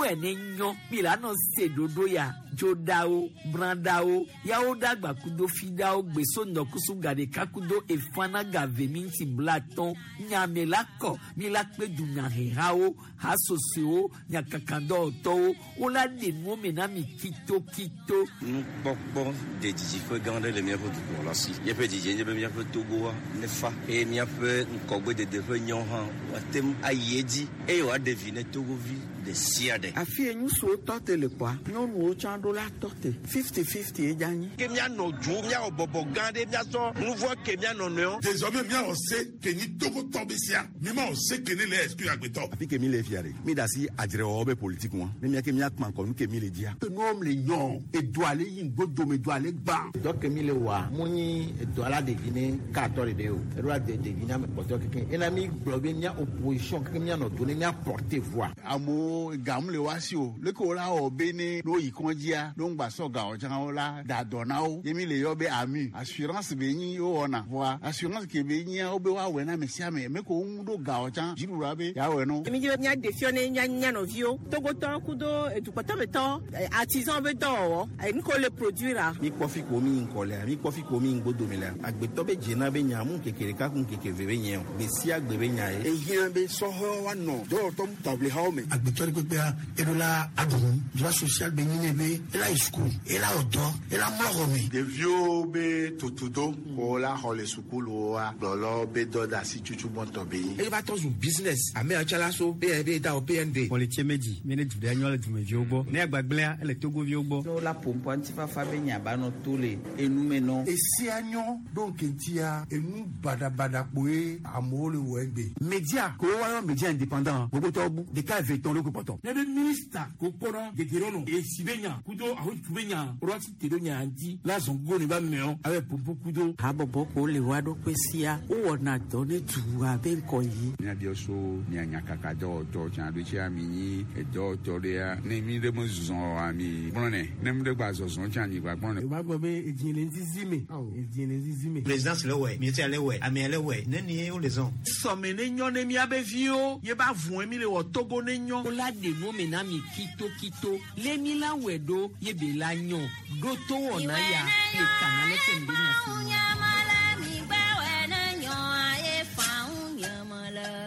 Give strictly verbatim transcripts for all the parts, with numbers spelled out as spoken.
Miwɛ ne nyɔ mi la nɔ se ɖoɖo ya dzoɖawo brãɖawo yawo ɖagba kudo fiɖawo gbeso ŋdɔkusu gaɖeka kudo efana gave minti blatɔn nyame la kɔ mi la kpe dunyahehawo hasosoewo nyakakadɔwɔtɔwo wola ɖe nuwo me na mi kitokito. Nukpɔkpɔ de didiƒe gã aɖe le míaƒe dukplɔla si. Míaƒe didie nye be míaƒe Togoa nefa eye míaƒe ŋgɔgbedede ƒe nyawo hã woate ŋu ayi edzi eye wòaɖe vi ne Togovi ɖe sia ɖe. Afi ye ŋutsuwo tɔ te le kpɔa, nyɔnuwo tsã ɖo la tɔ te. Fifty fifty ye dza nyi. Ke míanɔ du míawɔ bɔbɔ gã ɖe míasɔ nu vɔ ke míanɔ nɔewo. Désormais míawɔ se ke nyi Togotɔ be sia mi ma wɔ se ke ne le exclure agbetɔ. Afi ke mi le fia ɖe mi da asi adzrewɔwɔ be politique ŋua ne miake miakpã kɔ nu ke mi le dzia. Nuwo le nyɔ edoa le yi ŋgodome doa le gbã. Dɔ ke mi le wɔa mu nyi edɔ la ɖevi ne katɔ ɖeɖe o eɖo la de ɖevi ne ame kpɔtɔ keke ena mi gblɔ be mía opposition keke míanɔ do ne mía porter voix. Amewo gamu le wa si o leke wo la wɔ be ne no yi kɔndzia no ŋgba sɔ gawo tsã wo la da dɔ na wo ye mi le yɔ be AMU assurance be nyi wo wɔna voa assurance ke be nyia wo be woawɔe na ame sia ame me ko ŋu ɖo gawo tsã dziɖuɖua be yeawɔe no. Mi dzi be míaɖe fiɔ ne mía mía nɔviwo Togotɔ kudo edukpɔtɔmetɔ artisan be dɔwɔwɔ nu ke wole produire. Mi kpɔ fi ko mi ŋkɔ lea mi kpɔ fi ko mi ŋgodome lea agbetɔ be dzena be nya mu ŋkeke ɖeka ku ŋkeke ve be nye o gbe sia gbe be nya ye. Ehiã be sɔhɛwo woanɔ dɔwɔtɔ taʋlihawo me. Agbetɔ ɖe kpekpea eɖo la aɖu nu droit social be nyi ne be ela yi suku ela wɔ dɔ ela mlɔ xɔ me. Ɖeviwo be tutudo ko la xɔ le sukuluwoa gblɔlɔ be dɔ da asi tutu gbɔntɔ be nyi. Eye va tɔ zu business ame yawo la so B N D da o B N D. Xɔ le tse me dzi mi ne du ɖe nyɔ le dumeviwo gbɔ ne agbagblẽa ele Togoviwo gbɔ. Ne wola ƒoƒoa ŋutifafa be nya ba nɔ to le enume nɔ. Esia nyɔ ɖo ŋkeŋtia enu baɖabaɖa kpoe amewo le wɔ egbe. Média ko woayɔ média indépendant gbogbotɔwo bu ɖeka eve tɔn ɖo kpɔtɔ. Ne be minista ko kpɔnɔ gegeɖe esi be nya kudo ahotu be nya ɖo asi te ɖo nya ŋuti la zɔn go ne ba mɛɔ abe popo kudo. Habɔbɔ ko le wa ɖokui sia wowɔna dɔ ne dua be ŋkɔ yi. Míabiɔ so mia nyakaka dɔwɔtɔ tsã ɖo tsia mi nyi edɔwɔtɔ ɖea ne mi ɖe me zɔ oa mi gblɔnɛ ne mi ɖe gba zɔzɔ tsã mi gba gblɔnɛ. O b'a gbɔ be edzi le ŋzizi me edzi le ŋzizi me. Présidence le wɛ mieti le wɛ amea le wɛ ne nie wo le zɔn. Sɔme ne nyɔ ne miabe viwo ye ba vɔn mi le wɔ Togo ne nyɔ. Wola ɖe nuwo me na mi kitokito lé mi la wɛ ɖo ye be la nyɔ ɖo to wɔna ya le kana le fɛn be nya si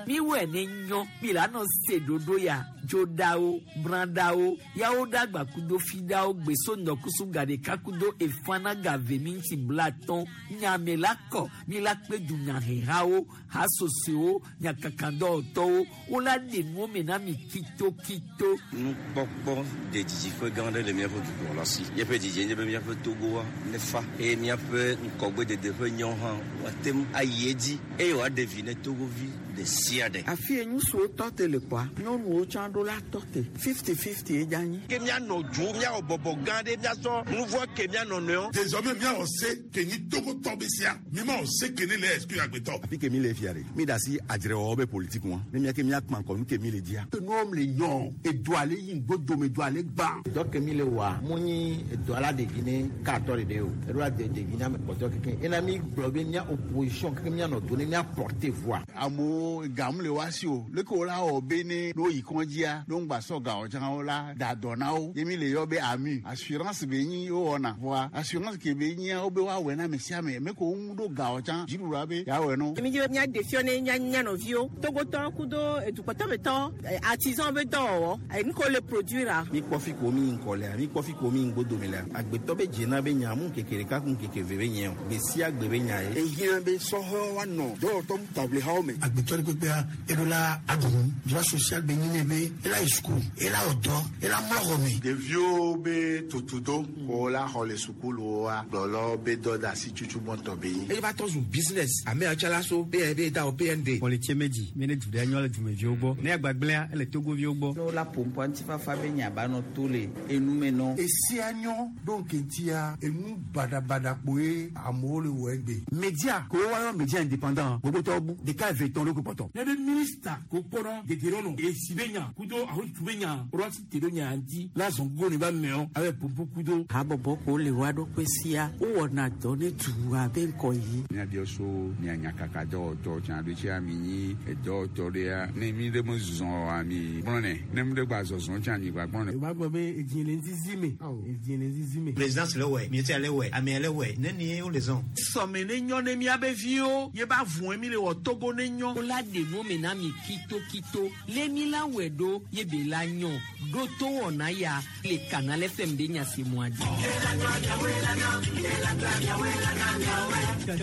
miwɛ ne nyɔ mi la nɔ se ɖoɖo ya dzoɖawo brãɖawo yawo ɖagba kudo fiɖawo gbeso ŋdɔkusu gaɖeka kudo efana gave minti blatɔn nyame la kɔ mi la kpe dunyahehawo hasosoewo nyakakadɔwɔtɔwo wola ɖe nuwo me na mi kitokito. Nukpɔkpɔ de didiƒe gã aɖe le míaƒe dukplɔla si. Míaƒe didie nye be míaƒe Togoa nefa eye míaƒe ŋgɔgbedede ƒe nyawo hã woate ŋu ayi edzi eye wòaɖe vi ne Togovi ɖe sia ɖe. Afi ye ŋutsuwo tɔ te le kpɔa, nyɔnuwo tsã ɖo la tɔ te. Fifty fifty ye dza nyi. Ke míanɔ du míawɔ bɔbɔ gã ɖe míasɔ nu vɔ ke míanɔ nɔewo. Désormais míawɔ se ke nyi Togotɔ be sia mi ma wɔ se ke ne le exclure agbetɔ. Afi ke mi le fia ɖe mi da asi adzrewɔwɔ be politique ŋua ne miake miakpã kɔ nu ke mi le dzia. Nuwo le nyɔ edoa le yi ŋgodome doa le gbã. Dɔ ke mi le wɔa mu nyi edɔ la ɖevi ne katɔ ɖeɖe o eɖo la de ɖevi ne ame kpɔtɔ keke ena mi gblɔ be mía opposition keke míanɔ do ne mía porter voix. Amewo gamu le wa si o leke wo la wɔ be ne no yi kɔndzia no ŋgba sɔ gawo tsã wo la da dɔ na wo ye mi le yɔ be AMU assurance be nyi wo wɔna voa assurance ke be nyia wo be woawɔe na ame sia ame me ko ŋu ɖo gawo tsã dziɖuɖua be yeawɔe no. Mi dzi be míaɖe fiɔ ne mía mía nɔviwo Togotɔ kudo edukpɔtɔmetɔ artisan be dɔwɔwɔ nu ke wole produire. Mi kpɔ fi ko mi ŋkɔ lea mi kpɔ fi ko mi ŋgodome lea agbetɔ be dzena be nya mu ŋkeke ɖeka ku ŋkeke ve be nye o gbe sia gbe be nya ye. Ehiã be sɔhɛwo woanɔ dɔwɔtɔ taʋlihawo me. Agbetɔ ɖe kpekpea eɖo la aɖu nu droit social be nyi ne be ela yi suku ela wɔ dɔ ela mlɔ xɔ me. Ɖeviwo be tutudo ko la xɔ le sukuluwoa gblɔlɔ be dɔ da asi tutu gbɔntɔ be nyi. Eye va tɔ zu business ame yawo tsã la so B N D da o B N D. Xɔ le tse me dzi mi ne du ɖe nyɔ le dumeviwo gbɔ ne agbagblẽa ele Togoviwo gbɔ. Ne wola ƒoƒoa ŋutifafa be nya ba nɔ to le enume nɔ. Esia nyɔ ɖo ŋkeŋtia enu baɖabaɖa kpoe amewo le wɔ egbe. Média ko woayɔ média indépendant gbogbotɔwo bu ɖeka eve tɔn ɖo kpɔtɔ. Ne be minista ko kpɔnɔ gegeɖe esi be nya kudo kudo ahotu be nya woɖo te ɖo nya ŋuti la zɔn gogo ne ba mɛɔ abe pompo kudo. Habɔbɔ ko le wa ɖokui sia wowɔna dɔ ne dua be ŋkɔ yi. Míabiɔ so mia nyakaka dɔwɔtɔ tsã ɖo tsia mi nyi edɔwɔtɔ ɖea ne mi ɖe me zɔn oa mi gblɔnɛ ne mi ɖe gba zɔzɔn tsã mi gba gblɔnɛ. Yorùbá gbọ́ pé èjì lè ń zizi mi èjì lè ń zizi mi. Présidence le wɛ, miete le wɛ, amea le wɛ, nenie wole zɔn. Sɔme ne nyɔ ne miabe viwo ye ba vɔn mi le wɔ Togo ne nyɔ. Wola de nu me na mi kitokito le mi la wɛ ɖo ye be la nyɔ ɖo to wɔna ya le Canal F M de nyasemua dzi.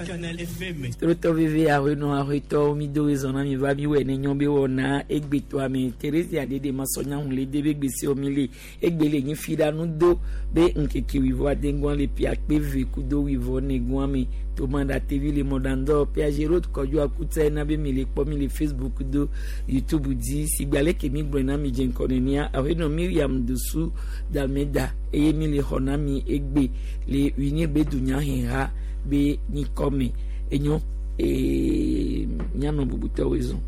Canal F M. Trotɔ veve ahenɔ ahetɔ mi do ezɔn na mi va mi wɛ ne nyɔ be wɔna egbetɔa me Teresa dede ma sɔ nya hun le de be gbese mi le egbe le nyi fi ɖa nu do be nkeke wivɔ adengua le pia kpe ve kudo wivɔ negua me tomanda T V le mɔdandɔ Piaget Road kɔdzo akutsa ena be mi le kpɔ mi le Facebook do YouTube dzi sigba leke mi gblɔe na mi dze ŋkɔ nenia ahenɔ Miriam Dosu Dalmeda eye mi le xɔ na mi egbe le UNIR be dunyaheha be nyikɔ me enyo ee mianɔ bubutɔwoe zɔn.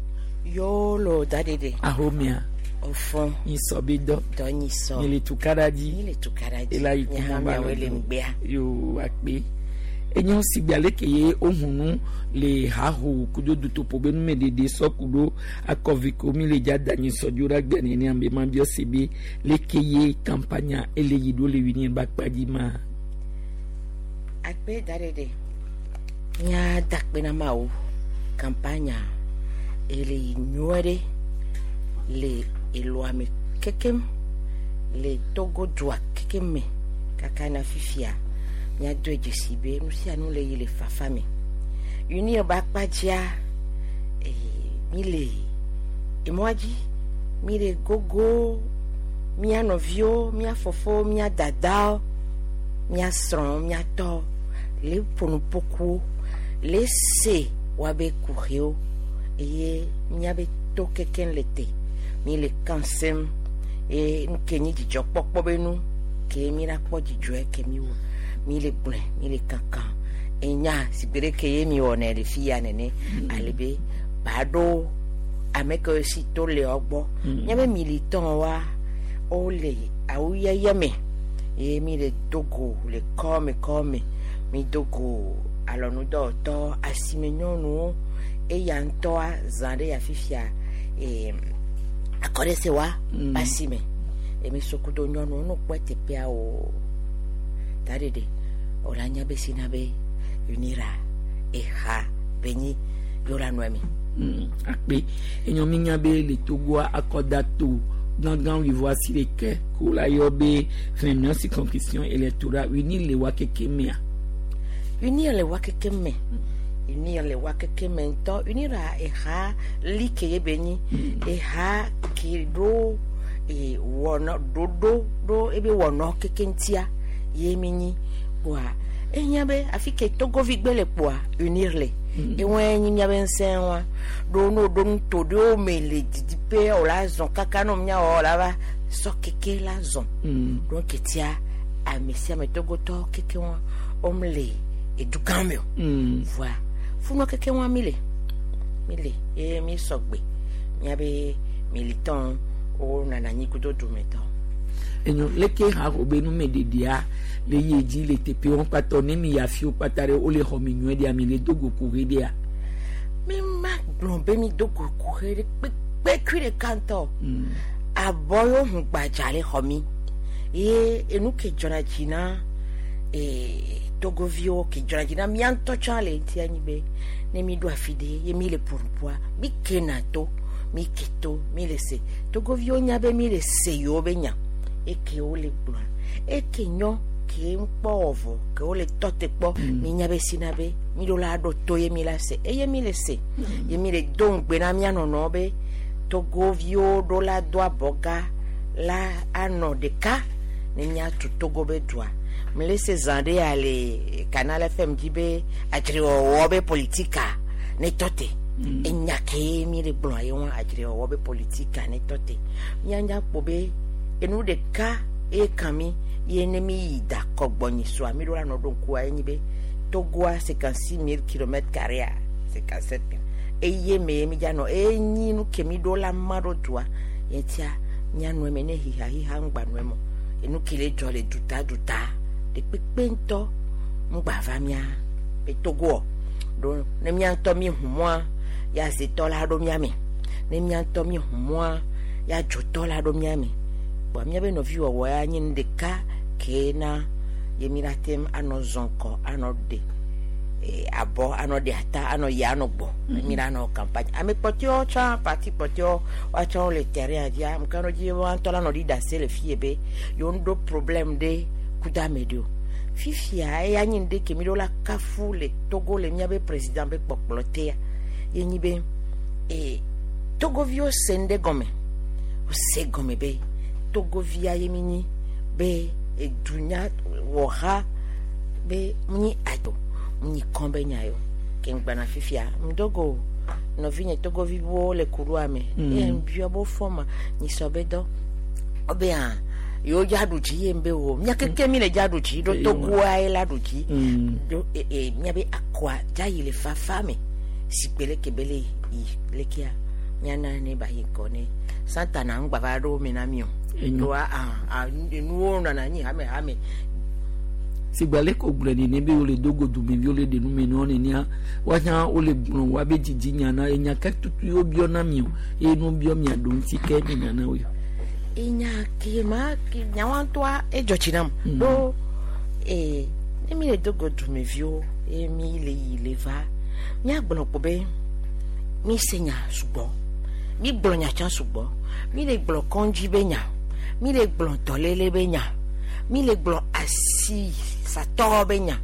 Yo lo da dede. Ahomea. Ofon. Nyisɔ be dɔ. Dɔ nyisɔ. Mi le tukara dzi. Mi le tukara dzi. Ela yi kuma ba le ŋgbea. Yo akpe. Enyo sigba leke ye ohunu le haho kudo dutopo be numeɖeɖe sɔ kudo akɔviko mi le dza da nyisɔ dzo ɖe agbe nene ame ma biɔ se be leke ye kampanya ele yi ɖo le UNIR ba kpa dzi ma. Akpe da ɖeɖe. Mía da akpe na Mawu. Kampanya ele yi nyuie ɖe le eloa me kekem le Togo dua kekem me kaka na fifia. Míado dzesi be nu sia nu le yi le fafa me. UNIR ba kpa dzia mi le emɔa dzi mi le gogo mía nɔviwo mía fofowo mía dadawo mía srɔ̃wo mía tɔwo le ƒonuƒokuwo le se woabe kuxiwo eye míabe to kekeŋ le te mi le kan sem eye nu ke nyi dzidzɔkpɔkpɔ be nu ke mi la kpɔ dzidzɔe ke mi wɔ mi le gblɔe mi le kankan enya sigbe ɖe ke ye mi wɔnɛ le fi ya nene ale be ba ɖo ame kewo si to le wo gbɔ míabe militant wa wole awu yeye me eye mi le do go le kɔme kɔme mi do go alɔnudɔwɔtɔ asime nyɔnuwo eya ŋutɔa zã ɖe ya fifia ee akɔɖe wa asime emi sokudo nyɔnuwo no kpɔ teƒea o ta ɖeɖe wòle anya be si na be UNIR eha be nyi yewo la nɔe mi. Akpe enyo mi nya be le Togoa akɔda to gãgã wivɔ asi ɖeke ko la yɔ be vingt-neuf circonscription électorale UNIR le wa keke mea. UNIR le wa keke me. UNIR le wa keke me ŋutɔ UNIR eha li ke ye be nyi eha ke ɖo ee wɔnɔ ɖoɖo ɖo ebe wɔnɔ keke ŋutia ye mi nyi kpoa ehiã be afi ke Togovi gbe le kpoa UNIR le ewɔe nyi miabe ŋusẽ wa ɖo no ɖo nuto ɖewo me le didiƒe wòle zɔn kaka no miawɔ la va sɔ keke la zɔn ɖo ketia ame sia ame Togotɔ keke wa wɔm le edugã me o voa funɔ keke wa mi le mi le eye mi sɔgbe miabe militant wo nana anyi kudo dumetɔ. Enyo leke haho be numeɖeɖea le yi dzi le teƒe wɔn kpatɔ ne mi ya fiwo kpata ɖe wole xɔ mi nyuie ɖea mi le do go kuxe ɖea. Mi ma gblɔ be mi do go kuxe ɖe kpekpe ɖeka ŋutɔ. Abɔ yewo hu gbadza le xɔ mi ye enu ke dzɔna dzi na ee Togoviwo ke dzɔna dzi na mía ŋutɔ tsã le ŋuti anyi be ne mi ɖo afi ɖe ye mi le ƒonuƒoa mi kena to mi ke to mi le se Togoviwo nya be mi le se yewo be nya eke wole gblɔa eke nyɔ ke ŋkpɔ wɔ vɔ ke wole tɔ te kpɔ mi nya be si na be mi ɖo la ɖo to ye mi la se eye mi le se ye mi le do ŋugbe na mía nɔnɔwo be Togoviwo ɖo la do abɔga la anɔ ɖeka ne míatu Togo be dua mele se zã ɖe ya le Canal F M dzi be adzrewɔwɔ be politika ne tɔ te enya ke mi le gblɔa ye wɔn adzrewɔwɔ be politika ne tɔ te míanya kpɔ be enu ɖeka eye kan mi ye ne mi yi da kɔgbɔnyi soa mi ɖo la nɔ ɖo ŋkua ye nyi be Togoa cinquante-six mille kilomètres carrés cinquante-sept eye me ye mi dza nɔ eye nyi nu ke mi ɖo la ma ɖo dua ye tia Mianɔ eme ne hihahiha ŋgba nɔ eme o. Enu ke le dzɔ le duta duta ɖe kpekpe ŋutɔ ŋgba va mía be Togoɔ. Ɖo ne mía ŋutɔ mi ʋu mɔa, ya zetɔ la ɖo mía me. Ne mía ŋutɔ mi ʋu mɔa, ya dzotɔ la ɖo mía me. Kpoa míabe nɔviwɔwɔ ya nye nu ɖeka ke na ye mi la te ŋu anɔ zɔ ŋkɔ, anɔ ɖe abɔ, anɔ ɖe ata, anɔ yi, anɔ gbɔ. Mi la nɔ campagne. Ame kpɔtɔewo tsã, parti kpɔtɔewo, woatsã wole terrain dzia, ame ka ɖo dzi woa ŋutɔ la nɔ ɖi ɖase le fie be yewo ŋɖo problème ɖe ku ɖe ame ɖe o. Fifia eya nye nu ɖe ke mi ɖo la kafu le Togo le míabe président be kpɔkplɔ tea. Ye nyi be e Togoviwo se nu ɖe gɔme. Wose gɔme be Togovia ye mi nyi be edunya wɔha be nyi adzo nyi kɔn be nya yo. Ke ŋgbana fifia ŋdogo nɔvinye Togoviwo le kuɖoa me. Eye ŋbiɔ bo fɔma nyi sɔ be dɔ. Wobe hã yewo dza ɖu dzi ye ŋbe wo. Mía keke mi le dza ɖu dzi ɖo Togoa ye la ɖu dzi. Ɖo e e míabe akɔa dza yi le fafa me. Si kpe leke be le yi lekea míana ne ba yi ŋkɔ ne Santana ŋgba va ɖo me na mi o. Ɖoa a a enuwo nɔna anyi hame hame. Sigba le ko gblɔ nene be wole do go dumevi wole ɖe nu me nɔ nenea woahã wole gblɔ woabe dzidzi nya na enya ke tutu yewo biɔ na mi o eye nu biɔ mia ɖo ŋuti ke mi nya na wo. Enya ke ma ke nyawo ŋutɔa edzɔ dzi nam. Ɖo ee ne mi le do go dumeviwo eye mi le yi le va míagblɔ kpo be mi se nya sugbɔ, mi gblɔ nya tsã sugbɔ, mi le gblɔ kɔndzi be nya, mi le gblɔ dɔléle be nya, mi le gblɔ asi satɔ be nya,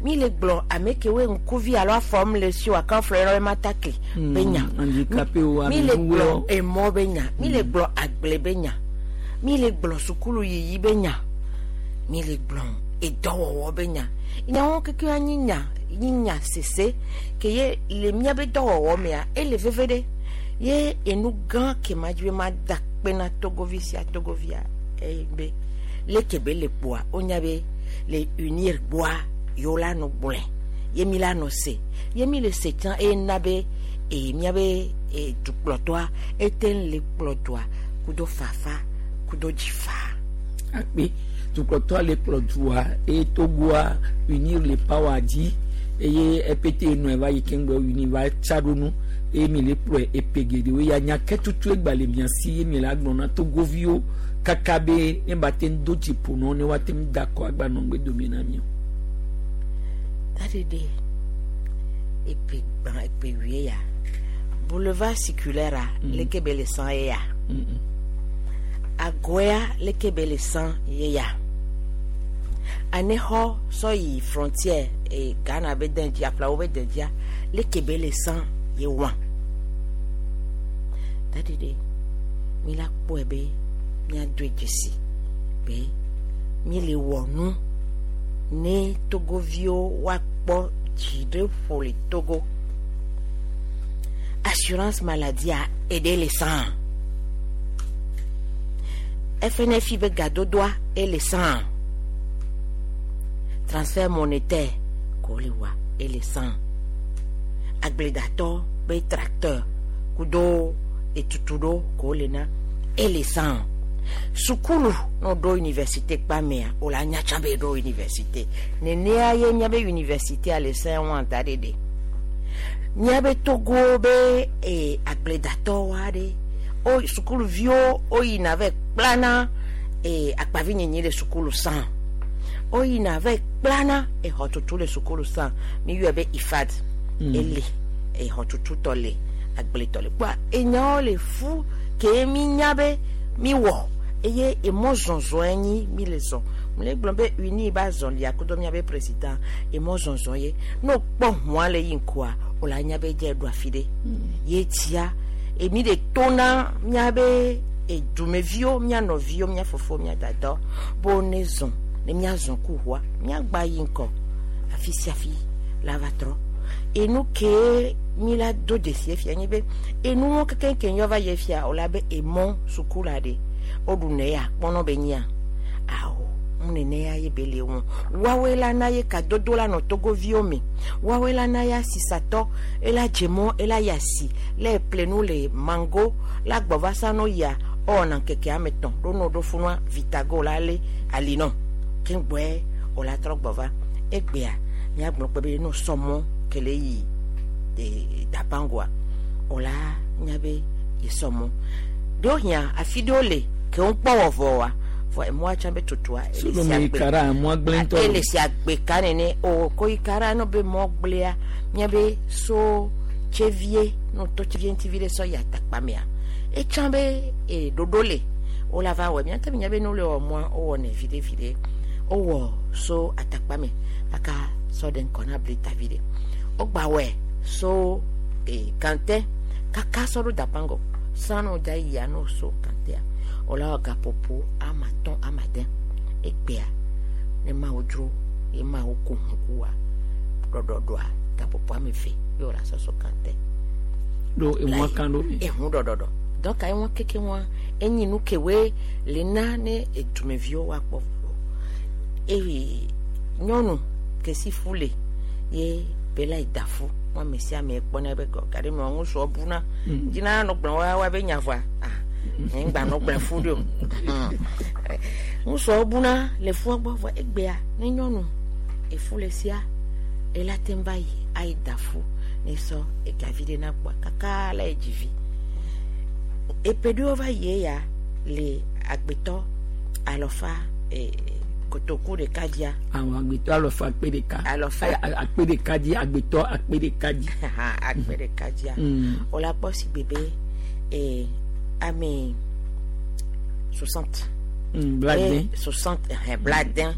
mi le gblɔ ame kewoe ŋkuvi alo afɔm le si wòaka flɔ yɔrɔ be matakli be nya, handicapé mi le gblɔ emɔ be nya, mi le gblɔ agble be nya, mi le gblɔ sukulu yiyi be nya, mi le gblɔ edɔwɔwɔ be nya. Nyawo keke anyi nya nyi nya sese ke ye le míabe dɔwɔwɔ mea ele veve ɖe ye enu gã ke ma dzi be ma da kpe na Togovi sia Togovia eye be leke be le kpoa wonya be le unir gbɔa yewo la nɔ gblɔe ye mi la nɔ se ye mi le se tsã eye na be e míabe e dukplɔtɔa ete ŋu le kplɔ dua kudo fafa kudo dzifa. Akpe dukplɔtɔa le kplɔ dua eye Togoa unir le power dzi eye epete nɔ eva yi keŋ gbɔ unir va tsa ɖo nu eye mi le kplɔe epe geɖewo ya nya ke tutu egba le mia si ye mi le agblɔ na Togoviwo kaka be ne ba te ŋu do dziƒo nɔ ne woate ŋu da akɔ agba nɔ ŋgbe dome na mi o. Taɖeɖe epe gbã epe wie ya boulevard circulaire a leke be le san ye ya Agoya leke be le san ye ya Anexɔ sɔ yi frontière e Ghana be den dzi Aflawo be den dzia leke be le san ye wa. Taɖeɖe mi la kpɔe be míadoe dzesi be mi le wɔ nu ne Togoviwo woakpɔ dzi ɖe ƒo le Togo. Assurance maladie a eɖe le san. F N F I be gadodoa ele san. Transfert monétaire ko le wa ele san. Agbledatɔ be tracteur kudo etutu ɖo ko le na ele san. Sukulu no ɖo université kpa mea o la nya tsã be ɖo université. Nenea ye míabe université a le san wa da ɖeɖe. Míabe Togo be e agbledatɔwo aɖe o sukuluviwo o yina va kplana e akpavinyenye le sukulu san. O yina va kplana exɔtutu le sukulu san. Mi yɔe be I F A D ele exɔtutu tɔ le agbletɔ le kpoa enyawo le fu ke mi nya be mi wɔ eye emɔ zɔzɔ nyi mi le zɔ. Mi le gblɔ be uni ba zɔlia kudo míabe président emɔ zɔzɔ ye ne wokpɔ hũa le yi ŋkua o la nya be dze ɖo afi ɖe ye dzia emi le tona míabe edumeviwo mía nɔviwo mía fofowo mía dadawo be wo ne zɔ ne míazɔ ku ʋua míagba yi ŋkɔ afi sia afi la va trɔ enu ke mi la do dzesi fia nye be enuwo kekeŋ yɔ va yi fia o la be emɔ sukula ɖe o ɖu ne ya kpɔnɔ be nyia awo nene ya ye be le ŋu woawoe la na ye kadodo la nɔ Togoviwo me woawoe la na ya sisatɔ ela dze mɔ ela yi asi le ple nu le mango la gbɔ va sa no yia Ewɔna ŋkeke ame etɔ̃ ɖo ne woɖo funua vitago la lé ali nɔ keŋgbɔe wòla trɔ gbɔ va. Egbea míagblɔ kpe be ne wosɔ mɔ ke le yi e, Dapangoa wòla nya be yesɔ mɔ. Ɖewo hiã afi ɖewo le ke wokpɔ wɔ vɔ wa vɔ emɔa tsã be tutua ele si agbe kara mɔ gblẽ ŋutɔ. Ele si agbe ka nene o ko yi kara no be mɔ gblẽa míabe so tsevie no to tsevie ŋuti vi ɖe sɔ yi atakpa mea etsã be e ɖoɖo le wola va wɔ míate ŋu nya be ne wole wɔ mɔa wowɔnɛ viɖe viɖe wowɔ so atakpa me kaka sɔ ɖe ŋkɔ na blita vi ɖe wogba wɔe so e kante kaka sɔ ɖo Dapango sanu dza yia no so kantea wola wɔ gaƒoƒo ama atɔ̃ ama ade egbea ne mawo dzro ye mawo ko ŋkua ɖɔɖɔɖɔa gaƒoƒo ame eve ye wola sɔ so kante ɖo emɔ kan ɖo mi. Ehu ɖɔɖɔɖɔ donc ayi keke wɔn enyi nu kewoe le na ne edumeviwo woakpɔ eye nyɔnu kesi fu le ye be la yi da fu wɔn ame sia ame kpɔna be gɔ gaɖe me wɔn ŋutsua buna dzina nɔ gblɔ wa wa be nya vɔa ah ŋgba nɔ gblɔ fu ɖe o ŋutsua buna le fua gbɔ vɔ egbea ne nyɔnu efu le sia ela te va yi ayi da fu ne sɔ egavi ɖe na kpɔa kaka la yi dzi vi eƒe ɖewo va yi ya le agbetɔ alɔfa e, kotoku ɖeka dzia. Àwọn agbetɔ alɔfa akpe ɖeka. Alɔfa akpe ɖeka dzi agbetɔ akpe ɖeka dzi. Akpe ɖeka dzia. Wola kpɔ si gbe be e, ame soixante. Bladen. Soixante ɛhɛn bladen.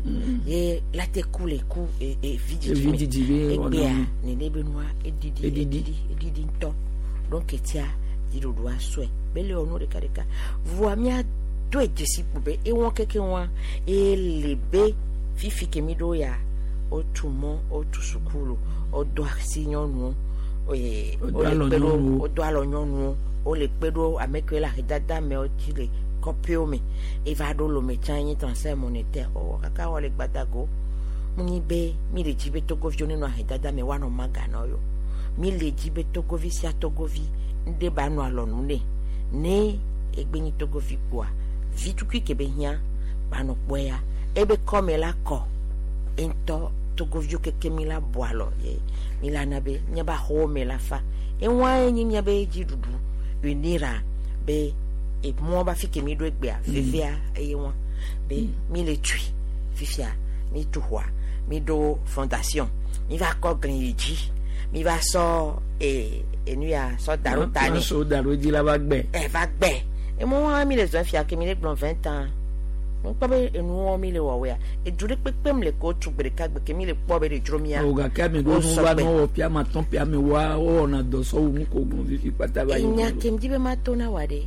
Ye la te ku le ku e, e, vidzidzi me. Vidzidzi be egbea nene be nua eɖiɖi eɖiɖi eɖiɖi ŋutɔ donc etia dziɖuɖua sɔe bele wɔ nu ɖeka ɖeka voa mía do dzesi kpo be ewɔ keke wɔa ele be fifi ke mi ɖo ya wotu mɔ wotu sukulu wodo asi nyɔnuwo ee wole kpe ɖo wodo alɔ nyɔnuwo wole kpe ɖo ame kewo le ahedada me wotsi le kɔƒewo me eva ɖo lome tsã nye transfert monétaire wowɔ kaka wɔ le gbadago munyi be mi le dzi be togoviwo nenɔ ahedada me woanɔ maganɔ yo mi le dzi be togovi sia togovi ŋɖe ba nɔ alɔnu nɛ ne egbe nyi togovi kpoa vi tukui ke be hiã ba nɔ kpɔe ya ebe kɔme la kɔ ŋutɔ togoviwo keke mi la bɔ alɔ ye mi la na be míabe axɔwo me la fa eŋua ye nyi míabe dziɖuɖu unira be emɔ ba fi ke mi ɖo egbea vevea eye wɔn be mi le tui fifia mi tu xɔa mi ɖo fondation mi va kɔ gli yi dzi mi va sɔ ee enu ya sɔ da ɖo ta ne sɔ da ɖo dzi la va gbɛ. Ɛ va gbɛ emɔ wa mi le zɔn fia ke mi le gblɔ vingt ans ŋkpɔ be enuwo mi le wɔwɔa edu ɖe kpekpe mi le ko tu gbe ɖeka gbe ke mi le kpɔ be ɖe dzro mia. O gake ame ɖewo nu va nɔ wɔ ƒe ame atɔ̃ ƒe ame wa wɔna dɔ sɔwu nu ko gblɔ fifi kpata va yi. Enya ke mi di be ma to na wa ɖe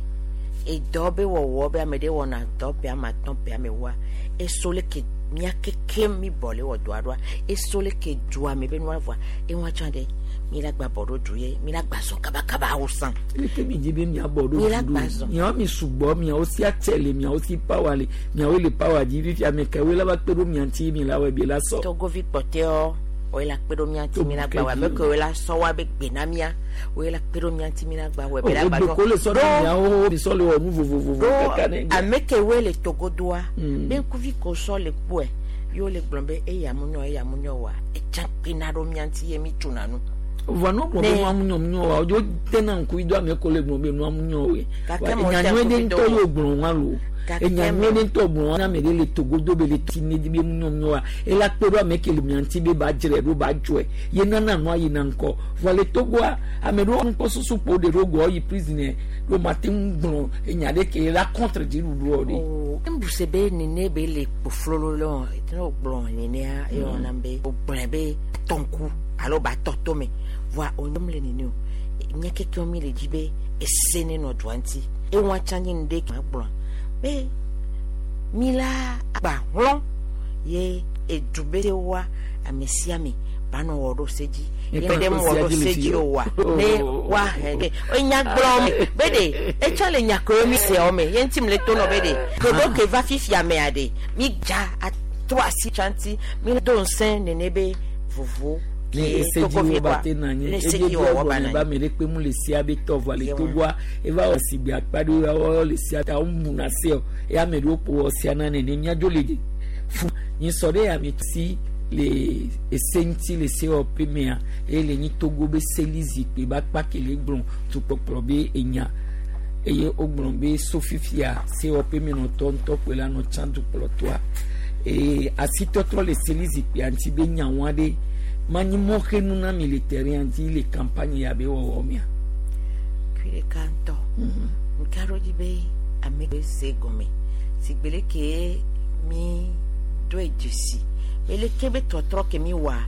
edɔ be wɔwɔ be ame ɖe wɔna dɔ ƒe ame atɔ̃ ƒe ame wa eso le ke mia keke mi bɔ le wɔ dɔa ɖoa eso le ke dua me be nua vɔa eŋua tsã ɖe mi la gba bɔ ɖo du ye mi la gba zɔn kabakaba wo san. Leke mi dzi be mia bɔ ɖo Mi la du gba zɔn. miawo mi sugbɔ miawo si atse le miawo si pawa le miawo le pawa dzi fifi ame kewoe la va kpe ɖo mia ŋuti mi la wɔe bi la sɔ. Togovi kpɔtɛɔ woe la kpe ɖo mia ŋuti mi la gba wɔ ame kewoe la sɔ wa be gbe na mia woe la kpe ɖo mia ŋuti mi la gba wɔ be la gba O ko le sɔ ɖe miawo mi sɔ le wɔ nu vovovovo kaka ne. Ame kewoe le togodoa be ŋkuvi ko sɔ le kpɔe ye wole gblɔ be eya mu nyɔ eya mu nyɔ wa etsa kpena ɖo mia ŋuti ye mi tsona nu. Vɔ no gblɔ be nua mu nyɔ mu nyɔ wa o tena ŋku yi do ame ko le gblɔ be nua mu nyɔ woe. Gake me Enya wote nyuie ɖe ŋkuvi do ŋutɔ wo. ye gblɔ wa lo. Gake Enya me- nyuie ɖe ŋutɔ gblɔ wa ne ame ɖe le togodo be le ti ne di be mu nyɔ mu nyɔ wa ela kpe ɖo ame ke le mia ŋuti be ba dzre ɖo ba dzɔe ye nana nua yina ŋkɔ. Vɔ le Togoa ame ɖewo nukpɔsusu ƒo ɖe ɖo gɔ yi prison ɖo mate ŋu gblɔ enya ɖe ke la contre dziɖuɖuɔ ɖe. Ŋbuse be nene be le kpoflolo le wɔn ne wogblɔ nenea eye wɔna be wogblɔe be tɔ ŋku alo ba tɔ tome voa wonyom le nene o mía kekewo mi le dzi be ese ne nɔ dua ŋuti eŋua tsã nye nu ɖe ma gblɔ be mi la agba hlɔ ye edu be wa ame sia ame ba nɔ wɔ ɖo se dzi ye Eka ɖe ko mu wɔ sia ɖo dzi le se fi dzi o. o wa ne wa hɛn ɖe enya gblɔ me be ɖe etsɔ le nyakoe mi seawo me ye ŋuti mi le to nɔ be ɖe ɖoɖo ke va fifia mea ɖe mi dza atrɔ asi tsã ŋuti mi do ŋusẽ nene be vovo Ne ese dzi wo ba te na nyi eye bi ɔgbɔ ba mi ɖe kpe mu le sia be tɔ vɔ le Togoa eva wɔ si gbe akpa ɖe wo le sia ta wo mu na se o eya ame ɖewo ƒo wɔ sia na nene miadzo le fu nyi sɔ ɖe ame si le ese ŋuti le sewɔƒe mea eye le nyi Togo be seli zikpui be akpa ke le gblɔ tukpɔkplɔ be enya eye wogblɔ be sofifia sewɔƒe menɔtɔ ŋutɔ koe la nɔ tsã dukplɔtɔa eye asitɔtrɔ le seli zikpuia ŋuti be nyawo aɖe manyi mɔxenu na mi le terrain dzi le campagne ya be wɔwɔ mea. Kui ɖeka ŋutɔ ŋka ɖo dzi be ame se gɔme si gbe leke mi doe dzesi be leke be tɔtrɔ ke mi wɔa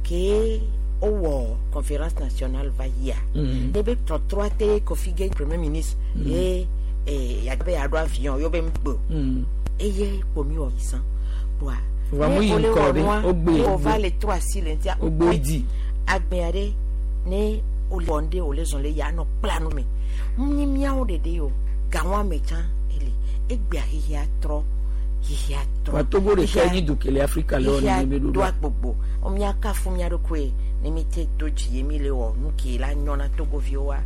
ke wowɔ conférence nationale va yia ne be tɔtrɔa te Kofi ge premier ministre ye yabe yaɖo avion yewo be ŋgbe eye kpo mi wɔ san kpoa wa mu yi ŋkɔ ɖe wogbe wova le trɔ asi le ŋutia wogbe dzi agbea ɖe ne wole wɔ ŋɖe wòle zɔn le ya nɔ kpla nu me nyi miawo ɖeɖe o gawọn ame tsã ele egbea xexea trɔ xexea trɔ wa Togo ɖeka nyi du ke le Afrika le wɔna ne be ɖoɖo do agbogbo miakafu mia ɖokoe ne mi te do dzi ye mi le wɔ nu ke la nyɔna Togoviwoa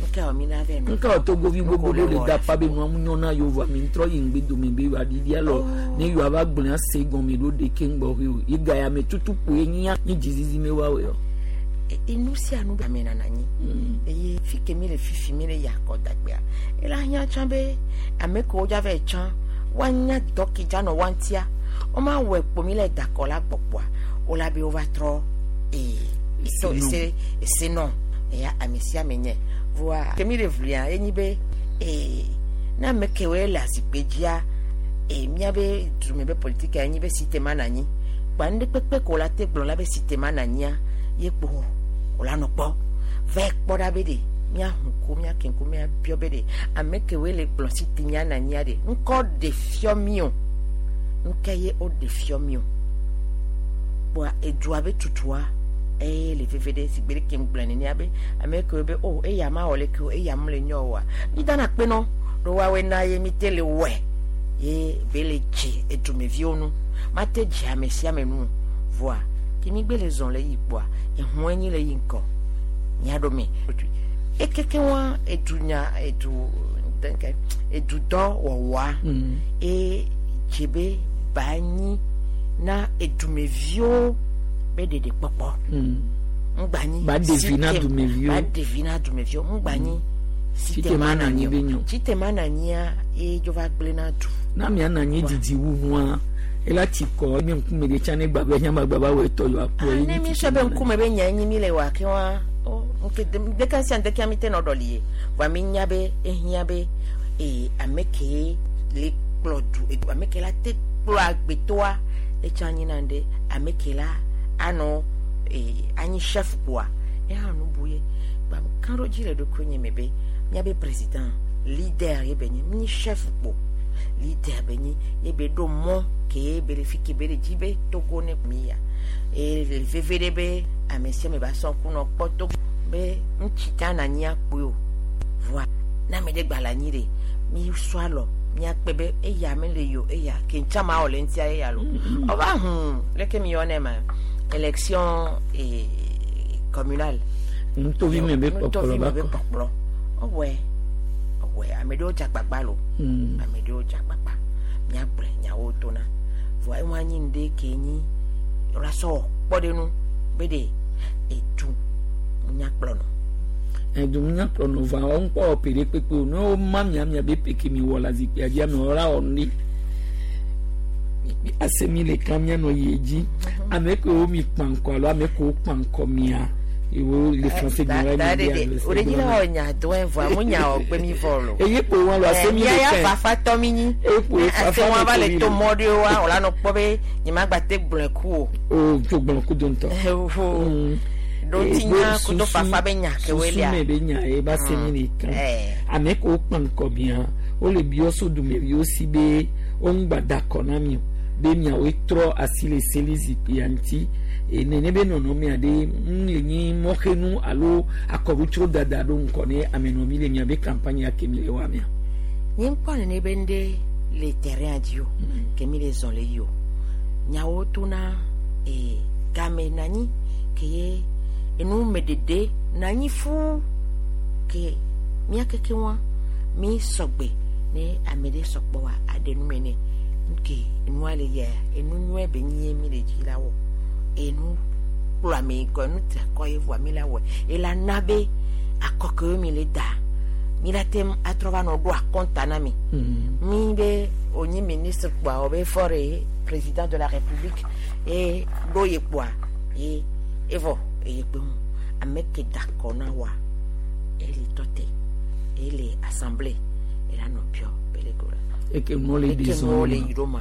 nuka wɔ mi na vɛ nka wɔ Togovi gbogbo ɖe le da pa be nua mu nyɔna yewo mi ŋtrɔ yi ŋgbe dome be yewoa ɖiɖi alɔ ne yewoa va gblẽ ase gɔme ɖo ɖeke ŋgbɔ he o ye ga ya me tutu kpoe nyia nyi dzizizi me woawɔe o. Enu sia nu ame nana anyi eye fi ke mi le fifi mi le yakɔ dagbea ela hiã tsã be ame kewo dza va tsã woanya dɔ ke dza nɔ woa ŋutia woma wɔe kpo mi le dakɔ la gbɔgbɔa wola be wova trɔ ee ese ese nɔ eya ame sia ame nye voa ke mi le vlia enyi be ee ne ame kewoe le azikpui dzia ee miabe dume be politika enyi be si te ma na anyi kpa nu ɖe kpekpe ko la te gblɔ la be si te ma na anyia ye kpo wòla nɔ kpɔ va kpɔ ɖa be ɖe míahu ko míake ko míabiɔ be ɖe ame kewoe le gblɔ si te mía na anyia ɖe ŋkɔ ɖe fiɔ mi o ŋkɛ ye wo ɖe fiɔ mi o kpoa edua be tutua eye le veve ɖe si gbe ɖe kem gblɔ nenea be ame kewoe be o eya ma wɔ leke o eya mu le nyɔ oa mi dana kpe nɔ ɖo woawoe na ye mi te le wɔe ye be le dze edumeviwo nu ma te dze ame sia ame nu voa ke mi gbe le zɔn le yi kpoa ehun enyi le yi ŋkɔ miaɖo me ekeke wa edunya edu dɛnkɛ edudɔ wɔwɔa eye dze be ba nyi na edumeviwo be ɖeɖe kpɔkpɔ ŋgba nyi ba ɖevi na dumeviwo ba ɖevi na dumeviwo ŋgba nyi si te ma na anyi be nyɔ si te ma na anyia ye dzo va gblẽ na du na mia na anyi didi wu nua ela ti kɔ mi ŋkume ɖe tsã ne gbagbe nyama gbagba wɔ etɔ yɔ akpɔ ye. Ne mi sɔ be ŋkume be nya enyi mi le wɔ ake wa o nke ɖeka sia ɖeka mi te nɔ ɖɔli ye vɔa mi nya be ehiã be ee ame ke le kplɔ du ame ke la te kplɔ agbetɔa etsã anyi na ɖe ame ke la anɔ ee anyi chef kpoa eha nu bu ye gba kan ɖo dzi le ɖokui nye me be miabe président leader ye be nye mi chef kpo leader be nye ye be ɖo mɔ ke be le fi ke be le dzi be Togo ne mi ya eye le veve ɖe be ame sia ame ba sɔ ŋku nɔ kpɔ Togo be ŋutsi ta na anyi akpoe o voa ne ame ɖe gba le anyi ɖe mi sɔ alɔ miakpe be eya me le yo eya ke ŋtsa ma wɔ le ŋutia eya lo ɔva hũn leke mi yɔ ne ma élection ee communale nutovi me be kpɔkplɔ ba kpɔkplɔ ɔwɔe ɔwɔe ame ɖewo dze agbagba lo ame ɖewo dze agbagba miagblɔe nyawo tona voa eŋu anyi nu ɖe ke nyi la sɔ kpɔ ɖe nu be ɖe edu nyakplɔ nɔ. Edu nyakplɔ nɔ va wɔn kpɔ ɔpe ɖe kpekpe o ne wo ma mia mia be peke mi wɔ la zikpuia dzi ame wɔ la wɔ nu ɖi ase mi le kan mianɔ yi dzi ame kewo mi kpa ŋkɔ alo ame kewo kpa ŋkɔ mia ewo le français gbɔn la mi bi o de nyina wɔ nya dɔn vɔ amu nya wɔ gbe mi vɔ lo. Eye kpo wɔn lo ase mi le ya kɛn fafa tɔ mi nyi. Eye kpo fafa ase wɔn va le to mɔ ɖe wa o la nɔ kpɔ be nye ma gba te gblɔe ku o. O tso gblɔ ku do ŋutɔ. Ɖo ti nya kudo fafa be nya kewoe lia. Susu me be nya ye ba se mi le kan ame kewo kpa ŋkɔ mia wo le biɔ so dumeviwo si be wo ŋgba da kɔ na mi o be miawoe trɔ asi le seli zikpuia ŋuti nene be nɔnɔmea ɖe ŋu le nyi mɔxenu alo akɔbutso dada ɖo ŋkɔ ne amenɔvi le miabe campagne ya ke mi le wɔa mea. Nye ŋkpɔ nene be ŋɖe le terrain dzi o ke mi le zɔn le yi o nyawo tona ee Game nanyi ke ye enu me dede nanyi fu ke mia keke wa mi sɔgbe ne ame ɖe sɔgbɔ wa aɖe nu me ne nke enua le yia enu nyuie be nyi mi le dzi la wɔ enu kplɔ ame kɔ enu tra kɔ ye voa mi la wɔ ela na be akɔkewo mi le da mi la tem atrɔ va nɔ ɖo akɔnta na mi mi be onye ministre kpoa o be fɔre président de la république ye ɖo ye kpoa ye evɔ eye kpe ŋu ame ke da kɔ na wa ele tɔ te ele assemblée ela nɔ piɔ bele go la eke nuwo le eke di nuwo le zɔn yi ɖo ma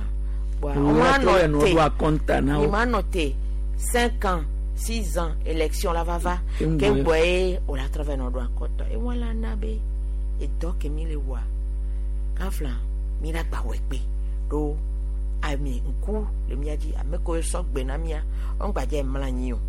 kpoa Wo o ma la trɔ nɔ nɔ te ɖo akɔnta na mi wo ma nɔ te cinq ans six ans élection la va va Ke ŋgbɔ ke ye. ŋgbɔ ye o la trɔ va nɔ ɖo akɔntɔ ewa la na be edɔ ke mi le wɔa kafla mi la gba wɔ kpe ɖo ame ŋku le mia dzi ame kewo sɔ gbe na mia wɔn gbadze mla anyi o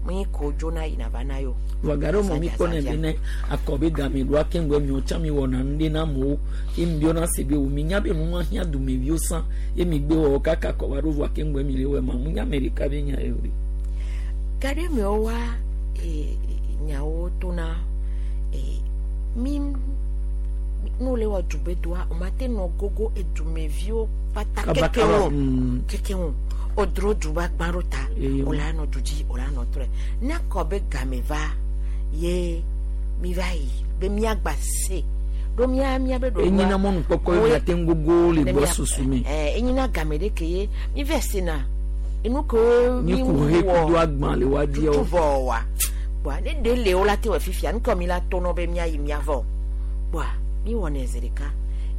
mi ko dzona yina va na yo vɔga ɖe mɔ mi kpɔ ne be ne akɔ be game ɖoa ke ŋgɔ miwo tsã mi wɔna nu ɖe na amewo ye mi biɔna se be wo mi nya be nu ma hiã dumeviwo sã ye mi gbe wɔwɔ kaka akɔ va ɖo vɔa ke ŋgɔ mi le wɔe ma mu nya ame ɖeka be nya ye o ɖe. Gaɖe mewo wa e, nyawo tona e, mi nu le wɔ dubedoa o ma te nɔ gogo edumeviwo kpata Kaba keke kaba, ŋu mm. keke ŋu o dro duba gbã ɖo ta Eye o la nɔ du dzi o la nɔ trɔe ne akɔ be game va ye mi va yi be miagba se ɖo mia mia be ɖoɖoa Enyina mɔnukpɔkpɔ ye Woe- miate ŋu gogo le ne gbɔ mia- susu me. ɛ enyina game ɖe ke ye mi vɛ sena enu kewo Ni mi ku he wɔ kudo agbã le wa tutu diɔ. vɔ wa kpoa ne ɖe le wo la te wɔ fifia nukɔ mi la to nɔ be miayi miavɔ kpoa mi wɔnɛ zi ɖeka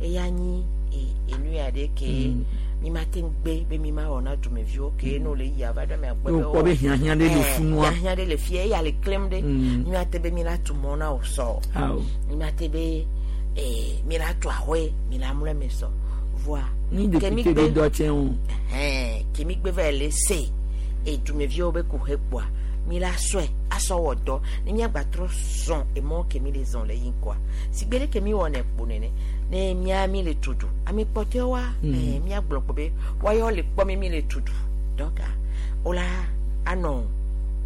eya nyi e- enu ya ɖe ke Mm. mi ma te gbe be mi ma wɔ na dumeviwo ke ne wo le yia va ɖo ame agbɔ Ye wokpɔ be hiahiã ɖe le funua. hiahiã ɖe le fia eya le klem ɖe Mm. mi ma te be mi la tu mɔ na wo sɔ Awo. mi ma te be ee mi la tu ahoe mi la mlɔ eme sɔ voa Ni ke mi député gbe be dɔ tsɛ o. ɛhɛn kemi gbe va le se edumeviwo be kuxe kpoa mi la sɔe asɔ wɔ dɔ ne miagba trɔ zɔn emɔ ke mi le zɔn le yi ŋkɔa sigbe ɖe ke mi wɔnɛ kpo nene ne mia mi le tutu ame kpɔtɔewoa Mm. ɛɛ miagblɔ kpo be woayɔ le kpɔ mi mi le tutu donc wola anɔ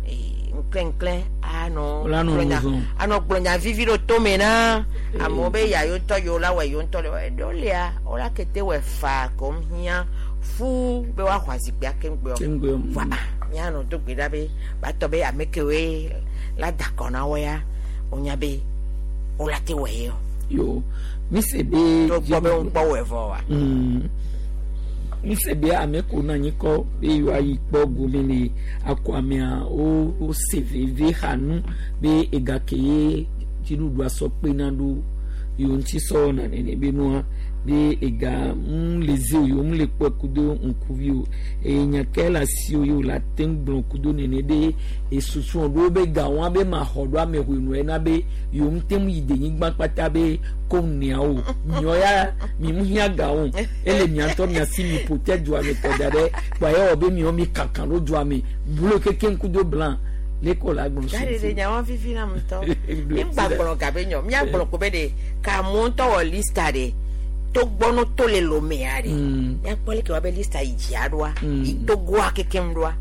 ee ŋklɛŋklɛ anɔ Wola nɔ gblɔ nya- nu zɔn. anɔ gblɔ nya vivi ɖo tome na amewo be ya yewo ŋutɔ yewo la wɔ yewo ŋutɔ le wɔ eɖewo lia wola kete wɔ faa kom hiã fuu be woaxɔ azikpuia keŋgbɔ Keŋgbɔ. voa mianɔ do gbe ɖa be batɔ be ame kewoe la da kɔ na wo ya wonya be wola te wɔ ye o Yo mi se be. to gbɔ be ŋukpɔ wɔe vɔ wa Mm. Mi se be ame ko na anyi kɔ be yewoayi kpɔ gome le akɔ amea wo wo se veve xa nu be ega ke ye dziɖuɖua sɔ kpena ɖo yewo ŋuti sɔ wɔna nene be nua be ega ŋu le zi o yewo ŋu le kpɔe kudo ŋkuvi o eye nya ke le asi o ye wo le ate ŋu gblɔ kudo nene ɖe esusu ɖewo be ga wɔn be ma xɔ ɖo ame hoe ena be yewo ŋu te ŋu yi denyigba kpata be ko nea o miɔ ya mi ŋu hiã ga o ele mia ŋutɔ mia si mi ƒo te dua me tɔ da ɖe kpa ye wɔ be miɔ mi kankan ɖo dua me blu keke ŋku do blanc le ko la gblɔ gaɖe ɖe nyawo vivi na ŋutɔ mi ŋgba gblɔ gabe nyɔ miagblɔ ko be ɖe kamu ŋutɔ wɔ lista ɖe togbɔ no to le lomea ɖe Mm. miakpɔ leke wa be lista yi dzia ɖoa Mm. yi togoa kekem ɖoa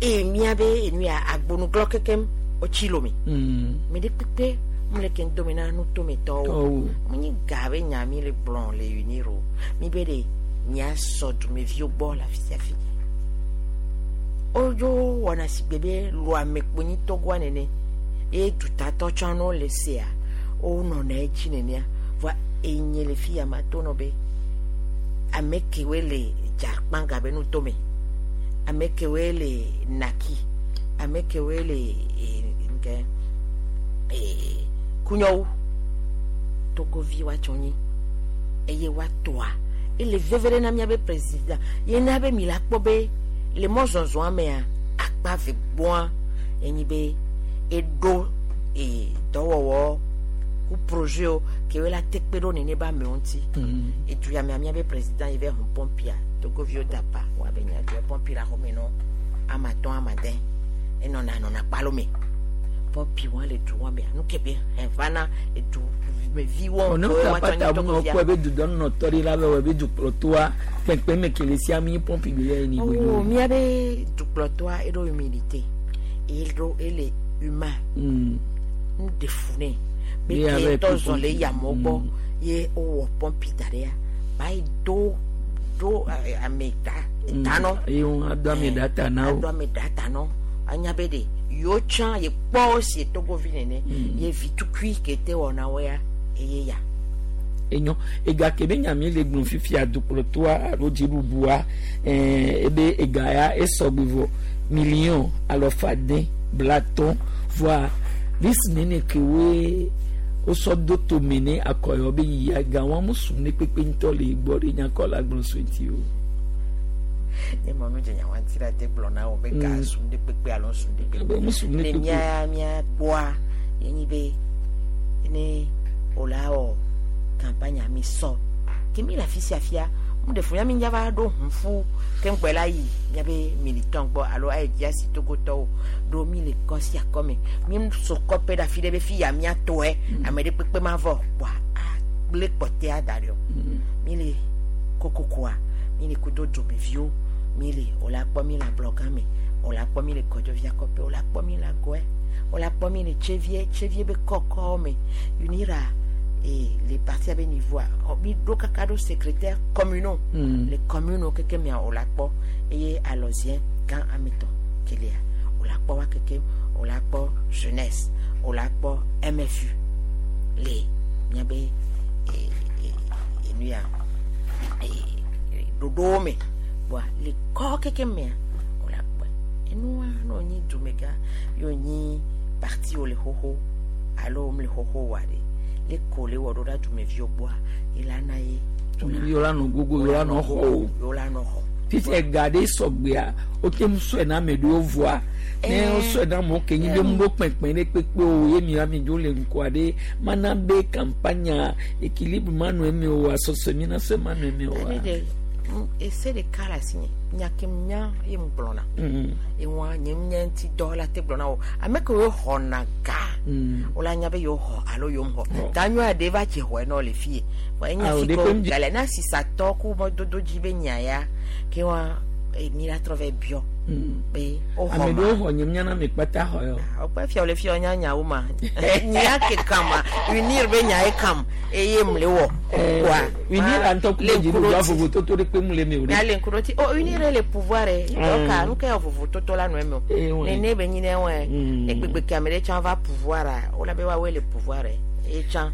eye miabe enu ya agbonuglɔ kekem wotsi lome mi ɖe kpekpe mu le ke ŋdome na nutometɔwo Tɔwo. mu nyi ga be nya mi le gblɔ le unir o mi be ɖe miasɔ dumeviwo gbɔ le afi sia fi wodzo wɔna sigbe be loame kponyi togoa nene ye dutatɔ tsã no le sea wonɔna edzi nenea voa enye le fi ya ma to nɔ be ame kewoe le dzakpanga be nutome ame kewoe le naki ame kewoe le e, nke e, kunyɔwo togovi woatsɔ nyi eye woatoa ele veve ɖe na miabe président ye na be mi la kpɔ be le mɔzɔzɔa mea akpa ve gbɔa enyi be eɖo e, dɔwɔwɔ ku projet wo kewoe la te kpe ɖo nene be amewo ŋuti edu ya mea miabe président yi be hun pɔmpia togoviwo da pa woabe nya dua pɔmpi la xɔme nɔ ama atɔ̃ ama ade enɔna nɔna kpalo me Pɔmpi wa le du wa mea nu ke be hɛn va na edu me vi wɔ ɔne ta pata mu na ɔkɔ ebe dudɔ nɔtɔ ɖe la be wɔ ebe dukplɔtɔa kpɛnkpɛn me kele sia mi pɔmpi be ya ni o miabe dukplɔtɔa eɖo humilité eɖo ele humain Mm. nu de fu nɛ be Ye abe ke tɔ zɔn le pɔmpi. yamɔ gbɔ ye wowɔ pɔmpi da ɖe ya ba yi do do eh, ame ta tanɔ eye wɔn ado ame ɖa ta na wo ado ame ɖa ta nɔ anya be de yewo tsã ye kpɔ si togovi nene ye vi tukui ke te wɔna wɔ ya eye ya enyo ega ke be nyami le gblɔ fifia dukplɔtɔa alo dziɖuɖua ɛɛ ebe ega ya esɔgbe vɔ million alɔfa den blatɔn voa visi nene ke woe wosɔ do tome ne akɔyɔ be yia ga wɔn mo sum ne kpekpe ŋutɔ le gbɔ ɖe nyakɔ la gblɔ so ŋuti o. ne mɔ nu dze nyawa ŋuti la te gblɔ na wo be ga Mm. sum ɖe kpekpe alo sum ɖe Be kpekpe mo sum ɖe le kpekpe. mía mía gbɔa ye nyi be ne wòla wɔ campagne mi sɔ ke mi le afi sia fia mu ɖe fu ya mi nya va ɖo ʋu ke ŋgbɛ la yi miabe militant gbɔ alo ayi dzi asi togotɔwo ɖo mi le kɔ sia kɔ me mi so kɔpe ɖe afi ɖe be fi ya mía tɔe ame ɖe kpekpe ma vɔ kpoa agble kpɔtɛa da ɖe o mi le kokokoa mi le kudo dzomeviwo mi le wòle akpɔ mi le ablɔgã me wòle akpɔ mi le kɔdzovia kɔƒe wòle akpɔ mi le agɔe wòle akpɔ mi le tsevie tsevie be kɔkɔwo me unira e le parti abe niveau a mi ɖo kaka ɖo secrétaire communaux Mm. le commune keke mea wòle akpɔ eye alɔzien gã ametɔ kelia wòle akpɔ wa keke wòle akpɔ jeunesse wòle akpɔ mfu le miabe e e enu ya e ɖoɖowo me bɔa le kɔ keke mea wòle akpɔe enua ne wònyi dumegã ye wònyi parti wo le xoxo alo wòm le xoxo wa ɖe le ko le wɔ ɖo ɖa dumeviwo gbɔa ye la na ye Dumeviwo la nɔ gogo yewo la nɔ xɔ o. yewo la nɔ xɔ Fifi ega ɖe sɔgbea wote ŋu sɔe na ame ɖewo vɔa ne wosɔe na amewo ke nyi be ŋu ɖo kpɛnkpɛn ɖe kpekpe o ye mi ami dzo le ŋkɔa ɖe mana be campagne équilibre ma nɔ eme o asɔsɔ mi na sɔe ma nɔ eme o ne ɖe mm, ese ɖeka le asinye nya ke nya ye ŋu gblɔna Mm. ewa nye nye ŋuti dɔ la te gblɔna o ame kewo xɔna ga Mm. wola nya be yewo xɔ alo yewo xɔ ta nyɔa ɖe va dze xɔe nɔ le fie vɔ enya Ah, o fi ɖe ko ƒe ŋdzi- gale na sisatɔ ku mɔdodo dzi be nya ya ke wa eh, mi la trɔ vɛ biɔ Mm. be wo xɔ Ame ma ɖewo xɔ nye mía na ame kpata xɔ yɔ. wokpe fia le fia nya nyawo ma nya ke kama unir be nya ye kam eye mle wɔ wa Unir la ŋutɔ ku le be dziɖuɖua ŋkuɖodzi. vovototo ɖe kpe mu le eme o ɖe. Mia le ŋkuɖodzi o unir le pouvoir ye Mm. donc nu ke yɔ vovototo la nɔ eme o Eh, ouais. nene be nyi ne wɔe Mm. egbegbe ke ame ɖe tsã va pouvoir a wola be woawoe le pouvoir ye eye tsã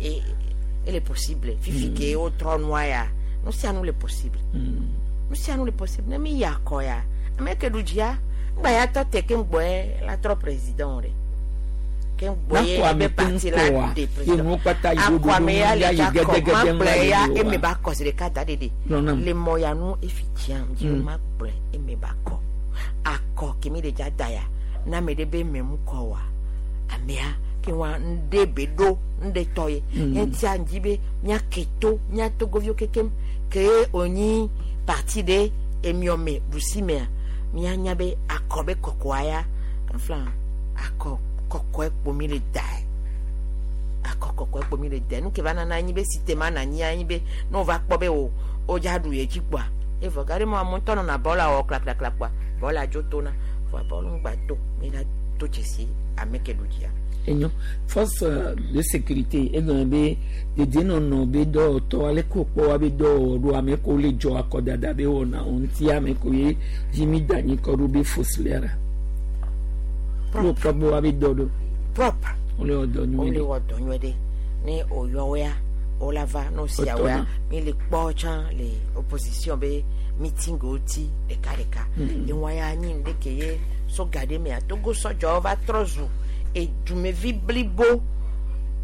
e ele possible fifi ke wotrɔ nua ya nu sia nu le possible nu sia nu le possible ne mi yi akɔ ya ame ke ɖu dzia ŋgba ya tɔ te ke ŋgbɔe la trɔ président ɖe ke ŋgbɔe Nakɔ ame ebe ke parti la ŋkɔa de ye président nuwo kpata yi ɖo akɔ ame ya le ya yi dza kɔ gɛdɛgɛdɛ ma ŋu la gblɔe ya yi ɖo eme wa. ba kɔ zi ɖeka da ɖeɖe Gblɔ nam. le mɔ ya nu efi dziam dzi Mm. ma gblɔe eme ba kɔ akɔ kemi ɖe dza da ya na ame ɖe be eme mu kɔ wa amea ke wa ŋɖe be ɖo ŋɖe tɔ ye Mm. eŋutia ŋdzi be míake to mía togoviwo kekem ke wònyi parti ɖe emiɔme ɖusimea míanya be akɔ be kɔkɔa ya kafla akɔ kɔkɔe kpo mi le dae akɔ kɔkɔe kpo mi le dae nu ke va nana anyi be si te ma na anyi anyi be ne wova kpɔ be o wodza ɖu ye dzi kpoa evɔ ga ɖe mɔ ame ŋutɔ nɔna bɔla wɔ klakplakpla kpoa bɔla dzo tona vɔa bɔlu ŋgba to mi la do dzesi ame ke ɖu dzia. Enyo force euh, de sécurité egɔme be dedienɔnɔ be dɔwɔtɔ ale ko kpɔ wa be dɔwɔwɔ ɖo ame ko le dzɔ akɔdada be wɔna wo ŋuti ame ko ye dzi mi da anyi kɔ ɖo be fosiliara wo kpɔ be wa be dɔ ɖo propre wole wɔ dɔ nyuie wole ɖe wɔ dɔ nyuie ɖe ne woyɔ woa wola va ne wosia woa Wotɔna. mi le kpɔ tsã le opposition be meeting wo ti ɖeka ɖeka Mm. ewa ya nyi nu ɖe ke ye so ga ɖe mea togo sɔdzɔwo va trɔ zu edumevi blibo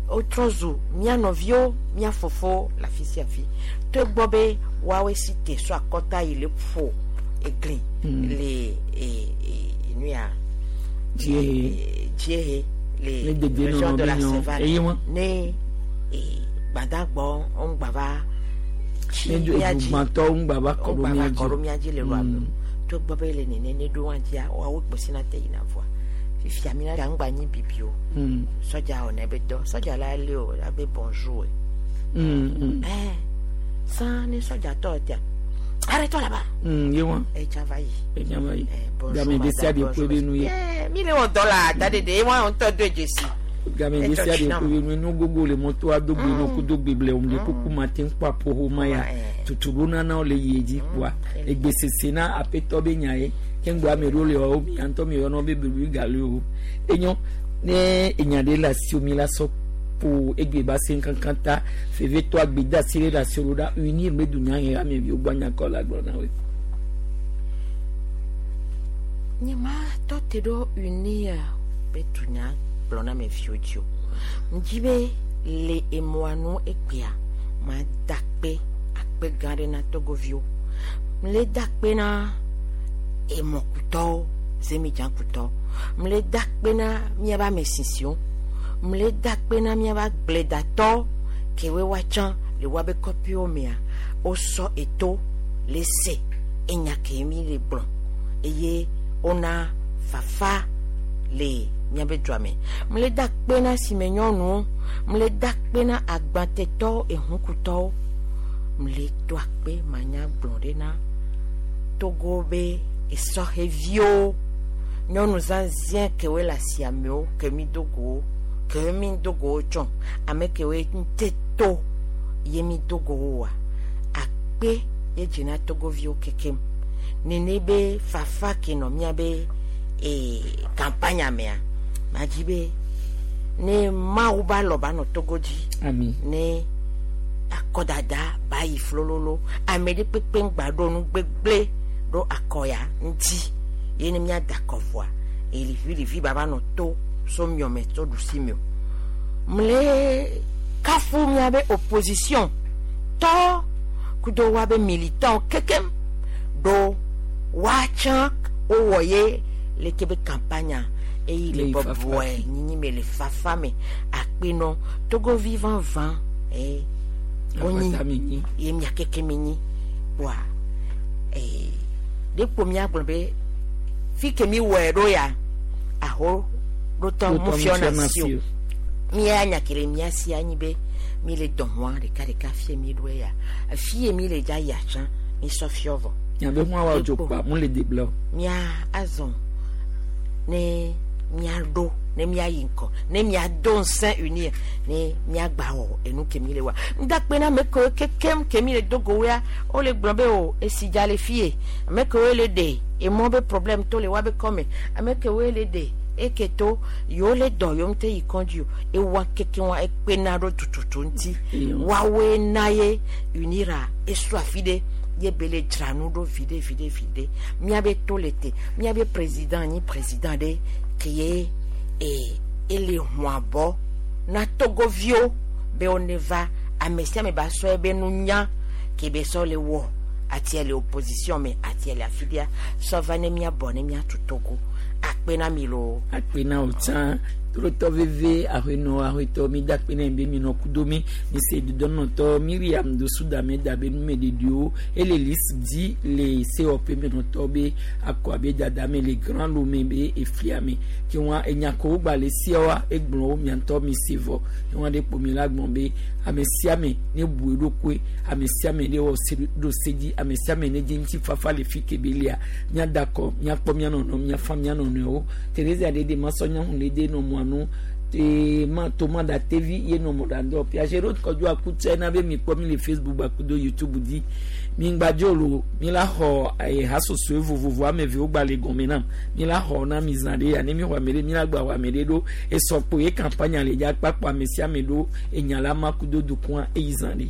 wotrɔ zu mía nɔviwo mía fofowo le afi sia afi togbɔ be woawoe si te so akɔta yi le ƒo egli Mm. le e e nu ya Dziehe. dziehe le Ne dedienɔnɔ région de be la nyɔ. Savane Eye wa? ne e gbadagbɔ ŋgba va tsi Ne mía dzi edugbãtɔwo ŋgba va kɔ ɖo ŋgba mía va dzi kɔ ɖo mía dzi le lɔa me Mm. togbɔ be le nene ne ɖo wa dzia woawo kposi na te yina vɔa Fifia mi la ŋgba nyi bibi o. Mm. Sɔdza wɔ ne be dɔ. Sɔdza la le o la be bonjour. Mm, mm. Ɛɛ san ne sɔdza tɔ tia. Arrête-toi là-bas. Mm, ye wa. Etsa va yi. Etsa va yi. Bonjour Game de sia de madame, koe be nu ye. Eh, mi le wɔ dɔ la da de de wa ŋutɔ do dzesi. Game de sia de koe be nu ye. No gogo le mɔto ado gbe no kudo gbe ble om de kuku ma te ŋkpɔ apoho ma ya. Tutu nana le yi dzi kpoa. Egbe sese na aƒetɔ be nya ye. Ke ŋgbɔ ame ɖewo le wɔwo mia ŋutɔ mi yɔnɔ be bebi gali o. Enyo ne enya ɖe le asiwò mi la sɔ ƒo egbe ba se kankan ta fevetɔ agbedasi ɖe le asiwò ɖo ɖa unir be dunya he ameviwo gbɔ nyakɔ la gblɔ na woe. Nye ma tɔ te ɖo unia be dunya gblɔ na ameviwo dzi o. Ŋdzi be le emɔa nu egbea ma da akpe akpe gã ɖe na togoviwo. Mle da akpe na emɔkutɔwo zemidzakutɔwo. Mle da akpe na míaƒe ame sisiwo. Mle da akpe na míaƒe agbledatɔwo kewoe woatsã le woabe kɔƒewo mea wosɔ eto le se enya ke mi le gblɔ eye wona fafa le míaƒe dua me. Mle da akpe na sime nyɔnuwo, mle da akpe na agbatetɔwo, ehukutɔwo. Mle do akpe manya gblɔ ɖe na Togo be esɔheviwo, nyɔnu zãzɛ kewoe le asiamewo ke mi do go ke mi do go tsɔ ame kewoe ŋute to ye mi do go woa akpe ye dzina togoviwo kekem nene be fafa ke nɔ míabe ee kampanya mea madzi be ne Mawu ba lɔ ba nɔ Togo dzi Ami. ne akɔdada ba yi flololo ame ɖe kpekpe ŋgba ɖo nu gbegble ɖo akɔya ŋuti ye ne míada akɔ vɔa elivi ba va nɔ to so miɔme so ɖusi me o mle kafu míabe opposition tɔ kudo woabe militant kekem ɖo woatsã wowɔ ye leke be campagne eyi le Le fafa. bɔbɔe nyinyi me le fafa me akpenɔ togovi vavã ee wonyi Akpata mi nyi. ye mia keke mi nyi kpoa ee ɖe kpo miagblɔ be fi ke mi wɔe ɖo ya aho ɖotɔ Ɖotɔ mu fiɔna mufiɔna si o si o. mia nya ke le mia si anyi be mi le dɔn wa ɖeka ɖeka fie mi ɖo ya fie mi le dza ya tsã mi sɔ fiɔ vɔ Nyabe hu awa dzo kpa mu le debla o. mia azɔ ne miaɖo ne miayi ŋkɔ ne miado ŋusẽ unia ne miagba wɔ enu ke mi le wa ŋdakpe na ame kewo kekem ke mi le do gowoa wole gblɔ be o esi dza le fie ame kewoe le ɖe emɔ be problème to le woabe kɔme ame kewoe le ɖe eke to yewo le dɔ yewo ŋute yi kɔndzi o ewa keke wa ekpena ɖo tututu ŋuti woawoe na ye unira esu afi ɖe ye be le dzra nu ɖo viɖe viɖe viɖe míabe to le te míabe président nyi président ɖe ke ye ee ele ʋua bɔ na togoviwo be wone va ame sia ame ba sɔ ebe nunya ke be sɔ le wɔ atia le opposition me atia le afi ɖia sɔ va ne míabɔ ne míatu Togo akpe na mi loo. Akpe na wo tsã trotɔ veve aƒenɔ aƒetɔ mi da akpe na mi be mi nɔ kudo mi mi se dudɔnɔtɔ Miriam Dosu Dame da be numeɖeɖiwo ele list dzi le sewɔƒe menɔtɔ be akɔ abe dada me le Grand Lomé be eflia me ke wa enya kewo gba le sia egblɔ wo miatɔ mi se vɔ ke wa ɖe kpo mi la gblɔ be ame sia ame ne bu eɖokui ame sia ame ne wɔ se ɖo se dzi ame sia ame ne dzi ŋutifafa le fi ke be lia míada akɔ míakpɔ mía nɔnɔ míafa mía nɔnɔewo Teresa ɖe de masɔ nyɔnu le de nɔ mɔa nu te ma tomada tevi ye nɔ mɔɖaŋdɔ piagero kɔdzo akutse na be mi kpɔ mi le Facebook akudo YouTube dzi mi ŋgbadzo lo mi la xɔ eh, hasosoe vovovo ame evewo gba le gɔme nam mi la xɔ na mi zã ɖe ya ne mi xɔ ame ɖe mi la gba xɔ ame ɖe ɖo esɔkpo ye campagne le dza kpakpɔ ame sia ame ɖo enya la ma kudo dukɔa eyi zã ɖe.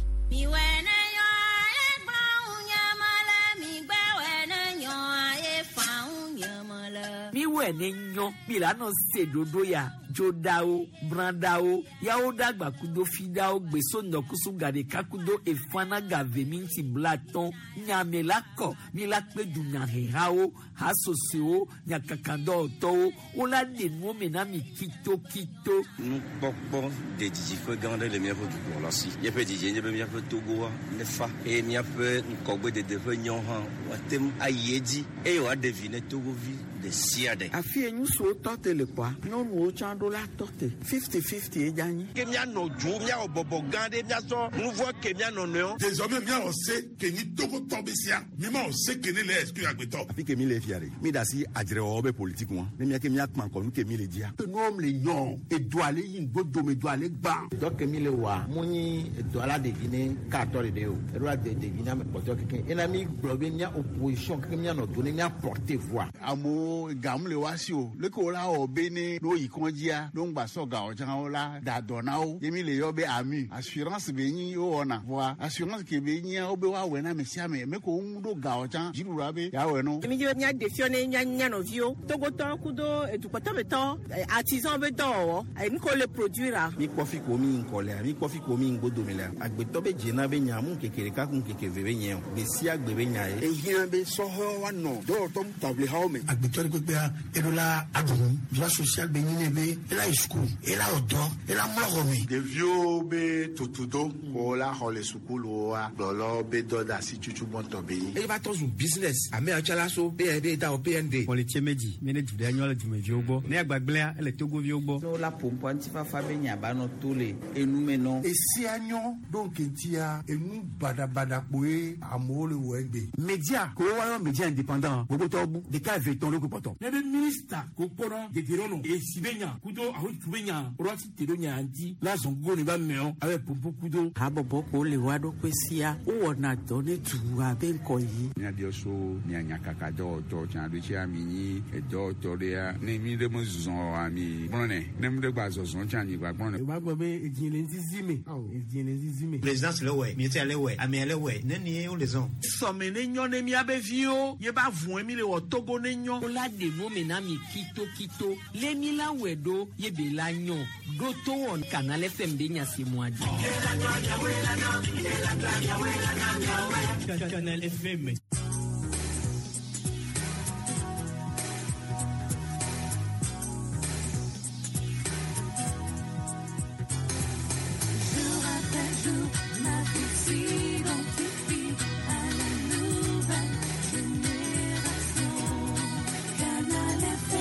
Miwɔe ne nyɔ mi la nɔ se ɖoɖo ya dzoɖawo brãɖawo yawo ɖagba kudo fiɖawo gbeso ŋdɔkusu gaɖeka kudo efana gave mi ŋuti blatɔn nyame la kɔ mi la kpe dunyahehawo hasosoewo nyakakadɔwɔtɔwo wola ɖe nuwo me na mi kitokito. Nukpɔkpɔ de didiƒe gã aɖe le míaƒe dukplɔla si. Míaƒe didie nye be míaƒe Togoa nefa eye míaƒe ŋkɔgbedede ƒe nyɔ hã woate ŋu ayi edzi eye wòaɖe vi ne togovi ɖe sia ɖe. Afi ye ŋutsuwo tɔ te le kpɔa, nyɔnuwo tsã ɖo la tɔ te. Fifty fifty ye dza nyi. Ke míanɔ dzo, míawɔ bɔbɔ gã ɖe, míasɔ nu vɔ ke mía nɔnɔewo. Désormais míawɔ se ke nyi Togotɔ be sia. Mi ma wɔ se ke ne le exclure agbetɔ. Afi ke mi le fia ɖe, mi da asi adzrewɔwɔ be politique ŋua. Ne mía ke míakpã ŋkɔ nu ke mi le dzia. Nuwo le nyɔ, edoa le yi ŋgbodome, doa le gbã. Dɔ ke mi le wɔa, mu nyi edɔ la ɖevi ne katɔ ɖeɖe o. Eɖo la de ɖevi na ame kpɔtɔe kekeŋ. Ena mi gblɔ be mía opposition kekeŋ míanɔ do ne mía porter voix. Amewo gamu le wa si o. Leke wo la wɔ be ne ne woyi kɔndzia, ne ŋgba sɔ gawo tsã wo la da dɔ na wo. Ye mi le yɔ be AMU. Assurance be nyi wowɔna. Vɔa assurance ke be nyia wo be woawɔe na ame sia ame. Me ko ŋu ɖo gawo tsã dziɖuɖua be yeawɔe no. Mi dzi be míaɖe fiɔ ne mía mía nɔviwo Togotɔwo kudo edukpɔtɔmetɔ artisan be dɔwɔwɔ nu ke wole produire. Mi kpɔ fi ko mi ŋkɔ lea, mi kpɔ fi ko mi ŋgbodome lea. Agbetɔ be dzena be nya mu ŋkeke ɖeka ku ŋkeke eve be nye o. Gbe sia gbe be nya ye. Ehiã be sɔhɛwo woanɔ dɔwɔtɔ taʋlihawo me. Agbetɔ ɖe kpekpea, eɖo la aɖu nu. Droit social be nyi ne be ela yi suku, ela wɔ dɔ, ela mlɔ xɔ me. Ɖeviwo be tutudo ko la xɔ le sukuluwoa, gblɔlɔ be dɔ de asi tutu gbɔntɔ be nyi. Eye va tɔ zu business. Ame yawo tsã la so B N D da o B N D. Xɔlitse medzi mi ne du ɖe nyɔ le dumeviwo gbɔ. Ne agbagblẽa ele Togoviwo gbɔ. Ne wola ƒoƒoa ŋutifafa be nya ba nɔ to le enume nɔ. Esia nyɔ ɖo ŋkeŋtia enu baɖabaɖa kpoe amewo le wɔ egbe. Média ko woayɔ média indépendant gbogbotɔwo bu ɖeka eve tɔn ɖo kpɔtɔ. Ne be minista ko kpɔnɔ dedienɔnɔ esi be nya kudo ahotu be nya woɖo asi te ɖo nya ŋuti la zɔn gogo ne ba mɛɔ abe popo kudo. Habɔbɔ ko le wa ɖokui sia wowɔna dɔ ne dua be ŋkɔ yi. Míabiɔ so mia nyakaka dɔwɔtɔ tsã ɖo tsia mi nyi edɔwɔtɔ ɖea ne mi ɖe me zɔn oa mi gblɔnɛ ne mi ɖe gba zɔzɔn tsã mi gba gblɔnɛ. O b'a gbɔ be edzi le ŋzizi me. Edzi le ŋzizi me. Présidence le wɛ, ministère le wɛ, amea le wɛ, neni ye wole zɔn. Sɔme ne nyɔ ne míabe viwo ye ba vɔe mi le wɔ Togo ne nyɔ. Wola ɖe nu me na mi kitokito lé mi la wɔe ɖo ye be la nyɔ ɖo to wɔ Canal F M be nya si mua dzi. Canal F M. Jour après jour, ma vie s'identifie à la nouvelle génération. Canal F M.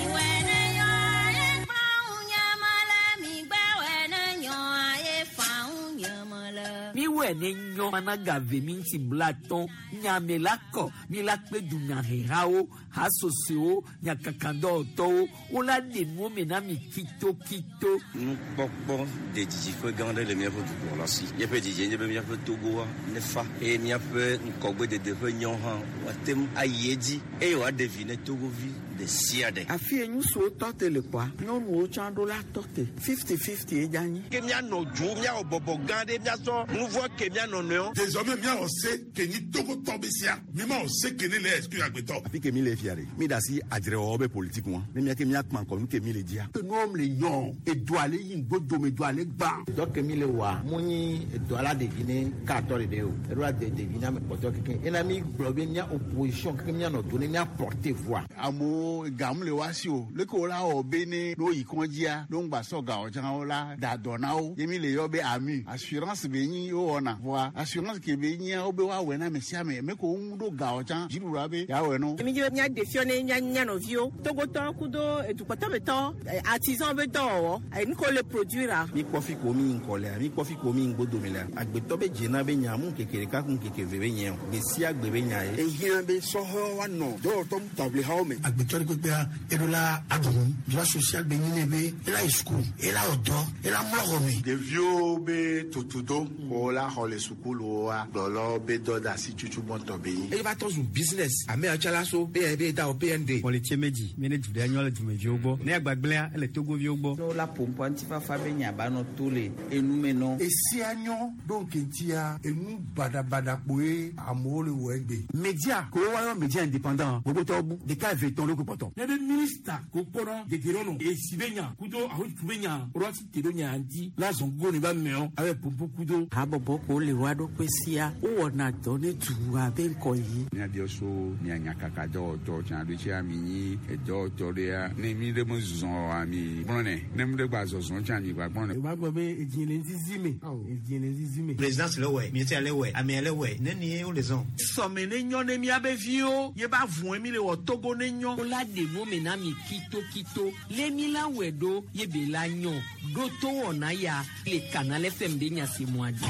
Mi wɛ ne nyɔ mana gave mi ŋuti bla tɔn nyame la kɔ mi la kpe dunyahehawo hasosowo nyakakadɔwɔtɔwo wola ɖe nuwo me na mi kitokito. Nukpɔkpɔ de didiƒe gã ɖe le míaƒe dukplɔla si. Míaƒe didie nye be míaƒe Togoa nefa eye míaƒe ŋkɔgbedede ƒe nyɔ hã woate ŋu ayi edzi eye wòaɖe vi ne Togovi ɖe sia ɖe. Afi ye ŋutsuwo tɔ te le kpɔa, nyɔnuwo tsã ɖo la tɔ te. Fifty fifty ye dza nyi. Ke míanɔ dzo, míawɔ bɔbɔ gã ɖe, míasɔ nu vɔ ke mía nɔnɔewo. Désormais míawɔ se ke nyi Togotɔ be sia. Mi ma wɔ se ke ne le exclure agbetɔ. Afi ke mi le fia ɖe, mi da asi adzrewɔwɔ be politique ŋua. Ne mía ke míakpã ŋkɔ nu ke mi le dzia. Nuwo le nyɔ, edoa le yi ŋgbodome, doa le gbã. Dɔ ke mi le wɔa, mu nyi edɔ la ɖevi ne katɔ ɖeɖe o. Eɖo la de ɖevi na ame kpɔtɔe kekeŋ. Ena mi gblɔ be mía opposition kekeŋ míanɔ do ne mía porter voix. Amewo gamu le wa si o. Leke wo la wɔ be ne ne woyi kɔndzia, ne ŋgba sɔ gawo tsã wo la da dɔ na wo. Ye mi le yɔ be AMU. Assurance be nyi wowɔna. Vɔa assurance ke be nyia wo be woawɔe na ame sia ame. Me ko ŋu ɖo gawo tsã dziɖuɖua be yeawɔe no. Mi dzi be míaɖe fiɔ ne mía mía nɔviwo Togotɔwo kudo edukpɔtɔmetɔ artisan be dɔwɔwɔ nu ke wole produire. Mi kpɔ fi ko mi ŋkɔ lea, mi kpɔ fi ko mi ŋgbodome lea. Agbetɔ be dzena be nya mu ŋkeke ɖeka ku ŋkeke eve be nye o. Gbe sia gbe be nya ye. Ehiã be sɔhɛwo woanɔ dɔwɔtɔ taʋlihawo me. Agbetɔ ɖe kpekpea, eɖo la aɖu nu. Droit social be nyi ne be ela yi suku, ela wɔ dɔ, ela mlɔ xɔ me. Ɖeviwo be tutudo ko la xɔ le sukuluwoa, gblɔlɔ be dɔ de asi tutu gbɔntɔ be nyi. Eye va tɔ zu business. Ame yawo tsã la so B N D da o B N D. Xɔlitse medzi mi ne du ɖe nyɔ le dumeviwo gbɔ. Ne agbagblẽa ele Togoviwo gbɔ. Ne wola ƒoƒoa ŋutifafa be nya ba nɔ to le enume nɔ. Esia nyɔ ɖo ŋkeŋtia enu baɖabaɖa kpoe amewo le wɔ egbe. Média ko woayɔ média indépendant gbogbotɔwo bu ɖeka eve tɔn ɖo kpɔtɔ. Ne be minista ko kpɔnɔ dedienɔnɔ esi be nya kudo ahotu be nya woɖo asi te ɖo nya ŋuti la zɔn gogo ne ba mɛɔ abe popo kudo. Habɔbɔ ko le wa ɖokui sia wowɔna dɔ ne dua be ŋkɔ yi. Míabiɔ so mia nyakaka dɔwɔtɔ tsã ɖo tsia mi nyi edɔwɔtɔ ɖea ne mi ɖe me zɔn oa mi gblɔnɛ ne mi ɖe gba zɔzɔn tsã mi gba gblɔnɛ. O b'a gbɔ be edzi le ŋzizi me. Edzi le ŋzizi me. Présidence le wɛ, ministère le wɛ, amea le wɛ, neni ye wole zɔn. Sɔme ne nyɔ ne míabe viwo ye ba vɔe mi le wɔ Togo ne nyɔ. Wola la ɖe nu me na mi kitokito lé mi la wɛ ɖo ye be la nyɔ ɖo to wɔna ya le Canal F M be nyasemɔa dzi.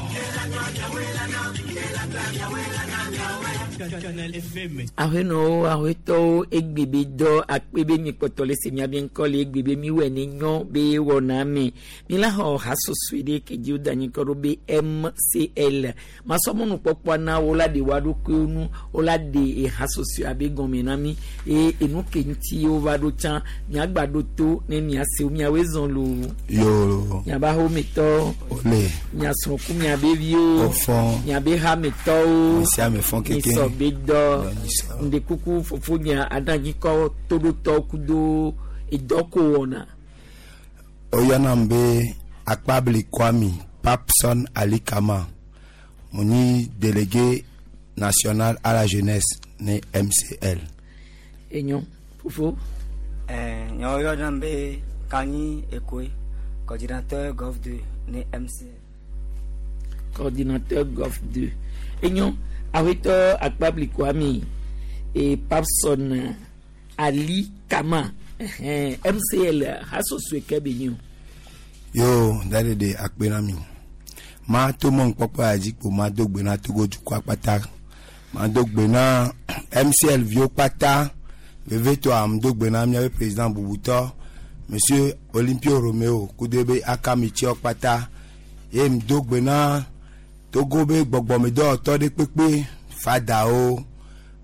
Canal F M. Ahenɔwo ahetɔwo egbe be dɔ akpe be mi kpɔtɔ le se miabe ŋkɔ le egbe be mi wɔ ne nyɔ be wɔna me mi la xɔ hasosoe ɖe ke dzi woda anyi kɔ ɖo be M C L masɔmɔnukpɔkpɔa na wo la ɖe woa ɖokuiwo nu wo la ɖe ehasosoe abe gɔme na mi eye enu ke ŋuti wova ɖo tsã miagba ɖo to ne miase miawoe zɔn loo. Yo. Miaba xometɔ. Ole. Miasrɔ̃ku miabe viwo. Ofɔn. Miabe hametɔwo. Misiame fɔn keke. Misɔ be dɔ. Ndekuku fofo nya adanyikɔ toɖotɔ kudo edɔko wɔna. Oyɔnam be Akpabli Kwami Papson Ali Kama mo nyi délégué national à la jeunesse ne M C L. Enyo fofo. Eh, nyawo yɔnam be Kanyi Ekoe, coordinateur Golf deux ne M C L. Coordinateur Golf deux. Enyo awetɔ Akpabli Kwami et Papson Ali Kama M C L hasosoe ke be nyo. Yo dade de akpe na mi. Ma to mo nkpɔkpɔ adzikpo ma do gbe na Togo dukɔ akpata. Ma do gbe na M C L viwo kpata. Vevetɔ am do gbe na miabe président bubutɔ Monsieur Olympio Romeo kudo be akamitsiɔ kpata. Ye m do gbe na Togo be gbɔgbɔmedɔwɔtɔ ɖe kpekpe fadawo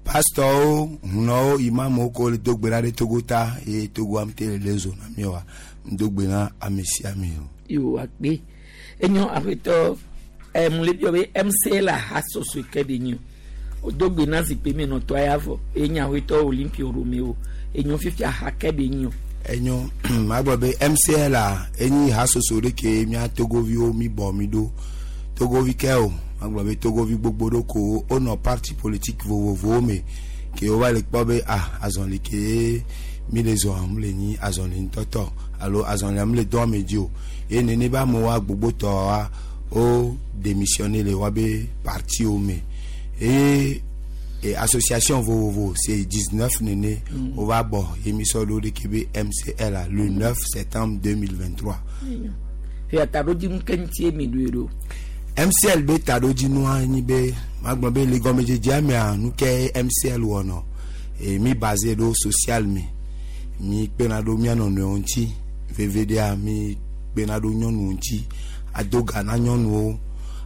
pastɔwo hunɔwo imamuwo ko le do gbe na ɖe Togo ta ye Togo am te le le zo na mi wa m do gbe na ame sia ame o. Yo akpe enyo aƒetɔ ɛm le biɔ be M C L hasosoe ke be nyo o do gbe na zikpui me nɔtɔ ya vɔ enya aƒetɔ Olympio Romeo enyo fifia ha ke be nyo. Enyo magblɔ be M C L a enyi hasoso ɖe ke mía Togoviwo mi bɔ mi ɖo Togovi ke o magblɔ be Togovi gbogbo ɖo ko wonɔ parti politique vovovowo me ke wova le kpɔ be ah azɔli ke mi le zɔ mu le nyi azɔli ŋutɔtɔ alo azɔlia mu le dɔn me dzi o ye nene be amewoa gbogbotɔa wo démissionné le woabe partiwo me eye e association vovovo c'est dix-neuf nene mm. Wova bɔ ye mi sɔ ɖo ɖeke be M C L a le neuf septembre deux mille vingt-trois. Fia taɖodzinu ke ŋutie mi ɖoe ɖo. M C L be taɖodzinua nyi be magblɔ be le gɔmedzedzea mea nu ke M C L wɔnɔ e mi basé ɖo social me mi kpena ɖo mía nɔnɔewo ŋuti veve ɖea mi kpena ɖo nyɔnuwo ŋuti ado ga na nyɔnuwo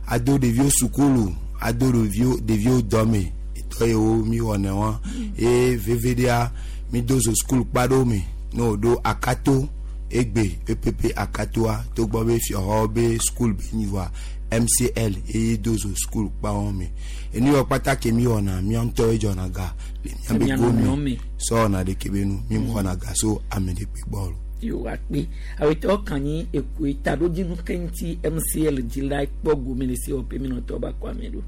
ado ɖeviwo sukulu ado ɖeviwo ɖeviwo dɔme etɔ yiwo mi wɔnɛ wa eye veve ɖea mi do zo sukulu kpa ɖewo me ne woɖo akato egbe E P P akatoa togbɔ be fiɔxɔ be sukulu be nyi vɔa M C L eye do zo sukulu kpa wɔn me enu yɔ kpata ke mi wɔna mía ŋutɔwoe dzɔna ga le mía be go me sɔ wɔna ɖeke be nu mi xɔna ga so ame ɖekpe gbɔ o. Yo akpe awetɔ kanyi ekoe taɖodzinu ke ŋuti M C L dzi la kpɔ gome le sewɔƒe mi nɔtɔ ba kɔ ame ɖo.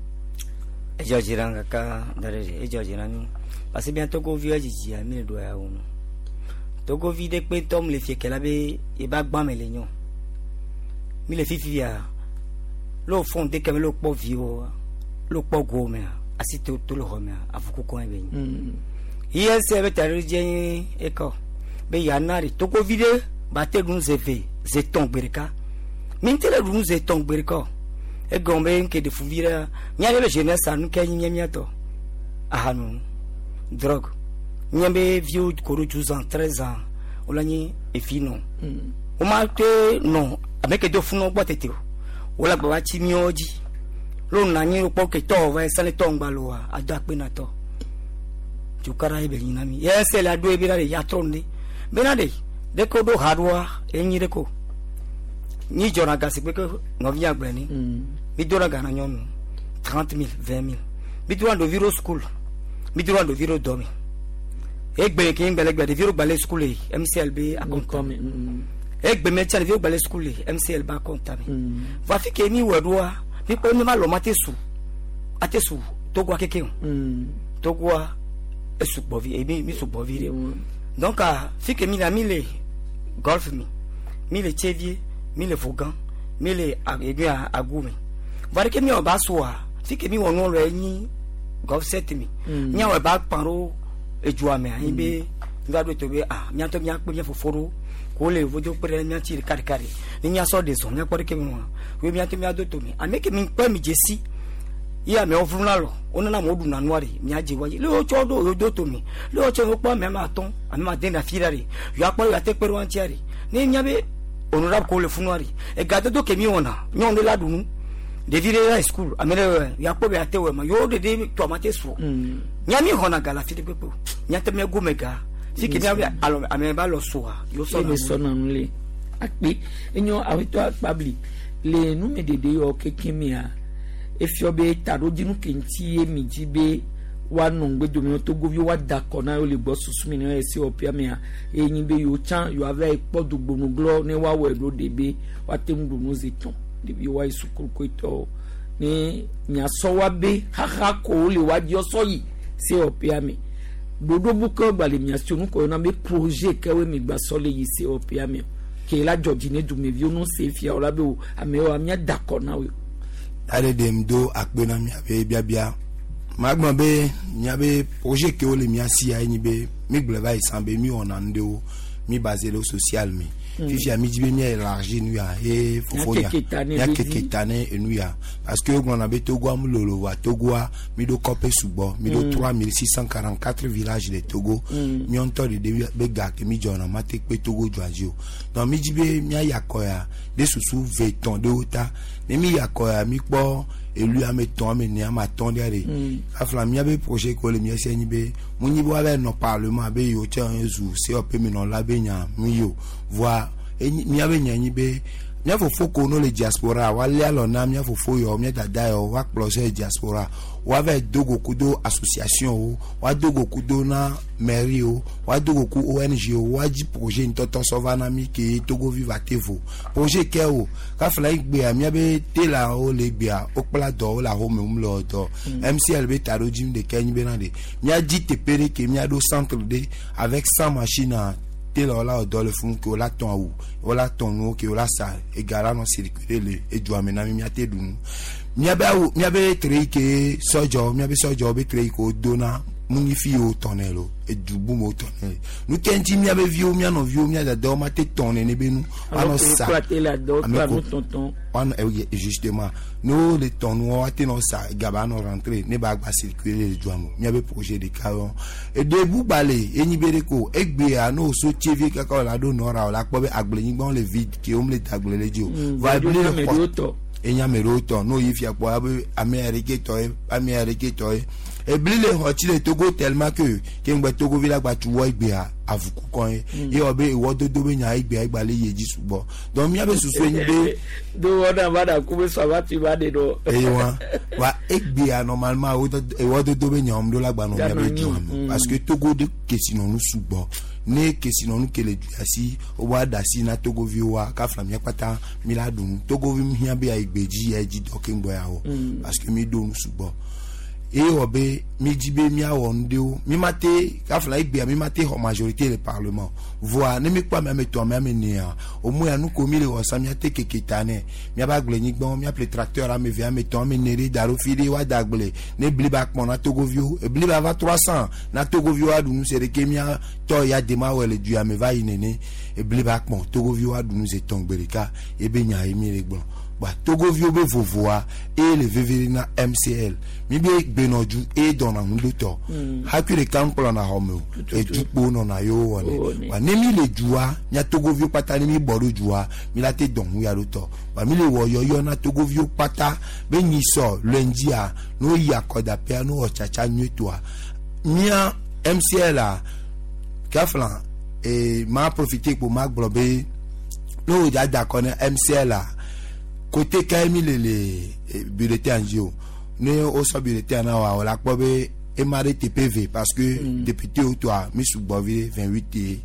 Edzɔ dzi nam kaka da ɖe ɖe edzɔ dzi na mi parce que mía Togoviwo dzidzia mi le ɖo ya wo nu Togovi ɖe kpe tɔm le fie ke la be eba gbã me le nyɔ mi le fifia lo fɔn de kɛmɛ lo kpɔ viwo lo kpɔ go mea asi to to le xɔ mea afuku kɔn be nyi I S C be taɖodzi nye ekɔ be yana ɖe Togovi ɖe ba te ɖu zeve zetɔn gbe ɖeka mi ŋuti le ɖu zetɔn gbe ɖeka o egɔme be ŋke ɖe fuvi ɖe mía ɖe be jeunesse nu ke nyi mía tɔ ahanu drogue mía be viwo ko ɖo douze ans treize ans wole nyi efi nɔ woma te nɔ ame ke do funɔ gbɔ tete o wole agba va tsi míawo dzi lo nɔ anyi kpɔ ke tɔ va sale tɔ ŋgba loa ado akpe na tɔ tukara ye be nyi na mi ye se la do ebe na de ya trɔ nu de bena de de ko ɖo ha ɖoa enyi de ko nyi dzɔna ga si kpe ke nɔvi agblẽ ni mi do na ga na nyɔnu trente mille vingt mille mi do na ɖevi ɖo sukulu mi do na ɖevi ɖo dɔme egbe ke ŋgbɛ le gbe ɖevi ɖo gba le sukulu yi M C L be akɔnta egbe me tsa ɖevi ɖo gba le sukulu yi M C L be akɔnta me vɔ afi ke mi wɔ ɖoa mi kpɔ ne ma lɔ ma te su ate su Togoa keke o Togoa esugbɔ vi mi mi sugbɔ vi ɖe donc fi ke mi la mi le golf mi mi le Tsévié mi le Vogan mi le egbe agu mi vɔ ɖeke mi wɔ ba soa fi ke mi wɔ nuwo le nyi golf set mi miawɔ ba kpan ɖo edua mea anyi be mi va ɖo to be ah miatɔ miakpe mia fofo ɖo ko le vodo kpe ɖe mia ŋuti ɖeka ɖeka ɖe ne miasɔ ɖe zɔ miakpɔ ɖeke mi wɔna wo miatɔ miado to mi ame ke mi kpe mi dze si ye amewo vluna lɔ wonana amewo ɖuna nua ɖe miadze wa dzi le wotsɔ ɖo yewo do to mi le wotsɔ wokpɔ ame ma atɔ̃ ame ma den ɖe afi ɖa ɖe yewoakpɔ yewoate kpe ɖe wa ŋutia ɖe ne miabe honorable ko le funua ɖe egadodo ke mi wɔna nyɔnu ɖe la ɖu nu ɖevi ɖe la yi sukulu ame ɖe yeakpɔ be ate wɔ ma yewo ɖeɖe tɔ ma te su miami xɔna ga le afi ɖe kpekpe o miate mia gome ga fi ke miabe alɔ ame ba lɔ sua yewo sɔ na nu le akpe enyo awetɔ akpabli le numeɖeɖe yɔ keke mia efiɔ be taɖodzinu ke ŋuti ye mi dzi be woanɔ ŋgbedome togoviwo woada akɔ na yewo le gbɔ susu mi ne esi wɔƒea mea eye nyi be yewo tsã yewoava yi kpɔ dugbonuglɔ ne woawɔe ɖo ɖe be woate ŋu ɖu nu zi tɔn ɖeviwo woayi sukulu koetɔwo ne miasɔ wa be xaxa ko wole woadzi sɔ yi se wɔƒea me ɖoɖo bu ke gba le miasi nu ko yɔna be projet kewoe mi gba sɔ le yi se wɔƒea me ke la dzɔ dzi ne dumeviwo nu se fia wo la be o amewo miada akɔ na wo. Ale ɖem do akpe na miabe biabia magblɔ be miabe projet kewo le mia sia ye nyi be mi gblɔ va yi san be mi wɔna nu ɖewo mi basé ɖe social me fifia mi dzi be mia élargi nu ya ye fofo ya miakeke ta ne enu ya parce que wogblɔna be Togoa mu lolo wa Togoa mi ɖo kɔƒe sugbɔ mi ɖo trois mille six cent quarante quatre villages le Togo miɔ ŋutɔ ɖeɖe be ga ke mi dzɔna ma te kpe Togo dzoa dzi o donc mi dzi be miayi akɔ ya ɖe susu ve tɔn ɖewo ta ne mi yi akɔ ya mi kpɔ elu ame tɔn ame ene ame atɔn ɖe ɖe afla miabe projet ko le mia si nyi be mu nyi be woava nɔ parlement be yewo tse zu C O P menɔla be nya mu yi o voa miabe nya nyi be mia fofo ko no le diaspora woalé alɔ na mia fofo yɔ mia dada yɔ woakplɔ sɔ diaspora woava do go kudo association wo woado go kudo na mairie wo woado go ku O N G wo woadzi projet ŋutɔtɔ sɔ va na mi ke Togovi va te vo projet ke o kafla yi gbea miabe telawo le gbea wokpla dɔ wo le ahome wo le wɔ dɔ M C L be taɖodzinu ɖeka nyi bena ɖe miadzi teƒe ɖe ke miaɖo centre ɖe avec cent machines tela la wɔ dɔ le funu ke wola tɔn awu wola tɔn nuwo ke wola sa ega la nɔ circuler le edua me na mi miate ɖu nu miabe awu miabe tre yi ke sɔdzɔ miabe sɔdzɔ be tre yi ke wodona mu nyi fi yiwo tɔnɛ lo edu bu me wotɔnɛ le nu ke ŋuti miabe viwo mia nɔviwo mia dadawo ma te tɔn nene be nu woanɔ sa ame ko woanɔ justement ne wo le tɔn nuwo woate nɔ sa gaba nɔ rentrer ne ba gba circuler le dua me miabe projet ɖeka yɔ eɖe bugba le enyi be ɖe ko egbea ne woso tse vie kaka wòle aɖo nɔra wòle akpɔ be agblenyigbawo le vide ke womle da agble le dzi o va ebli le xɔ enya ame ɖewo tɔ n'o yi fia kpɔ abe ame ya ɖeke tɔ ye ame ya ɖeke tɔ ye ebli le xɔ tsi le Togo tellement que ke ŋgbɛ Togovi la gba tu wɔ egbea avuku kɔn ye ye wɔ be ewɔ dodo be nya egbea egba le yi edzi sugbɔ donc miabe susu ye nyi be. Do wɔna va da ku be sɔ va tu va de ɖo. Eye wa wa egbea normalement ewɔ dodo be nya wɔm ɖo la gba nɔ miabe dua me parce que Togo de kesinɔnu sugbɔ ne kesinɔnu ke le du asi wo da asi na togoviwoa kafla mia kpata mi la ɖu nu togovi mi hiã be ayi gbedzi ya edzi dɔ keŋgbɔ ya wɔ parce que mi ɖo nu sugbɔ eye wɔ be mi dzi be miawɔ nu ɖewo mi ma te kafla egbea mi ma te xɔ majorité le parlement voa ne mi kpɔ ame ame etɔ̃ ame ame enea o mu ya nu ko mi le wɔ sa miate keke ta nɛ miabe agblenyigbawo miaƒle tracteur ame eve ame etɔ̃ ame ene ɖe da ɖo fi ɖe woada agble ne bli ba kpɔn na togoviwo ebli ba va trois cent na togoviwo aɖu nu se ɖeke miatɔ ya dema wɔ le du ya me va yi nene ebli ba kpɔn togoviwo aɖu nu ze tɔn gbe ɖeka ebe nya ye mi le gblɔ ba togoviwo be vovoa eye le veve na M C L mi be gbenɔdzu eye dɔna ŋu ɖo tɔ hafi ɖeka ŋkplɔna xɔ me o edukpo nɔna yewo wɔnɛ wa ne mi le dua mia togoviwo kpata ne mi bɔ ɖo dua mi la te dɔn ŋu ya ɖo tɔ wa mi le wɔ yɔyɔ na togoviwo kpata be nyisɔ lundi-a n'o yi akɔdaƒea n'o wɔ tsatsa nyuietɔa mia M C L a kafla ee ma profiter kpo ma gblɔ be n'o dza da akɔ ne M C L a côté ka mi le le bulletin dzi o ne wosɔ bulletin na wa wòle akpɔ be ema ɖe teƒe ve parce que mm. député wo tɔa mi sugbɔ vi vingt huit ye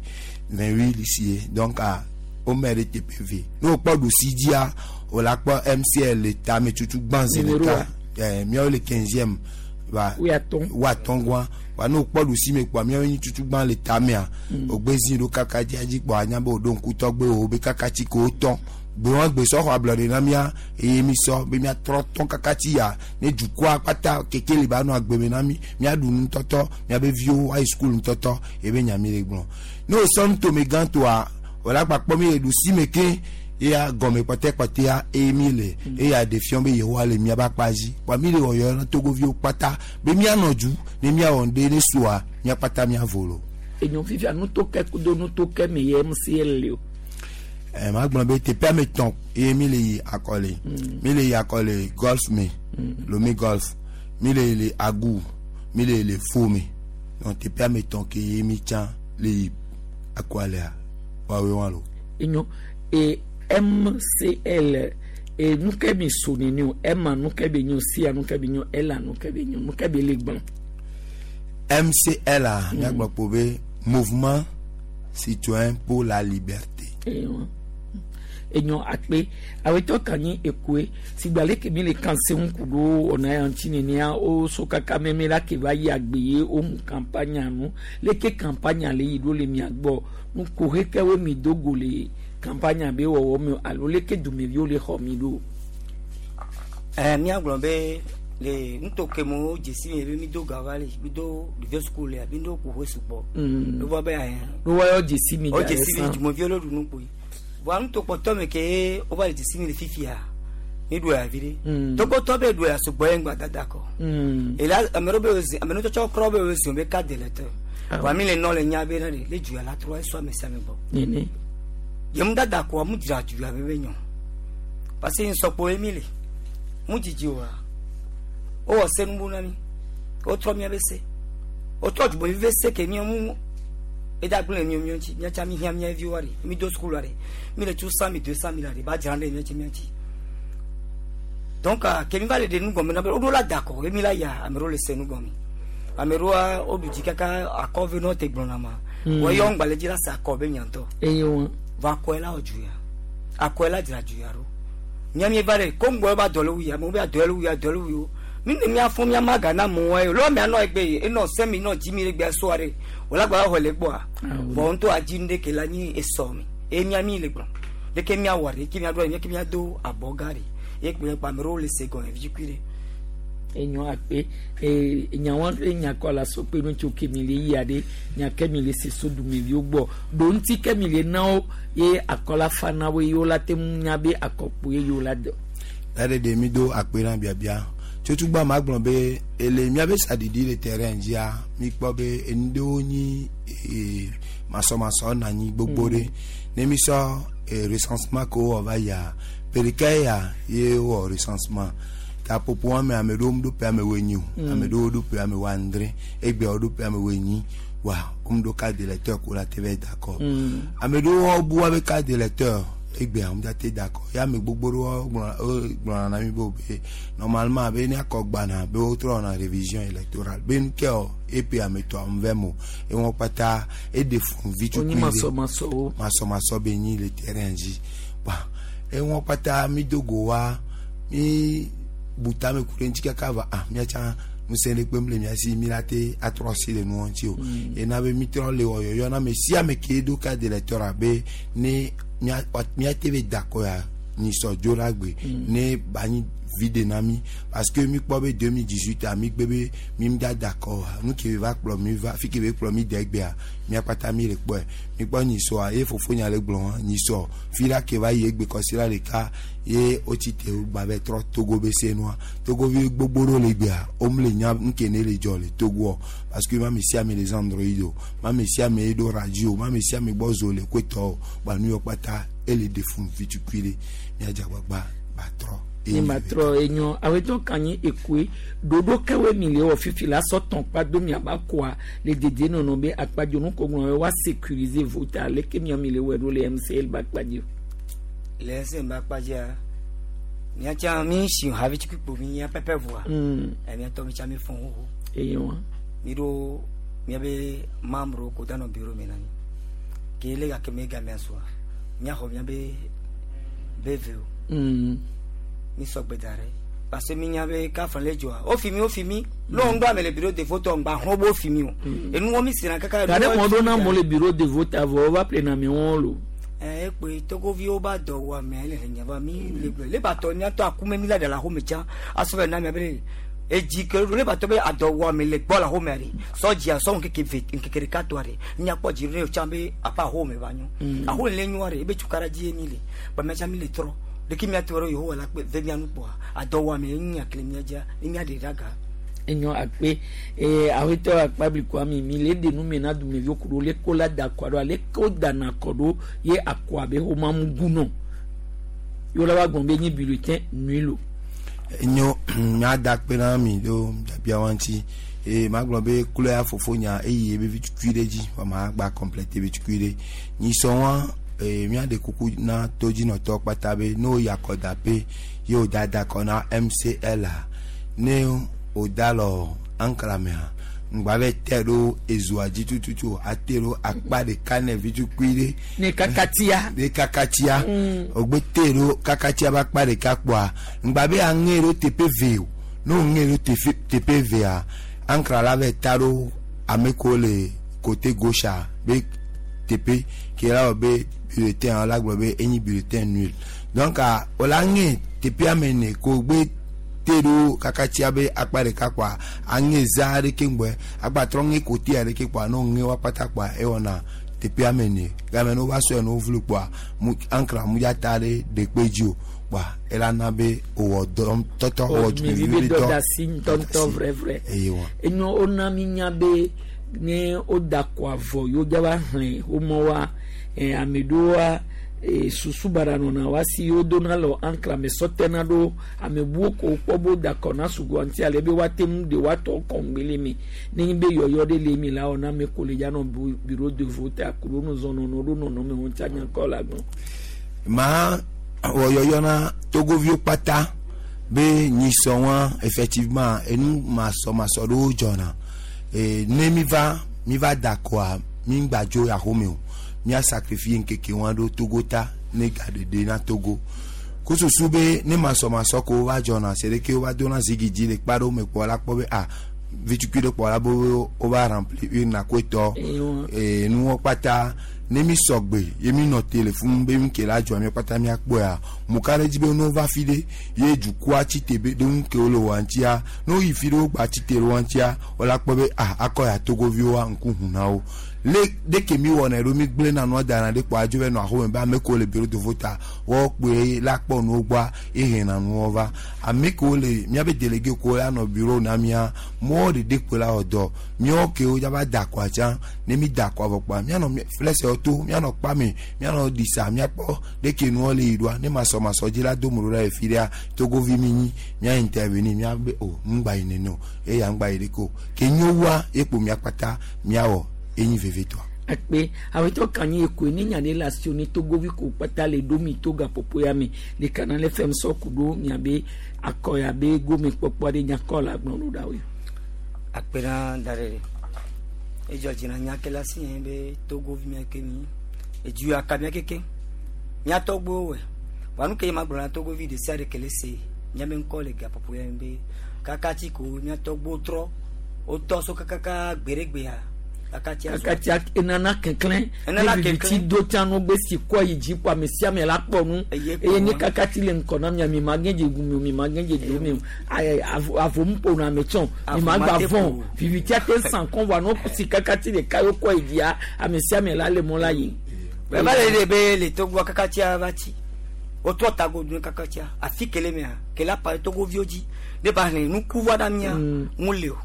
vingt huit lisi ye donc a wome ɖe teƒe ve ne wokpɔ ɖusi dzia wòle akpɔ M C L le tame tutu gbã zi ɖeka ɛɛ miawo le quinzième wa woatɔn gua wa ne wokpɔ ɖusi me kpɔa miawo nyi tutu gbã le tamea wògbe zi ɖo kaka dzia dzi kpɔ anya be wòɖo ŋkutɔgbe wo be kaka tsi ko wotɔn Gbe wọn gbe sɔ xɔ ablɔɖe na mía eye mi sɔ be míatrɔ tɔn kaka ti ya ne dukɔa kpata keke le ba nɔ agbeme na mi míaɖu nutɔtɔ míabe viwo ayi sukulu nutɔtɔ ebe nya mi le gblɔ ne o sɔ nutome gã toa wòle agbakpɔ mi le ɖusi me ke eya gɔme kpɔtɛkpɔtɛa eye mi le eya ɖe fiɔ be yehowa le miabe akpa dzi wa mi le wɔyɔ na togoviwo kpata be mianɔ du ne miawɔ ŋɖe ne soa miakpata miavo lo. Enyo fifia nutoke kudo nutoke me ye M C L le o. Ɛ ma gblɔ be teƒe ame etɔ̃ eye mi le yi akɔle mi le yi akɔle Golfe me, Lomé Golfe, mi le yi le Agou, mi le yi le Fo me. Donc teƒe ame etɔ̃ ke ye mi tsã le yi akɔlea woawoe wa lo. Enyo e M C L e nuke mi so nini o M a nuke be nyo, C a nuke be nyo, L a nuke be nyo, nuke be le gblɔ. M C L a miagblɔ kpo be Mouvement Citoyen pour la Liberté. Eyo enyo akpe awetɔ kanyi ekoe sigba leke mi le kan se ŋku ɖo ɔna ya ŋuti nenea o so kaka meme la ke va yi agbe ye o mu campagne nu leke campagne le yi ɖo le mia gbɔ nuko hekewo mi do go le campagne be wɔwɔ me alo leke dumeviwo le xɔ mi ɖo. Ɛ míagblɔ be le nutoke mo dzesi mi be mi do gava le mi do ɖevi sukulu lea mi do kuƒe sugbɔ. Mm. Lobɔ be ɛ. No wa yɔ dzesi mi. O da dzesi mi yɛ dumeviwo le ɖu nu kpoe. Voa nutokpɔtɔ me ke wova le dzesi mi le fifia mi ɖu ya vi ɖe. Mm. Togotɔ be ɖu ya sugbɔ ye ŋgba dada kɔ. Mm. Ela ame ɖewo be wozi ame ɖewo tsɔtsɔ krɔ be wozi be carte d'électeur. Ah. Voa mi le nɔ le nya be na ɖe le du ya la trɔ esɔ ame sia ame gbɔ. Nene. Yemu dada kɔa mu dzra du ya be be nyɔ. Parce que nsɔkpo ye mi le. Mu dzidzi oa. Wowɔ se nubu na mi. Wotrɔ mía be se. Wotrɔ dugbevi be se ke mía mu eda gblẽ le mía mía ŋuti. Mía tsa mi hiã mía viwoa ɖe. Mi do sukulu ɖe. Mi le tso cent mille, deux cent mille ɖe ba dzra ɖe mía tsi mía ŋuti. Donc ke mi va le ɖe nu gɔme na be woɖo la da kɔ ye mi la ya ame ɖewo le se nu gɔme. Ame ɖewoa woɖu dzi kaka akɔ ve nɔ te gblɔna ma. Mm. Wɔ yɔ ŋgbalẽ dzi la se akɔ be nyantɔ. Eye wɔn. Vɔ akɔe la wɔ du ya. Akɔe la dzra du ya ɖo. Mía mi va ɖe kongo ba dɔ le wu ya amewo be adɔ le wu ya dɔ le wu yo. Mi ne mía fɔ mía ma ga na amewo ye lɔ mía nɔ egbe ye enɔ sɛ mi nɔ dzi mi ɖe gbe soa ɖe wòle agba xɔ le gbɔa. Vɔ ŋutɔ adzi nu ɖe ke la nyi esɔ mi eye mía mi le gblɔ ɖeke mía wɔ ɖe ke mía ɖo ɖe mía do abɔ gã ɖe ye kple kpa ame ɖewo le se gɔme vi kui ɖe. Enyo akpe ee nyawo ɖe nyakɔ la so kpe nu tso ke mi le yia ɖe nya ke mi le se so dumeviwo gbɔ ɖo ŋuti ke mi le na wo ye akɔla fa na wo ye wo la te ŋu nya be akɔkpo ye yewo la dɔ. Ɛɖe ɖe mi do akpe na biabia tsotsugba ma gblɔ be ele miabe saɖiɖi le terrain dzia mi kpɔ be enu ɖewo nyi ee masɔmasɔ na anyi gbogbo ɖe ne mi sɔ ee recensement ke wowɔ va yia ƒe ɖeka ya ye wowɔ recensement kaƒoƒo wɔme ame ɖewo ɖo ƒe ame woenyi o. Mm. Ame ɖewo ɖo ƒe ame woadre egbea woɖo ƒe ame woenyi wa womu ɖo carte d'électeur ko la te va da kɔ. Mm. Ame ɖewo bu woabe carte d'électeur egbea wo te da kɔ ya ame gbogbo ɖewo gblɔ wo gblɔna na mi be wo be normalement be ne akɔ gbana be wotrɔ wɔna révision électorale be nu ke o epe ame tɔ ame ve mo ewɔn kpata eɖe fun vi Wonyi tukui ɖe masɔmasɔwo. Masɔmasɔ be nyi le terrain dzi wa ewɔn kpata mi do go wa mi bu tame ku ɖe ŋuti kaka va ah miatsa ŋusẽ ɖe kpem le mia si mi la te atrɔ asi le nua ŋuti o. Mm. Ena be mi trɔ le wɔ yɔyɔ na ame sia ame ke ɖo carte d'électeur abe ne mia miate be da kɔ ya nyisɔ dzo la gbe. Mm. Ne ba nyi vide na mi parce que mi kpɔ be deux mille dix-huit a mi gbe be mi mi da da kɔ oa nu ke va kplɔ mi va fi ke be kplɔ mi de egbea mia kpata mi le kpɔe mi kpɔ nyisɔa ye fofo nya le gblɔ hã nyisɔ fi la ke va yi egbe kɔsi la ɖeka ye wotsi te gba be trɔ Togo be se nua Togovi gbogbo ɖewo le gbea wome le nya nu ke ne le dzɔ le Togoɔ parce que ma ame sia ame le Android o ma ame sia ame ɖo radio ma ame sia ame gbɔ zo le koetɔ o gba nu yɔ kpata ele de fun vi tukui ɖe miadze agbagba ba trɔ. Ne ma trɔ enyo awetɔ kanyi ekoe ɖoɖo kewoe mi le wɔ fifi la sɔ tɔn kpa do miaba kɔa le dedienɔnɔ be akpadzonu ko ŋlɔ wa sécuriser vote aleke mia mi le wɔ ɖo le M C L ba kpadzi. Le ese ba kpadzia míatsa mi si havi tsi kpikpo mi ya pɛpɛ voa. Mm. Ɛ míatɔ mi tsa mi fɔn xoxo. Eye wa. Mi ɖo míabe membre ko danɔ bureau me na mi ke le gake me gamea soa míaxɔ míabe B V o. Mm. Mi sɔ gbe da ɖe parce que mi nya be kafra le dzɔa wo fi mi wo fi mi lɔn do ame le bureau de vote ŋgba xɔ bo fi mi o enuwɔ mi sina kaka. Gade mɔ ɖo na mo le bureau de vote avɔ wova ple na mi wɔn lo. Ekpe togoviwo ba dɔ wɔ ame le nyaba mi le gblɔ le ba tɔ miatɔ akume mi la ɖe le axome tsã asɔ be na mia be edzi ke le ba tɔ be adɔ wɔ ame le gbɔ le axome ɖe sɔdzia sɔ ŋkeke ve ŋkeke ɖeka tɔa ɖe miakpɔ dzi ɖe tsã be aƒe axome va nyo axome le nyoa ɖe ebe tukara dzi ye mi le ba mia tsã mi le trɔ ɖeke miatɔ ɖe Yehowa la kpe ve mia nu kpɔa adɔ wɔ ame nya kele mia dzia mia ɖe ɖe aga. Enyo akpe ee awetɔ akpabli kwami mi le de nu me na dumeviwo ku ɖo le ko la da akɔ ɖo ale ko dana akɔ ɖo ye akɔ abe xɔma mugu nɔ yɔ la wa gbɔn be nyi bulletin nui lo. Enyo mia da akpe na mi ɖo biabia wa ŋuti eye ma gblɔ be klo ya fofo nya eye ebe vi tukui ɖe dzi wa ma gba complete ebe tukui ɖe nyisɔ wa ee mia ɖe kuku na todzinɔtɔ kpata be ne wo yi akɔdaƒe ye wo da da akɔ na M C L a ne o da lɔ ankramea ŋgba bɛ tɛ ɖo ezoa dzi tututu ate ɖo akpa ɖeka ne vi tukui ɖe. Ne kakatia. Ne kakatia. O gbe te ɖo kakatia be akpa ɖeka kpɔa ŋgba be aŋe ɖo teƒe ve o ne o ŋe ɖo teƒe teƒe vea ankra la bɛ ta ɖo ame kewo le côté gauche be teƒe ke la wɔ be bulletin la gblɔ be enyi bulletin nul donc o la ŋe teƒe ame ene ko gbe te ɖo kakatia be akpa ɖeka kpɔa aŋe za ɖeke ŋgbɔe agbatrɔ ŋe kote aɖeke kpɔa ne ŋe wa kpata kpɔa ewɔna teƒe ame ene game ne wova sɔe ne wovlu kpɔa mu ankra mu dza ta ɖe ɖekpe dzi o kpɔa ela na be wòwɔ dɔ tɔtɔ wɔ dumevi be dɔ da si ŋutɔŋutɔ vrɛvrɛ eye wa. Enyo wona mi nya be ne woda kɔ avɔ yewo dza va xlẽ womɔ wa ame ɖewoa. Susu bara nɔna wa si yewo dona le ankra me sɔtena ɖo ame buwo ko kpɔ bo da kɔ na sugbɔ ŋuti ale be woate ŋu ɖe woatɔ kɔŋgbele me ne nyi be yɔyɔ ɖe le mi la wɔna ame ko le dza nɔ bureau de vote akuɖo nu zɔnɔnɔ ɖo nɔnɔme ŋuti anyakɔ la gbɔ. Ma wɔ yɔyɔ na togoviwo kpata be nyisɔ wa effectivement enu masɔmasɔ ɖewo dzɔna ee ne mi va mi va da kɔa mi ŋgba dzo axome o. Mia sacrifier nkeke wa ɖo Togo ta ne gaɖeɖe na Togo kususu be ne masɔmasɔ ko va dzɔna se ɖeke wova dona zigi dzi le kpa ɖewo me kpɔ la kpɔ be ah vitukui ɖe kpɔ la be wova remplir urne koetɔ ee nuwo kpata ne mi sɔgbe ye mi nɔ te le fún be mi ke la dzɔ mi kpata miakpɔa mo ka ɖe dzi be ne wova fi ɖe ye dukɔa tsi te be ɖe ŋu ke wole wɔ ŋutia ne woyi fi ɖe wogba tsi te ɖe wo ŋutia wola kpɔ be ah akɔ ya Togoviwoa ŋku ʋu na wo le ɖeke mi wɔna ɖo mi gblẽna nua dana ɖe kpɔ adzo be nɔ axome be ame kewo le bureau de vote woawo kpoe la kpɔ nuwo gbɔa ehena nuwo va ame kewo le miabe délégué kewo la nɔ bureau na mia mɔwo ɖeɖe kpoe la wɔ dɔ miawo kewo dzava da akɔa tsã ne mi da akɔa vɔ kpɔa mianɔ flɛsɛwo to mianɔ kpame mianɔ ɖisa miakpɔ ɖeke nuwo le yi ɖoa ne masɔmasɔ dzi la do mo ɖo ɖa le fi ɖea Togovi mi nyi mia intervenir miabe o ŋgba yi nene o eya ŋgba yi ɖeke o ke nyowua ekpo miakpata miawɔ enyi vevitɔ. Akpe awetɔ kanyi ekoe ne nya ɖe le asiwò ne Togovi ko kpata le ɖo mi to gaƒoƒo ya me ɖeka na le fɛm sɔ ku ɖo miabe akɔ ya be gome kpɔkpɔ ɖe nyakɔ la gblɔ ɖo ɖa woe. Akpe na da ɖe edzɔ dzi na nya ke le asi nye be Togovi mia ke mi edu ya ka mia keke miatɔgbewo wɔ wa nu ke ye ma gblɔ na Togovi ɖe sia ɖe ke le se miabe ŋkɔ le gaƒoƒo ya me be kakati ko miatɔgbewo trɔ wotɔ so kakaka gbeɖegbea. Kakatia kakatia enana keklẽ Enana ne viviti keklẽ. do tsã nu gbe si kɔ yi dzi kɔ ame sia ame la kpɔ nu eye ne kakati le ŋkɔ na mia mi ma gẽ dze gu mi o mi ma gẽ dze do mi o ayi avo avo mu ƒo na ame tsɔ mi ma Avo ma gba te vɔn ƒo. vivitia te sã kɔn vɔa no si kakati ɖeka yo kɔ yi dzia ame sia ame la le mɔ la yi. Bɛɛ le de be le Togo kakatia va tsi wotrɔ tago dun kakatia afi kele mea kele apa Togoviwo dzi ne ba hlẽ nuku va ɖa mia ŋu le o.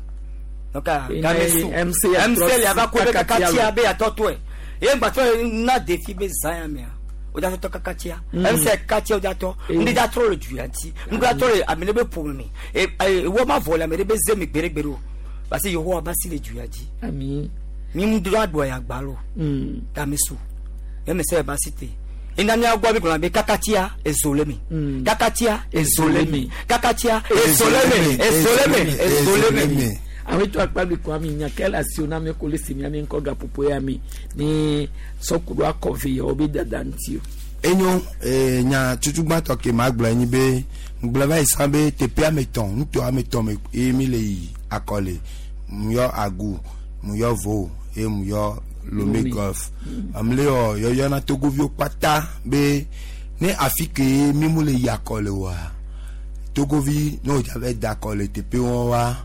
Donc, M C M C le ava ko be kakatia kakatia be atɔtɔe ye ŋgbatɔ na défi be zã ya mea o da tɔtɔ kakatia M C katia o da tɔ ŋdi da trɔ le du ya ŋuti ŋdi da trɔ le ame ɖe be ƒome me e e wo ma vɔ le ame ɖe be ze me gbeɖegbeɖe o parce que Yehowa ba si le du ya dzi. Ami. Mi ŋu do aɖua ya gba lo. Game su M C ba si te ina mia gbɔ bi gblɔ be kakatia ezo le me kakatia ezo le me kakatia ezo le me ezo le me ezo le me. Awetɔ akpabli kɔ ami nya ke le asiwò na ame ko le si mia mi ŋkɔ gaƒoƒo ya mi ne sɔkuɖo akɔ ve yawo be dada ŋuti o. Enyo ee nya tutugbãtɔ ke ma gblɔ nyi be ŋgblɔ va yi sã be teƒe ame etɔ̃ ŋutɔ ame etɔ̃ me ye mi le yi akɔ le mu yɔ agu mu yɔ vo ye mu yɔ Lomé Golf. Amle yɔ yɔyɔ na Togoviwo kpata be ne afi ke mi mu le yi akɔ le oa Togovi ne wòdza va da akɔ le teƒe wɔn wa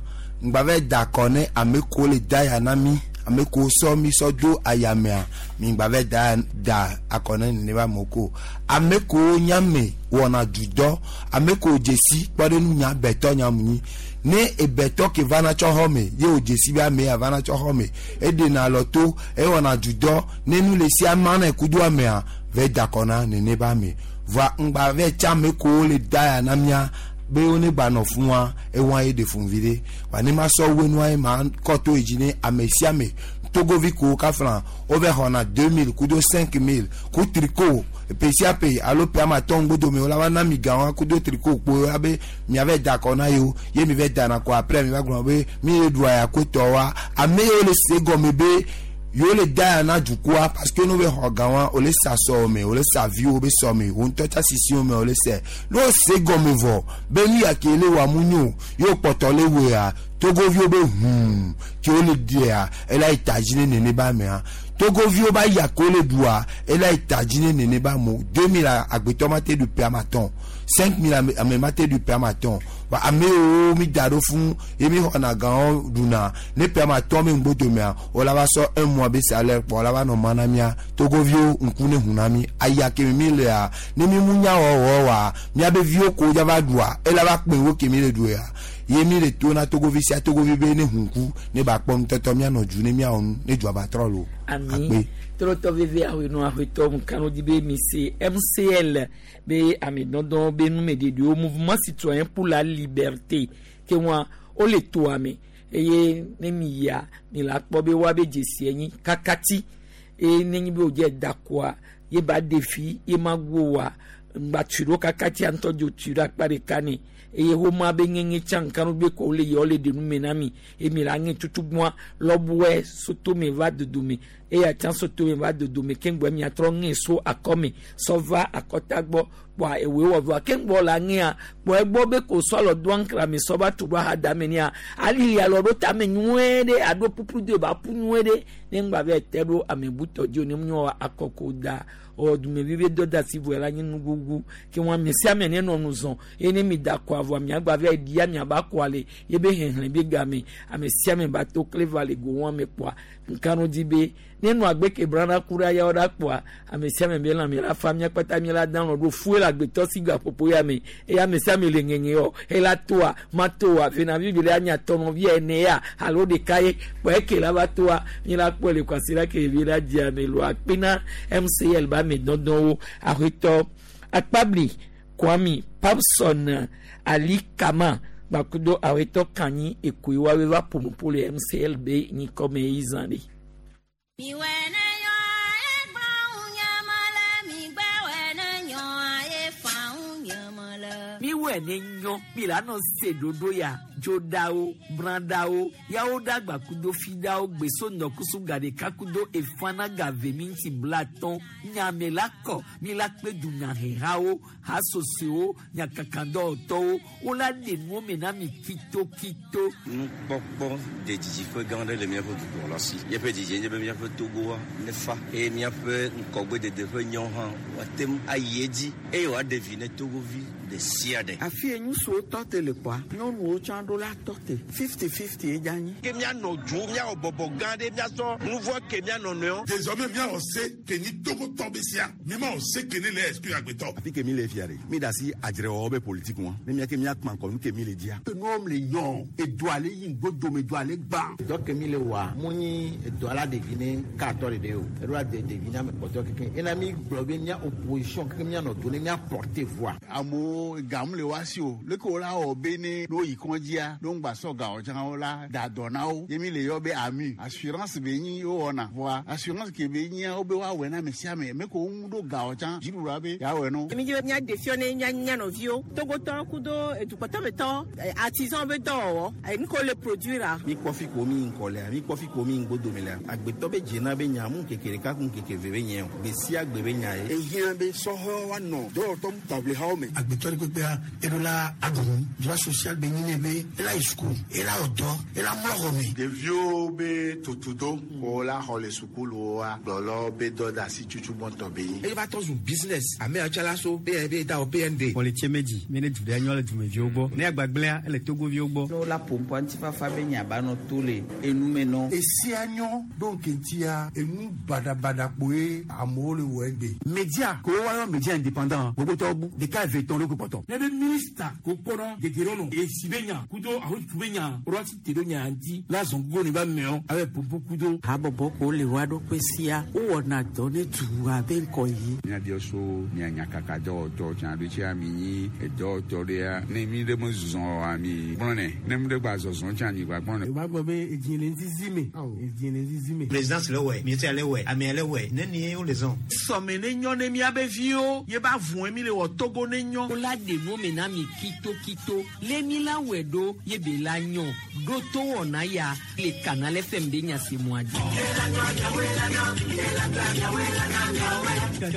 ŋgba va da akɔ ne ame kewo le da ya na mi ame kewo sɔ mi sɔ do ayamea mi ŋgba va da da akɔ ne nenema amewo ko ame kewo nyame wɔna dudɔ ame kewo dzesi kpɔ ɖe nu nya bɛtɔ nyamu nyi ne ebɛtɔ ke vana tsɔ xɔ me ye wò dzesi be ame ya vana tsɔ xɔ me eɖena alɔ to ewɔna dudɔ ne nu le sia mana kudo amea va da akɔ na nenema ame voa ŋgba va tsa ame kewo le da ya na mia be wo ne gba nɔ fún wa ewa ye de fún vi ɖe wa ne ma sɔ wo nua ye ma kɔ to yi dzi ne ame sia ame Togovi ko kafla wo va xɔna deux mille kudo cinq mille ku tricot ƒe sia ƒe alo ƒe ame atɔ̃ ŋgbodome wo la va na mi ga wa kudo tricot kpo abe miava da akɔ na yewo ye mi va dana kɔ après mi va gblɔ be mi ye ɖua ya ko tɔ wa ame yiwo le se gɔme be yewo le da ya na dukɔa parce que no be xɔ ga wa wo le sa sɔ me wo le sa viwo be sɔ me wo ŋutɔ tsa sisiwo me wo le sɛ ne wo se gɔme vɔ be nu ya ke le wa mu nyo yewo kpɔtɔ le wɔa Togoviwo be hum ke wo le dia ela yi ta dzi ne nene ba mea Togoviwo ba ya ko le ɖua ela yi ta dzi ne nene ba mo deux mille agbetɔ ma te ɖu ƒe ame atɔ̃ cinq mille ame ame ma te ɖu ƒe ame atɔ̃ wa ame yiwo mi da ɖo fún ye mi xɔna gawo ɖuna ne ƒe ame atɔ̃ be ŋgbodomea wo la va sɔ un mois be salaire kpɔ wo la va nɔ ma na mia Togoviwo ŋku ne ʋu na mi aya ke mi lea ne mi mu nya wɔwɔ wa miabe viwo ko dza va ɖua ela va kpe wo ke mi le ɖu ya ye mi le to na Togovi sia Togovi be ne ʋu ŋku ne ba kpɔ nutɔtɔ mianɔ dzu ne miawɔ nu ne dzua ba trɔ lo. Ami trɔtɔ veve awenu ahwetɔ mukano di be mi se M C L be ame dɔdɔ be numeɖeɖewo Mouvement Citoyen pour la Liberté ke wa wole toa me eye ne mi yia mi la kpɔ be woabe dzesi enyi kakati eye nenye be wòdze da koa ye ba ɖe fi ye ma go wa ŋgba tui ɖo kakatia ŋutɔ dzo tui ɖo akpa ɖeka nɛ eye woma be ŋeŋe tsã ŋkanu be ko wole yia wole ɖe nu me na mi eye mi la ŋe tutugbɔa lɔbɔe sotome va dodome eya tsã sotome va dodome keŋgbɔ miatrɔ ŋe so akɔme sɔ va akɔta gbɔ kpɔa ewoe wɔ vɔa keŋgbɔ la ŋea kpɔ egbɔ be ko sɔ alɔ do aŋkra me sɔ va tu ɖo ahadame nea alili alɔ ɖo tame nyuie ɖe aɖo puplu do ba ƒu nyuie ɖe ne ŋgba va te ɖo ame butɔ dzi o ne nyɔ akɔko da ɔ dumevi be dɔ da asi vɔ la nye nugugu ke wɔn ame sia ame ne nɔ nu zɔn eye ne mi da kɔ avɔ miagba va ɖia miaba kɔa le ye be hehlẽ be game ame sia ame ba to kle va le go wɔn me kpɔa nkanu di be ne nu agbe ke brana ku ɖe ayawo ɖa kpɔa ame sia ame be lãme la fa mia kpata mia la dan ɖo fue le agbetɔ si gaƒoƒo ya me eye ame sia ame le ŋeŋe yɔ ela toa ma toa venavi bi le anya tɔnɔvi ene ya alo ɖeka ye kpɔ eke la va toa mi la kpɔ le kwasi la ke vi la dzia me lo akpena M C L ba ame dɔdɔwo ahwetɔ Akpabli Kwami Papson Ali Kama gbakudo ahwetɔ Kanyi Ekoe wawe va ƒonuƒo le M C L be nyikɔme yi zã ɖe. Miwɛ ne yɔ egblɔ ŋu le migbɛwɛ ne nyɔ efa ŋu le. Miwɛ ne nyɔ mi la nɔ se ɖoɖo ya dzoɖawo brãɖawo yawo ɖagba kudo fiɖawo gbeso ŋdɔkusu gaɖeka kudo efana gave mi ŋuti blatɔn nyame la kɔ mi la kpe dunyahehawo hasosowo nyakakadɔwɔtɔwo wola ɖe nuwo me na mi kitokito. Nukpɔkpɔ de dzidziƒe gã aɖe le míaƒe dukplɔla si. Míaƒe dzidzi nye be míaƒe Togoa nefa eye míaƒe ŋgɔgbedede ƒe nyawo hã woate ŋu ayi edzi eye wòaɖe vi ne Togovi ɖe sia ɖe. Afi ye ŋutsuwo tɔ te le kpɔa nyɔnuwo tsã ɖo la tɔ te fifty fifty ye dza nyi. Ke míanɔ dzo míawɔ bɔbɔ gã ɖe míasɔ nu vɔ ke míanɔ nɔewo. Désormais míawɔ se ke nyi Togotɔ be sia mi ma wɔ se ke ne le exclure agbetɔ. Afi ke mi le fia ɖe mi da asi adzrewɔwɔ be politique ŋua ne mía ke míakpã kɔ nu ke mi le dzia. Nuwo le yɔ edoa le yi ŋgbodome doa le gbã. Dɔ ke mi le wɔa mu nyi edoa la ɖevi ne katɔ ɖeɖe o eɖo la de ɖevi na ame kpɔtɔ keke ena mi gblɔ be mía opposition keke míanɔ do ne mía porter voix. Amewo gamu le wa si o leke wo la wɔ be ne ne woyi kɔndzia ne ŋgba sɔ gawo tsã wo la da dɔ na wo ye mi le yɔ be AMU assurance be nyi wowɔna vɔa assurance ke be nyia wo be woawɔe na ame sia ame me ko wo ŋu ɖo gawo tsã dziɖuɖua be yeawɔe no. Mi dzi be mía ɖe fiɔ ne mía mía nɔviwo Togotɔ kudo edukpɔtɔmetɔ artisan be dɔwɔwɔ nu ko le produire la. Mi kpɔ fi ko mi ŋkɔ lea mi kpɔ fi ko mi ŋgbodome lea agbetɔ be dzena be nya mu ŋkeke ɖeka ku ŋkeke ve be nye o gbe sia gbe be nya ye. Ehiã be sɔhɛwo woanɔ dɔwɔtɔ taʋlihawo me. Agbetɔ ɖe kpekpea eɖo la aɖu nu droit social be nyi ne be ela yi suku ela wɔ dɔ ela mlɔ xɔ me. Ɖeviwo be tutudo ko la xɔ le sukuluwoa gblɔlɔ be dɔ da asi tutu gbɔntɔ be nyi. Eye va tɔ zu business ame atsala so B N B da o B N D. Xɔlitse medzi mi ne du ɖe nyɔ le dumeviwo gbɔ ne agbagblẽa ele togoviwo gbɔ. Ne wola ƒoƒoa ŋutifafa be nyaba nɔ to le enume nɔ. Esia nyɔ ɖo nkeŋtia enu baɖabaɖa kpoe amewo le wɔ egbe. Média ko wa yɔ média indépendant gbogbo tɔwo bu ɖeka eve tɔn ɖo kpɔtɔ. Ne be minista ko kpɔnɔ gegero nɔ esi be nya kudo ahotu be nya woɖo te ɖo nya ŋuti la zɔn gogo ne ba mɛɔ abe popo kudo. Habɔbɔ ko le wa ɖokui sia wowɔna dɔ ne dua be ŋkɔ yi. Míabiɔ so mia nyakaka dɔwɔtɔ tsã ɖo tsia mi nyi edɔwɔtɔ ɖea ne mi ɖe me zɔzɔ oa mi gblɔnɛ ne mi ɖe gba zɔzɔ tsã mi gba gblɔnɛ. Yorùbá gbọ́ pé èjì lè ń zizi mi èjì lè ń zizi mi. Présidence le wɛ, ministère le wɛ, amea le wɛ, nenie wole zɔn. Sɔme ne nyɔ ne miabe viwo ye ba vɔn mi le wɔ Togo ne nyɔ. Wola de nu me na mi kitokito le mi la wɛ ɖo ye be la nyɔ ɖo to wɔna ya le Canal F M be nyasemua dzi.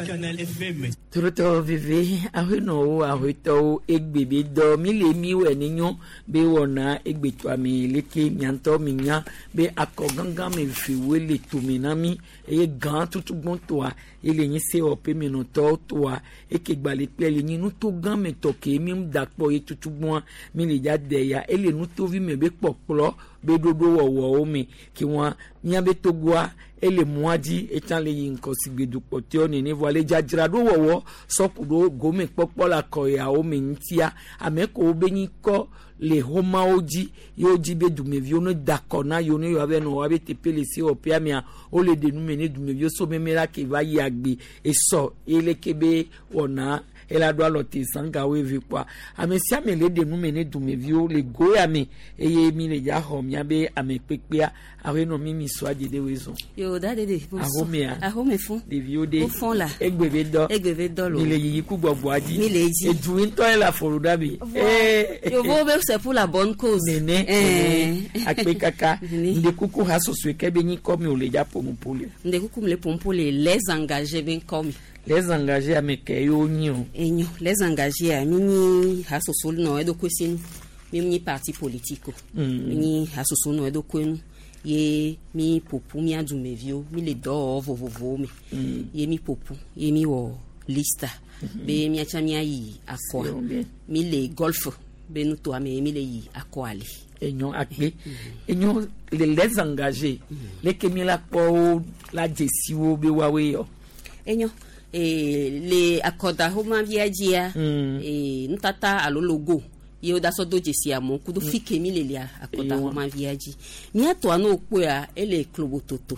Canal F M. Torotɔ veve ahenɔwo ahetɔwo egbe be dɔ mi le mi wɛ ne nyɔ be wɔna egbetɔame leke miatɔ mi nya be akɔ gãgã me fewoe le tome na mi eye gã tutugbɔntɔa ele nyi sewɔƒe menɔtɔwo toa eke gbalẽ kple le nyi nuto gã me tɔ ke mi da kpɔ ye tutugbɔa mi le dza de ya ele nutovi me be kpɔkplɔ be ɖoɖo wɔwɔwo me ke wɔn miabe togoa ele mɔa dzi etsã le yi ŋkɔ si gbedukpɔtɔewo nene vɔa le dzadzraɖo wɔwɔ sɔku ɖo gome kpɔkpɔ le akɔyawo me ŋutia ame kewo be nyi kɔ le xomawo dzi ye wodzi be dumeviwo ne da akɔ na yewo ne yewoa be nɔ woabe teƒe le sewɔƒea mea wole ɖe nu me ne dumeviwo so meme la ke va yi agbe esɔ ye leke be wɔna ela ɖo alɔ te sangawo eve kpɔa ame sia ame le ɖe nu me ne dumeviwo le go ya me eye mi le dza xɔ miabe ame kpekpea awo nɔ mi mi sɔ adze ɖe woe zɔn. Yo da de de. Ahomea. Ahome fún. Ɖeviwo de. Wo fɔn la. Egbe be dɔ. Egbe be dɔ lo. Mi le yiyi ku gbɔgbɔa dzi. Mi le dzi. Edu ŋutɔ ye le afɔlu ɖa mi. Yovo be c'est pour la bonne cause. Nene. Akpe kaka. Ndekuku ha soso ke be nyi kɔ mi o le dza ƒomu le. Ndekuku mi le ƒomu le les engagés be ŋkɔ mi. Les engagés ame ke yewo nyi o. Enyo les engagés a mi nyi hasoso nɔ eɖokui sinu mi nyi parti politique o. Mm. Mi nyi hasoso nɔ eɖokui nu ye mi ƒoƒu mía dumeviwo mi le dɔwɔwɔ vovovowo me. Mm. Ye mi ƒoƒu ye mi wɔ lista be míatsa míayi akɔa C'est mi le golf be nutoa me ye mi le yi akɔa le. Enyo akpe enyo le les engagés leke mi la kpɔ wo la dzesi wo be woawoe yɔ. Enyo eh, le akɔdaxɔmavia dzia Mm. eh, nutata alo logo ye woda sɔ do dzesi amewo kudo fi ke mi le le akɔdaxɔmavia dzi míatɔa ne wokpɔea ele klobototo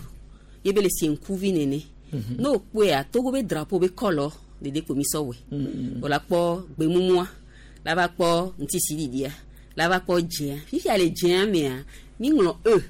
ye be le sie ŋkuvi nene Mhm. ne wokpɔea Togo be drapeau be kɔlɔ ɖeɖe kpo mi sɔ wɔe Mm. wòla kpɔ gbemumua la va kpɔ ŋutisiɖiɖia la va kpɔ dzea fifia le dzea mea mi ŋlɔ e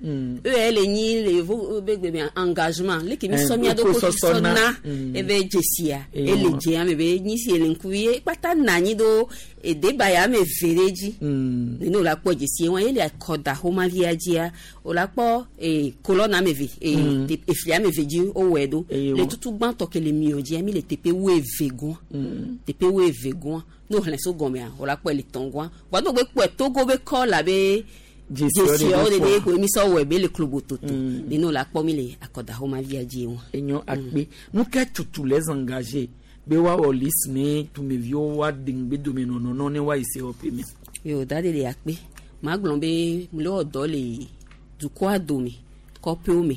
Mm. e ele nyi le yevo be gbe mea engagement leke mi Eh, sɔ mía ɖokui ɖokui sɔ sɔsɔ na. na Mm. ebe dzesia Eye ele wɔ. dzea me be nyi si ele ŋkuvi ye kpata na anyi ɖo edebaya ame eve ɖe dzi Mm. nene wòla kpɔ dzesie wa ye le akɔda xɔmavia dzia wòla kpɔ ee kolɔna ame eve ee Mm. te- efli ame eve dzi wowɔe ɖo Eye le wɔ. tutu gbãtɔ ke le miɔ dzia mi le teƒe wuieve gɔa Mm. teƒe wuieve gɔa ne wòxlẽ so gɔmea wòla kpɔ ele tɔn gɔa vɔa ne wògbe kpɔe Togo be kɔla be Dzesiawo dzesiawo ɖeɖe ɖeɖe kpɔ. ko mi sɔ wɔe be le klobototo Mm. nene wòla kpɔ mi le akɔdaxɔmavia dzi wa. Enyo akpe nu ke tutu les engagés be woawɔ liste ne dumeviwo woaɖe ŋugbe dome nɔnɔnɔ ne woayi sewɔƒe me. Yo da de le akpe maa gblɔ be mle wɔ dɔ le dukɔa dome kɔƒewo me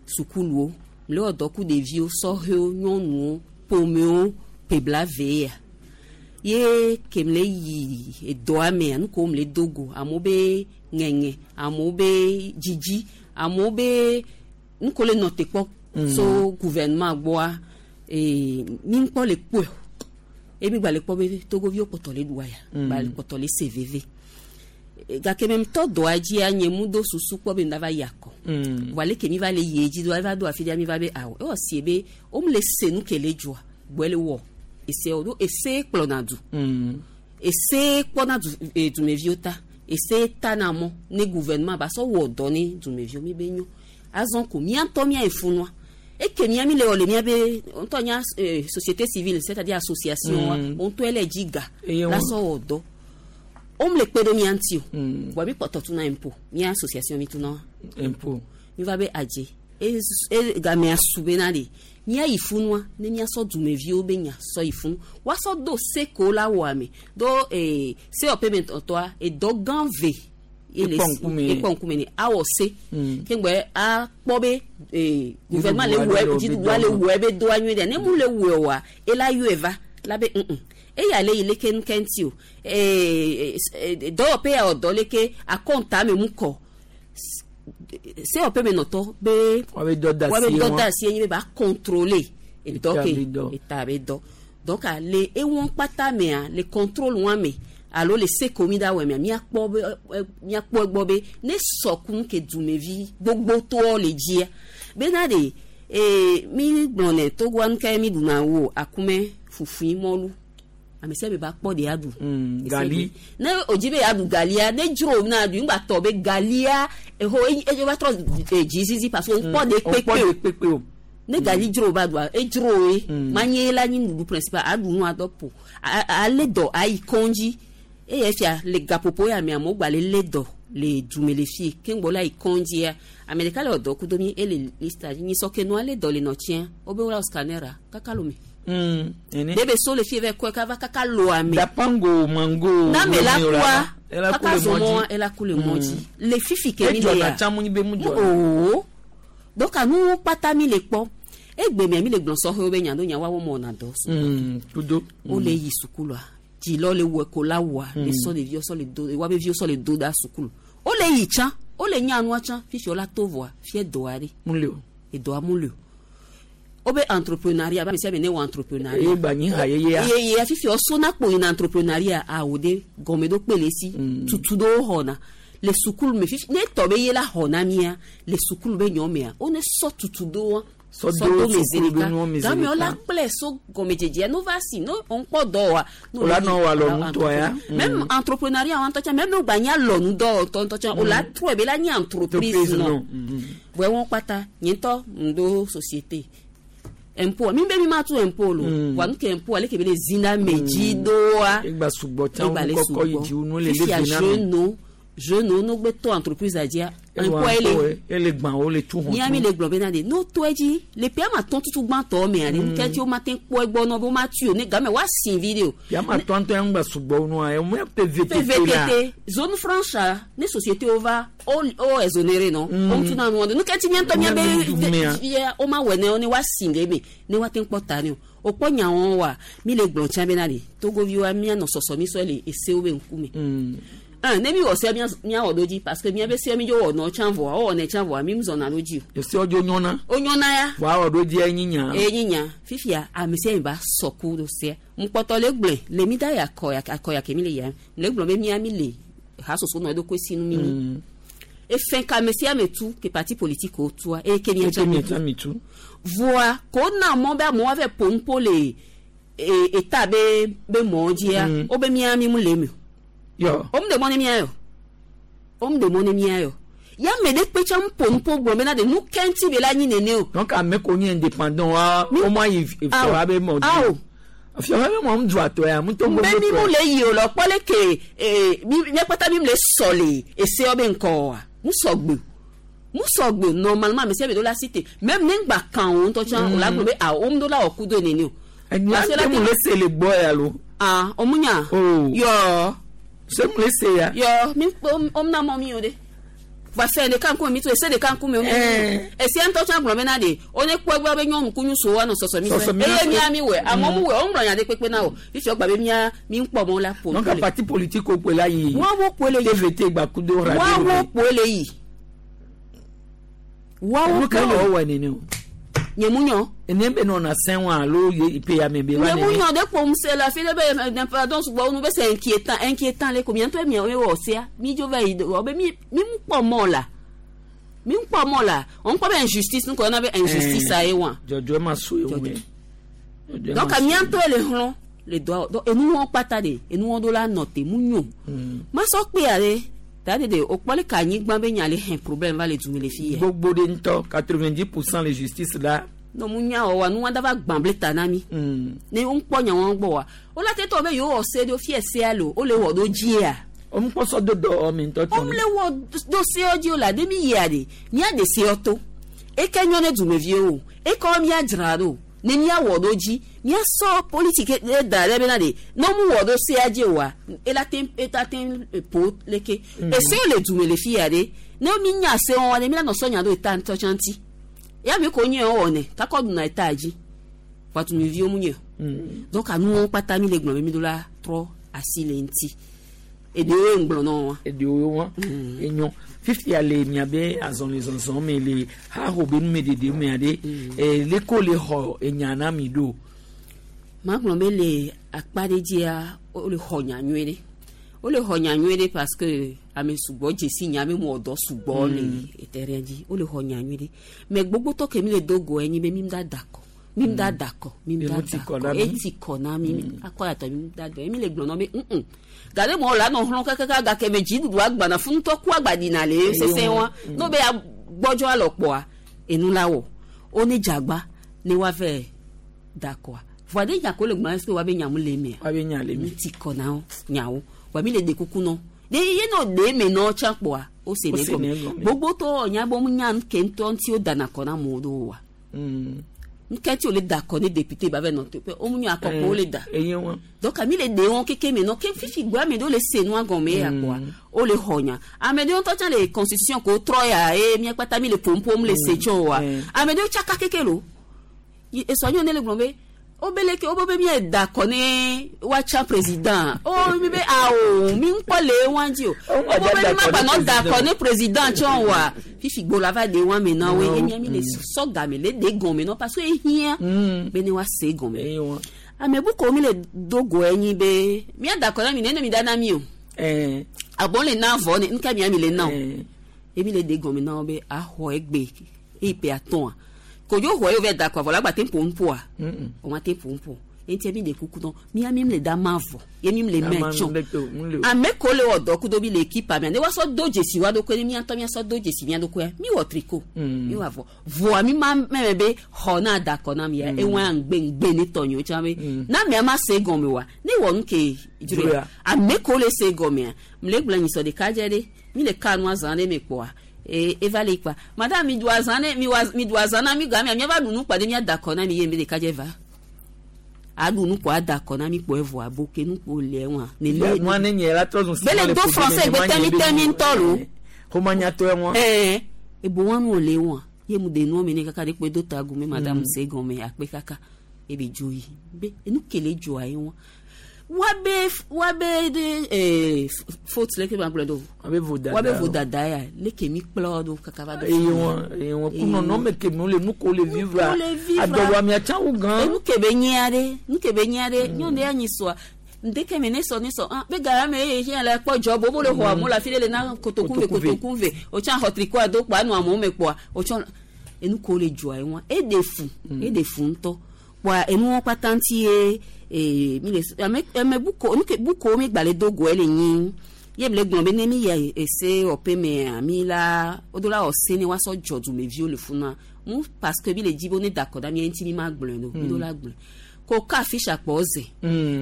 sukuluwo mle wɔ dɔ ku ɖeviwo sɔhewo nyɔnuwo ƒomewo ƒe blaeve ya ye ke mle yi edɔa mea nu kewo mle do go amewo be ŋeŋe amewo be dzidzi amewo be nu kewo le nɔ te kpɔ Mm. so gouvernement gbɔa ee mi ŋkpɔ le kpɔe o ye mi gba le kpɔ be togoviwo kpɔtɔ le ɖua ya Mm. gba le kpɔtɔ le se veve E, gake me ŋutɔ dɔa dzia nye mu do susu kpɔ be ŋda va yi akɔ Mm. vɔa leke mi va le yi edzi do eva do afi ɖia mi va be awɔ ewɔ sie be wome le se nu ke le dzɔa gbɔe le wɔ esewo ɖo ese kplɔna du Mm. ese kpɔna du e, dumeviwo ta ese tana mɔ ne gouvernement ba sɔ wɔ dɔ ne dumeviwo mi be nyo azɔ ko mía ŋutɔ mía yi funua eke mía mi le wɔ le mía be ŋutɔ nya eh, société civile c'est à dire association wa Mm. wo ŋutɔe le dzi ga Eye la wo- sɔ wɔ dɔ O mu le kpe ɖo mía ŋuti o. Vɔa mi kpɔtɔ tuna impôt. Mía association mi tuna Impôt. Mi va be adze. E e gamea su bena de mía yi funua ne míasɔ dumeviwo be nya sɔ yi funu woasɔ do se ko la wɔ ame do ee se wɔ payment ɔtɔa edɔ gã ve ele Ekpɔ ŋkume. ekpɔ ŋkume ne awɔ se Mm. keŋgbɛ akpɔ be ee gouvernement le Dziɖuɖua wɔ le wɔ be dziɖuɖua le dɔ. wɔ ebe doa nyuie ɖe ne mu le wɔe oa ela yɔe va la be ŋ eya le yi leke nu kɛntì o ee ee dɔwɔƒe ya wɔ dɔ leke akɔnta me mu kɔ se wɔ payment ɔtɔ be Woabe dɔ da woabe asi dɔ wɔn. da asi enyi be ba contrôler edɔ Eta ke be dɔ. eta be dɔ donc a le ewɔn kpata mea le contrôle wɔn me alo le se ko mi da wɔ mea miakpɔ be ɛ miakpɔ egbɔ be ne sɔkun ke dumevi gbogbotɔ le dzia bena de ee mi gblɔ ne togoa nu ke mi ɖuna wo akume fufui mɔlu ame sia ame ba kpɔ de aɖu Mm, gali. ne o dzi be yeaɖu galia ne dzro na ɖu ŋgba tɔ be galia eho edze va trɔ eh, dzizizi parce que ŋkpɔ de Mm, ŋkpɔ kpekpe de o kpekpe o. ne gali dzro ba ɖua edzro ye manye la nyi nuɖuɖu principal aɖu nu adɔ po A- a- ale dɔ ayi kɔndzi eye fia le gaƒoƒo ya me amewo gba le lé dɔ le dume le fie keŋgbɔ la yi kɔndzia ame ɖeka le wɔ dɔ kudo mi ele lista dzi nyisɔ ke nua lé dɔ le nɔtsia wobe wola scanner kaka lome Mm, ene. ɖe be so le fie vɛ kɔe kava kaka loa me Dapango mango. na me la Romeo kua Ela ku kaka le zɔmɔ mɔdzi. ela ku le mɔdzi le fifi ke mi Edzɔna le ya tsã mu nyi be mu dzɔna. oo donc anu kpata mi le kpɔ egbe mia mi le gblɔ sɔhɛwo be nya ɖo nya woawo mɔna dɔ so Mm, kudo. wole yi sukulua dzilɔ le wɔ ko la wɔa le sɔ ɖeviwo sɔ le do woabe viwo sɔ le do da sukulu wole yi tsã wole nya nua tsã fifi wola to vɔa fie dɔa ɖe Mu le o. edɔa mu le o wobe entrepreneuriat ba ame sia ame ne wɔ entrepreneuriat Eye gba nyi ha yeyea. yeye fifi wosona kpo yina entrepreneuriat awo de gɔmeɖokpe le esi tutu ɖewo xɔna le sukulu me fifi ne tɔ be ye la xɔna mia le sukulu be nyɔ mea wone sɔ tutu ɖewo Sɔ do me zi sukulu be ɖeka nuwo me zi game ɖeka. wola kplɛ so gɔmedzedzea no va si no ŋkpɔ dɔ wa no Wola le nɔ yi- wɔ alɔ wola nutɔa ya. même Mm. entrepreneuriat wa ŋutɔ tsã même ne wogba nye alɔnudɔ ŋutɔ tsã wola trɔe be la nye entreprise Entreprise nɔ nɔ. Mm. vɔe wɔn kpata nye ŋutɔ ŋdo société impôt mi be mi ma tu impôt lo Mm. wa nu ke impôt ale ke be le zina me dzi doa Egba sugbɔ tsã egba le wo kɔkɔ yi sugbɔ dzi wo nu le fifia le vi na me. jeune jeune no gbe tɔ entreprise adzia Ewa impôt ele ŋkɔ ele gbã wo le tu mía mi le gblɔ bena de n'o tɔ edzi le ƒea ma tɔn tutu gbãtɔ mea de nukɛtsi wo ma te kpɔ egbɔ nɔ be wo ma tu o ne game wa si vi de o Yama tɔntɔn ya ŋgba sugbɔ nua ya mu ya pe VTT la. PVTT zone franche a, ne société wo va o o exonéré nɔ Mm. o tuna nua de nukɛtsi mía ŋutɔ mía be Mea. fia o ma wɔ ne wo ne wa si ɖe me ne wa te kpɔ ta ne o o kpɔ nyawo wa mi le gblɔ tsã bena de togoviwoa mía nɔ sɔsɔ mi sɔ le esewo be ŋkume Mm. un ne mi wɔ sea mía mía wɔ ɖo dzi parce que mía be sea mi dzo wɔ nɔ tsã vɔa wowɔ nɛ tsã vɔa mi zɔna ɖo dzi Ese wo nyɔna. o o nyɔna ya Wa wɔ ɖo dzi enyi nya. eye nyi nya fifia ame sia ame ba sɔ ku ɖo sea ŋkpɔtɔ le gblɔe le mi da ya akɔ ya akɔ ya ke mi le ya le gblɔ be mía mi le hasoso nɔ eɖokui sinu mi nyi Mm. efɛn ka ame sia ame tu ke parti politique wo tua eye ke mía Eke tsã mi mi tsã tu mi tu. voa ko na mɔ be amewo ava ƒo nuƒo le e eta be be mɔ dzia Mm. wo be mía mi mu le eme o Yɔ. wo mu ɖe mɔ ne mía yɔ wo mu ɖe mɔ ne mía yɔ ya ame ɖe kpe tsã mu ƒo nuƒo gblɔ bena de nu kɛntì be la nyi nene o Donc ame ko nye indépendant wa Mi- o ma yi fiawa be mɔ dzi. Awo. Fiawa be mɔ mu du atɔ ya mu tɔ be mi mu le yi o lɔ kpɔ le ke ee mi mía kpata mi mu le sɔ le esewo be ŋkɔ wa mu sɔgbe mu sɔgbe normalement ame sia ame ɖo la si te même ne ŋgba kan o ŋutɔ tsã o la gblɔ be awo wo mu ɖo la wɔ kudo nene o. Enya Parce que la te mu le se le gbɔ ya lo. ah o mu nya. Oh. yɔ Se mu le se ya. yɔ mi o mu na mɔ mi o de va fɛn ɖeka ŋkume mi to ese ɖeka ŋkume o mi Eh. esia ŋutɔ tsã gblɔ bena de o ne kpɔ egbe be nyɔnu ku nyusu wa nɔ sɔsɔ mi Sɔsɔ fɛ mi eye fɛ. mía mi wɛ amewo mu wɛ o ŋlɔ nya ɖe kpekpe na o fifi wogba be mía mi ŋkpɔ mɔ la ƒo Donc nuƒo le. parti politique ko la yi. Woawo kpoe le yi. TVT gba kudo radio. woawo kpoe le yi woawo Nu ka kpoe le wɔ wɔ nene o. nye mu nyɔ Ene be nɔna sɛn wa alo ye pe ya me be va nye mu nene. nyɔ ɖe kpom se le afi ɖe be eh, pardon sugbɔ nu be c'est inquiétant inquiétant le ko mía ŋutɔ mía wɔ sea mi dzo va yi do wɔ be mi mi ŋu kpɔ mɔ la mi ŋu kpɔ mɔ la o ŋu kpɔ be injustice nu ko yɔna be injustice a ye wa Jɔjɔ ma so ye wo ye. Jɔjɔe donc ma so. mía ŋutɔ le hlɔ̃ le dɔa donc enuwɔ kpata de enuwɔ ɖo la nɔ te mu nyo Mm. masɔ kpea ɖe ta de de o kpɔ le ka anyigba be nya le hɛn problème va le dume le fi yɛ Gbogbo de ŋutɔ quatre-vingt-dix pour cent le justice la. no mu nya wɔ wa nuwa dava gbã ble ta na mi Mm. ne wo ŋkpɔ nya wɔn gbɔ wa wo la te tɔ be yewo wɔ se ɖo fie sea lo wo le wɔ ɖo dzia Omukpɔsɔ do dɔ ɔmi ŋutɔ tɔ. Omle wɔ do seɔ dzi o la de mi yia de mía de seɔ to eke nyɔ ne dumeviwo o ekɔ mía dzra ɖo ne mía wɔ ɖo dzi mía sɔ politiki ɖe da ɖe bena de ne mu wɔ ɖo sea dzi oa ela te eta te po leke esewo le dume le fi ya de ne mi nya sewo wa de mi la nɔ sɔ nya ɖo eta ŋutɔ tsã ŋuti ya mi ko nye wɔ ne kakɔ ɖuna eta dzi wa dumeviwo mu nye donc anuwo kpata mi le gblɔ be mi do la trɔ asi le ŋuti. Eɖewo ŋgblɔ nɔ wa. Eɖewo wa enyo fifia le miabe azɔlizɔzɔ me le haho be numeɖeɖe mea ɖe ee leko le xɔ enya na mi ɖo. Magblɔ be le akpa ɖe dzia wole xɔ nya nyuie ɖe wole xɔ nya nyuie ɖe parce que ame sugbɔ dzesi nya be mɔ dɔ sugbɔ le terrain dzi wole xɔ nya nyuie ɖe mais gbogbotɔ ke mi le do go enyi be mi da da kɔ mi da da kɔ mi da da kɔ eti kɔ na mi akɔ yatɔ mi da dɔ mi le gblɔ nɔ be ŋ gade mɔ la nɔ hlɔ̃ kakaka gake me dziɖuɖu agbana funutɔ ku agbadina le sese wa n'o be gbɔdzɔ alɔ kpɔa enu la wɔ wo ne dzagba ne wa vɛ da kɔa voa de nya ko le gbɔna est-ce que wa be nyamu le mea wa be nya le mi ti kɔ na wo nyawo wa mi le de kuku nɔ de ye nɔ de me nɔ tsa kpɔa o se ne gɔme gbogbotɔ nya bɔ mu nya nke ŋutɔ ŋuti wo dana kɔ na amewo ɖo wa nkɛtɛ o le da kɔ ne député ba bɛ nɔ teƒe o mu nyɔ akɔkɔ o le da donc ami le de wɔn keke me nɔ ke fifi gbɔ ame ɖewo le se nua gɔme ya kɔa o le xɔ nya ame ɖewo ŋutɔ tsã le constitution ko trɔ ya eye mía kpata mi le pompom le se tsɔ wa ame ɖewo tsaka keke lo esɔnyɔ ne le gblɔ be o be leke o be be mía da kɔ ne woatsa président o mi be awo mi ŋkpɔ le wa dzi o o be be mi ma gba nɔ da kɔ ne président tsɔ wa fifi gbo la va de wa me na wo ye mía mi le sɔ game le de gɔme nɔ parce que ehiã be ne wa se gɔme ame buku mi le do go enyi be mía da kɔ na mi ne mi da na mi o abɔn le na vɔ ne nuka mía mi le na o emi le de gɔme na wo be axɔ egbe eyi pe atɔa kojo xɔ ye vɛ da kɔ avɔ la gba te ƒo ŋƒoa o ma te ƒo ŋƒo eŋuti mi le kuku dɔn mía mi le da ma vɔ ye mi le mɛ tsɔ ame ko le wɔ dɔ kudo mi le ekipa mia ne wa sɔ do dzesi wa ɖokui ne mía ŋutɔ mía sɔ do dzesi mía ɖokuia mi wɔ triko mi wɔ avɔ vɔa mi ma mɛmɛ be xɔ na da kɔ na mi ya ewa ŋgbe ŋgbe ne tɔnyewo tsã be na mia ma se gɔme wa ne wɔ nu ke dzro ya ame ko le se gɔmea mle gblɔ nyisɔ ɖeka dze ɖe mi le ka nua zã ɖe me kpɔa. E eva le kpa madame mi do azã ne mi wa mi do azã na mi ga mi mi va ɖu nu kpa ɖe mia da kɔ na mi ye mi ɖeka dze va aɖu nu kpɔ ada kɔ na mi kpɔ evɔ abo ke nu kpɔ le wa ne le nua ne nye la trɔ zun bele do français gbe tɛmi tɛmi ŋutɔ lo xɔmanyatɔ wa ɛɛ ebo wa nu le wa ye mu de nua mi ne kaka de kpe do ta gume madame se gɔme akpe kaka ebe dzo yi be enu kele dzoa ye wa wabe wabe de eh faute leke ba gblɔ do wabe vodada wabe vodada ya leke mi kplɔ do kaka va do eye wɔn eye wɔn kunɔ nɔmɛ ke mi le nu ko le vivre adɔwɔ amia tsã wu gan enu ke be nyia ɖe nu ke be nyia ɖe nyɔnu ɖe anyi sɔa ndeke me ne sɔ ne sɔ ah be gara me eye hiã le kpɔ dzɔ bobo le xɔ amewo le afi ɖe le na kotoku ve kotoku ve o tsã xɔ trikoa do kpɔa nu amewo me kpɔa o tsɔ enu ko le dzɔa ye wɔn eɖe fu eɖe fu ŋutɔ kpɔa enuwo kpata ŋuti ye ee mi le ame ame buko nuke buko mi gba le do go ele nyi ye le gblɔ be ne mi yi ese wɔƒe mea mi la wo do la wɔ se ne woasɔ dzɔ dumeviwo le funa mu parce que mi le dzi be ne da kɔ da mia ŋuti mi ma gblɔe do mi do la gblɔe ko ka afisha kpɔ ze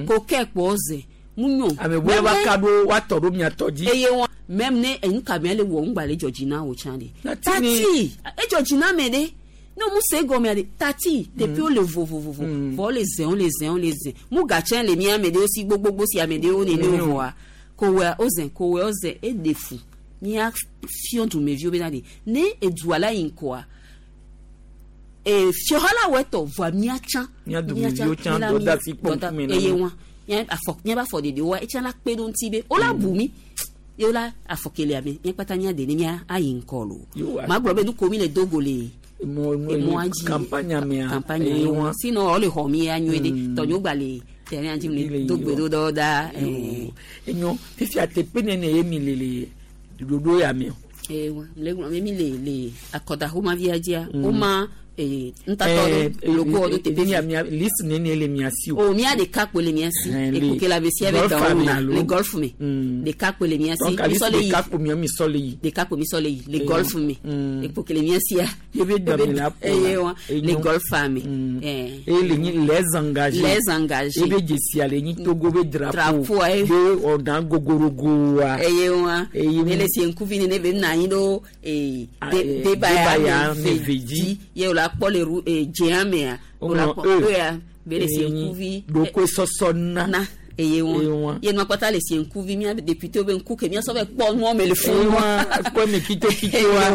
ko kɛ kpɔ ze mu nyo ame bo wa ka ɖo wa tɔ ɖo mia tɔ dzi eye wɔn même ne enu kabia le wɔ ŋgba le dzɔ dzi na wo tsã de tati edzɔ dzi na me de ne mu se gɔmea de tati teƒe wo le vovovovo vɔ le zẽ wo le zẽ wo le zẽ mu gatsɛ le mia ame ɖewo si gbogbogbò si ame ɖewo nene wo vɔa kowea wo zẽ kowea wo zẽ eɖe fu mia fiɔ dumeviwo bena de ne edua la yi ŋkɔa ee fiɔha la wɔ etɔ vɔa mia tsã mia dumeviwo tsã dɔ da si kpɔ ŋkume na eye wa mia afɔ mia ba afɔ ɖeɖe wa etsã la kpe ɖo ŋuti be wo la bu mi ye wo la afɔkelia me mia kpata mia de ne mia ayi ŋkɔ lo magblɔ be nuko mi le dogo le emɔ dzi campagne mea campagne wa sinon wo le xɔ mi ya nyuie ɖe tɔnyewo gba le terrain dzi le do gbe ɖo ɖɔ da. Enyo fifia teƒe nene ye mi le le ɖoɖo ya me o. Ewa le gblɔ be mi le le akɔdaxomavia dzia woma ee ntatɔ ɖo logo ɖo teƒe mia mia liste nene le mia si o mia ɖeka kpoe le mia si ekuke la be sia be dɔwɔ me le golf me ɖeka kpoe le mia si donc alisi ɖeka kpo mia mi sɔ le yi ɖeka kpo mi sɔ le yi le golf me ekuke le mia sia ebe dame la po eye wa le golf me eye le nyi les engagés les engagés ebe dzesia le nyi Togo be drapeau be ɔdan gogorogo wa eye wa ele si ŋkuvi nene be na anyi ɖo ee debaya me ve dzi ye wòle akpɔ le ru ee dzea mea wòle akpɔ eya be le si ŋkuvi ɖokoe sɔsɔ na na eye wa ye nua kpata le si ŋkuvi mía député be ŋku ke mía sɔ be kpɔ nua me le fún wa kpɔ me kitokito wa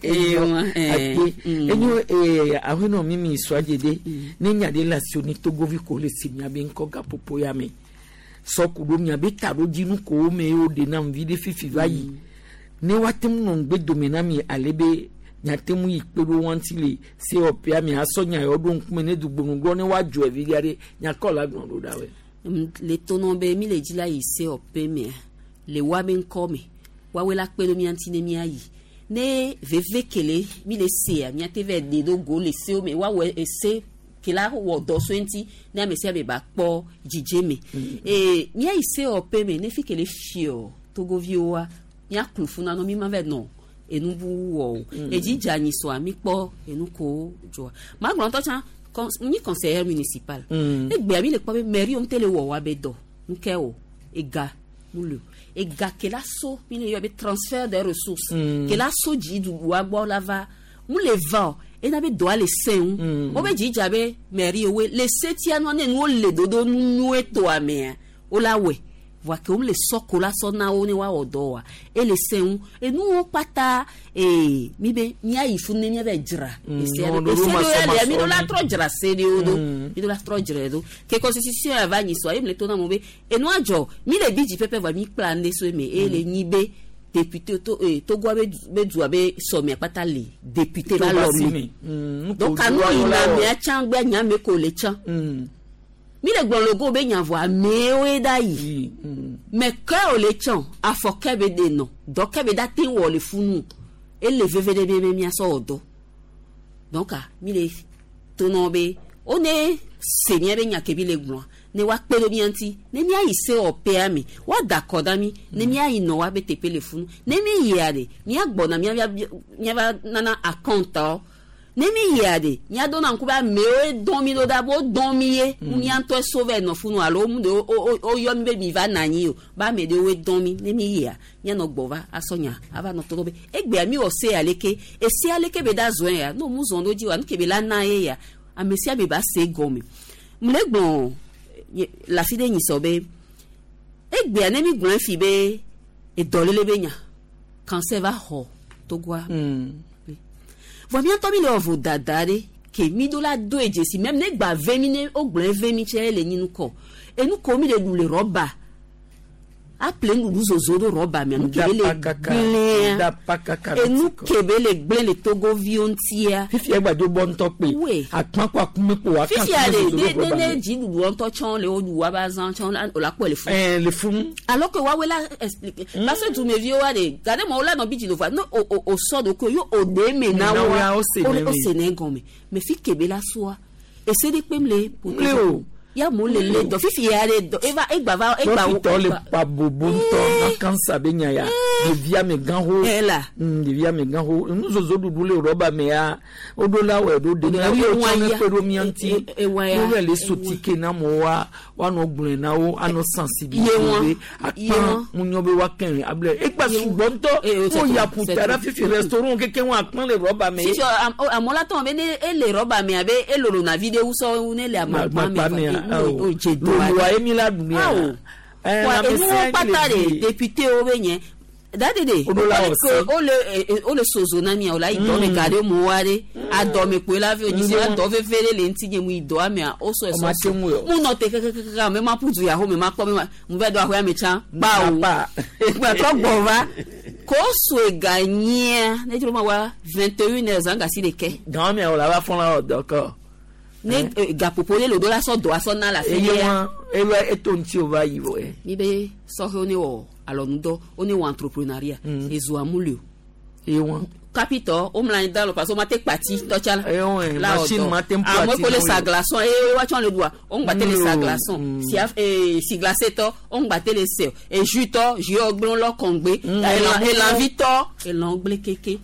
eye wa ake enyo ee ahenɔ mi mi sɔ adzede ne nya ɖe le asi ni Togovi ko le si mía be ŋkɔ gaƒoƒo ya me sɔku ɖo mía be taɖodzinu ko me wo ɖe nam vi ɖe fifi va yi ne woate ŋu nɔ ŋugbe dome na mi ale be nyate ŋu yi kpe ɖo wa ŋuti le sewɔƒea mi asɔ nya yawo ɖo ŋkume ne dugbonugbɔ ne woadzɔ evi ɖe aɖe nyakɔ la gblɔ ɖo ɖa wɛ. Le tonɔ be mi le dzi la yi sewɔƒe mea le wa be ŋkɔ me woawoe la kpe ɖo mía ŋuti ne míayi ne veve kele mi le sea míate vɛ de ɖo go le sewo me woawɔ ese ke la wɔ dɔ so ŋuti ne ame sia ame ba kpɔ dzidze me ee míayi sewɔƒe me ne fi kele fiɔ Togoviwoa míaklu funu nɔ mi ma vɛ nɔ enubu wɔ o edzi dze anyi sɔa mi kpɔ enu ko dzɔa magblɔ ŋutɔ tsã nyi conseiller municipal egbea mi le kpɔ be mairie ŋutɔ le wɔ wa be dɔ ŋkɛ o ega mu le o ega ke la so mi le yɔ be transfert des ressources ke la so dziɖuɖua gbɔ la va mu le va o ena be dɔa le sẽ ŋu wo be dzi dza be mairie woe le setia nua ne nuwo le dodo nu nyuie toa mea wo la wɔe voa ke wome le sɔ ko la sɔ na wo ne woawɔ dɔ oa ele sẽ ŋu enuwo kpata ee mi be míayi funu ne míava dzra ese ɖo ese ɖo ya lia mi ɖo la trɔ dzra se ɖewo ɖo mi ɖo la trɔ dzra ɖo ke constitution ya va nyi sɔa ye mi le to na mo be enua dzɔ mi le bi dzi pɛpɛ voa mi kpla nu ɖe so eme eye le nyi be député to ee Togoa be be dua be sɔmia kpata le député va lɔ mi donc anu yina amea tsã gbe nyame ko le tsã. Mi le gblɔ logo be nya vɔ amewoe da yi mɛ ke o le tsã afɔ ke be de nɔ dɔ ke be da te wɔ le funu ele veve ɖe be be miasɔ wɔ dɔ donc mi le tonɔ be wo ne se mía be nya ke mi le gblɔa ne woakpe ɖo mía ŋuti ne míayi sewɔƒea me woada akɔ na mí ne míayi nɔ woabe teƒe le funu ne mí yia ɖe míagbɔna míava nana akɔntawo ne mi yia de míadona ŋku be amewoe dɔn mi ɖo ɖa be wodɔn mi ye mía ŋutɔe so vɛ nɔ funu alo mu de woyɔ mi be mi va nɔ anyi o be ame ɖewoe dɔn mi ne mi yia míanɔ gbɔ va asɔ nya ava nɔ tɔ be egbea mi wɔ se aleke ese aleke be da zɔe ya ne mu zɔn ɖo dzi wa nu ke be la na ye ya ame sia ame ba se gɔme mu le gblɔ le afi ɖe nyisɔ be egbea ne mi gblɔ fi be edɔlele be nya cancer va xɔ Togoa. Vɔ míatɔ mi le wɔ vodada ɖe ke mi ɖo la do edzesi mɛ ne gba ve mi ne wogblɔ ve mi tse le nyi nukɔ enu ko mi le ɖu le rɔba aple nuɖuɖu zozo ɖo rɔba mea nu ke be le gblẽa enu ke be le gblẽ le Togoviwo ŋutia. Fifia gbadzo bɔ ŋutɔ kpe akpa kɔ akume kpo wa kan fifia de ne ne ne dziɖuɖu ŋutɔ tsɔ le wo ɖu wa ba zã tsɔ o la kpɔ le funu. Ɛɛ le funu. Alors que woawoe la expliquer parce que dumeviwo wa de gade ma wo la nɔ bi dzi do va ne o o o sɔ do ko yo o de me na wo wa o se ne gɔme mais fi ke be la soa ese de kpem le. Le o. Ya mo le le dɔ fifi ya le dɔ eva egba va egba wo. Dɔkitɔ le pa bobo ŋutɔ na kansa be nya ya ɖevi amegã ho. Ela. Ɖevi amegã ho nuzozo ɖuɖu le rɔba me ya woɖo la wɔ ɖo de na wo tsɔ ne kpe ɖo mía ŋuti wo vɛ le sotike na amewo woanɔ gblɔe na wo anɔ sensibiliser be akpa ŋunyɔ be woakɛ able egba sugbɔ ŋutɔ wo ya ƒuta ɖa fifi restaurant keke wo akpa le rɔba me. Fifi amewo la tɔ be ne ele rɔba me abe elolo na vi ɖe wusɔ ne le amakpa me. Loloa ye mi la ɖu mia. Wa enuwo kpata de député wo be nye dade de o le o le sozo na mia o la yi dɔ me ga ɖe mo wa ɖe adɔme kpoe la vi o dzi se adɔ veve ɖe le ŋuti nye mu yi dɔa mea o sɔ esɔ mu nɔ te kekekeke ame ma ƒu du yaho me ma kpɔ me ma mu va do ahoya me tsã kpa o gbɛtɔ gbɔ va ko so ega nyia ne dzro ma wa vingt et une heures zã gasi ɖeke. Gan mia o la va fɔlɔ la dɔ kɔ. Ne gaƒoƒo ɖe le do la sɔ dɔ asɔ na la fi ya. Eye eto ŋuti o va yi vɔ ye. Mi be sɔhɛwo ne wɔ alɔnudɔ wo ne wɔ entrepreneuriat ezoa mu le o. Eye wa. Capitɔ wo mlɔ anyi da lɔ parce que wo ma te kpati tɔtsa la. Eyo, La machine wɔ dɔ. ma te ŋu Ame ati ko le n'o sa ye. glaçon eye woatsɔ le ɖua wo ŋgba te le sa Mm. glaçon. Si af- ee, si glacé tɔ wo ŋgba te le se o. E jus tɔ jus yɔ gblẽ lɔ kɔŋgbe. Mm. Elan elanvi tɔ elan gblẽ keke.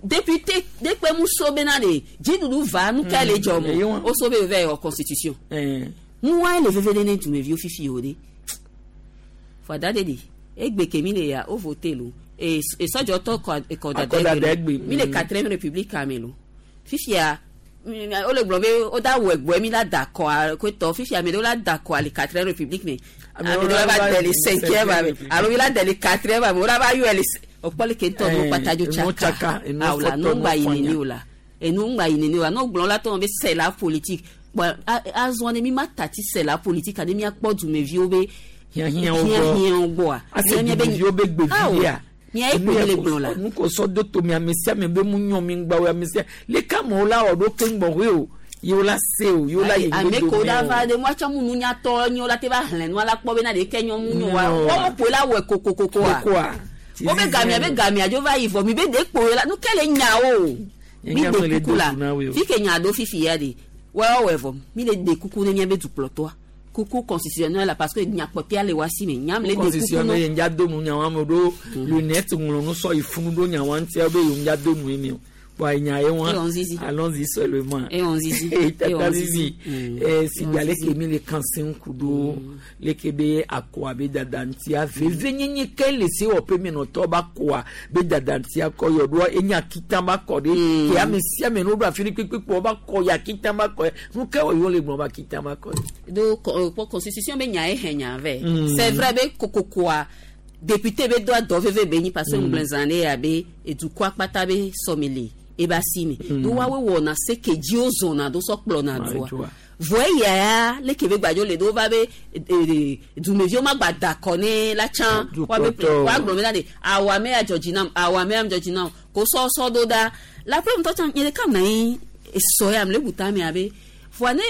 Député dekpe mu so bena de dziɖuɖu va nu ka le dzɔ Eyo. mɔ wo so be vɛ wɔ constitution. Eh. Nua le veve ɖe ne dumeviwo fifi o de. Fada de de egbe ke mi le ya o vote lo e esɔdzɔtɔ kɔ Akɔdada kɔdada egbe, egbe mi le mm. quatrième république ame lo fifia mm, wole gblɔ be wo da wɔ egbɔe mi la da kɔa koetɔ fifia ame ɖewo la da kɔa le quatrième république me Ame ame ɖewo ɖewo la la va va de le cinquième ame république. alo mi la de le quatrième ame wo la va yɔe le o kpɔ le ke ŋutɔ Eh, nu kpata dzo enu tsaka tsaka, enu awo la fɔtɔ, nu enu ŋgba yi fɔnya. nene o la enu ŋgba yi nene o la n'o gblɔ la tɔ be c'est la politique bɔn azɔ ne mi ma tati c'est la politique ane miakpɔ dumeviwo be Hiãhiãwo gbɔ. hiãhiãwo gbɔa Ase Mía míabe- dumeviwo be gbevi Awo, ɖea. mía ye Enu kpo ya mi le ko- gblɔ la nu ko sɔ do tomi ame sia ame be mu nyɔ mi ŋgba o ame sia leke amewo la wɔ ɖo keŋ gbɔxɔe o yewo la se o yewo la yi ame ŋgbe ko dome da o. va de moatsɔ mu nunyatɔ nyo la te va xlẽ nua la kpɔ bena ɖeke nyɔ mu nyo wa Nyo. wɔwɔ ƒoe la wɔe kokokokoa Kokoa. wo be gamia be gamia dzo va yi vɔ mi be de kpo la nu ke le nya o mi Nya me de le kuku do la du na woe o. fi ke nya ɖo fifi ya de wɔwɔ vɔ mi le de kuku ne mía be dukplɔtɔa kuku constitutionnel la parce que nyakpɔtɔa le wa si me nyam le de kuku constitutionnel no ye ŋdza do nu nyawa me ɖo lunette ŋlɔ nu sɔ yi funu ɖo nyawa ŋutia be yewo ŋdza do nu ye mi o bɔn enya ye wa Et on zizi. allons-y seulement Et on zizi. Eh, Et tata on zizi zizi. Mm. eh, si Et on gba zizi. leke mi le kanse ŋku ɖo leke be akɔa be dada ŋutia veve nyenye ke le se wɔƒe menɔtɔ ba kɔa be dada ŋutia kɔ yɔ ɖoa enya kita ba kɔ ɖe ke ame sia ame no ɖo afi ɖe kpekpe ba kɔ ya kita ba kɔ nu ke wɔ yewo le gblɔ ba kita ba kɔ do co- euh, po constitution be nya ye hɛn nya vɛ Mm. c'est vrai be kokokoa député be do adɔ veve be nyi parce que Mm. ŋgblẽ zã ɖe ya be edukɔa kpata be sɔmi le eba si me Mm. do woawoe wɔna se ke dzi wo zɔna do sɔ kplɔna Ah, dua dua. vɔ eya ya leke be gbadzo le do va be e, e, dumeviwo ma gba da kɔ ne la tsã woabe Dukplɔtɔ. woagblɔ be na de awɔ ame ya dzɔ dzi nam awɔ ame ya dzɔ dzi nam ko sɔsɔ do ɖa la ƒe ŋutɔ tsã nye ɖeka mna anyi esɔ ya mle buta mea be voa ne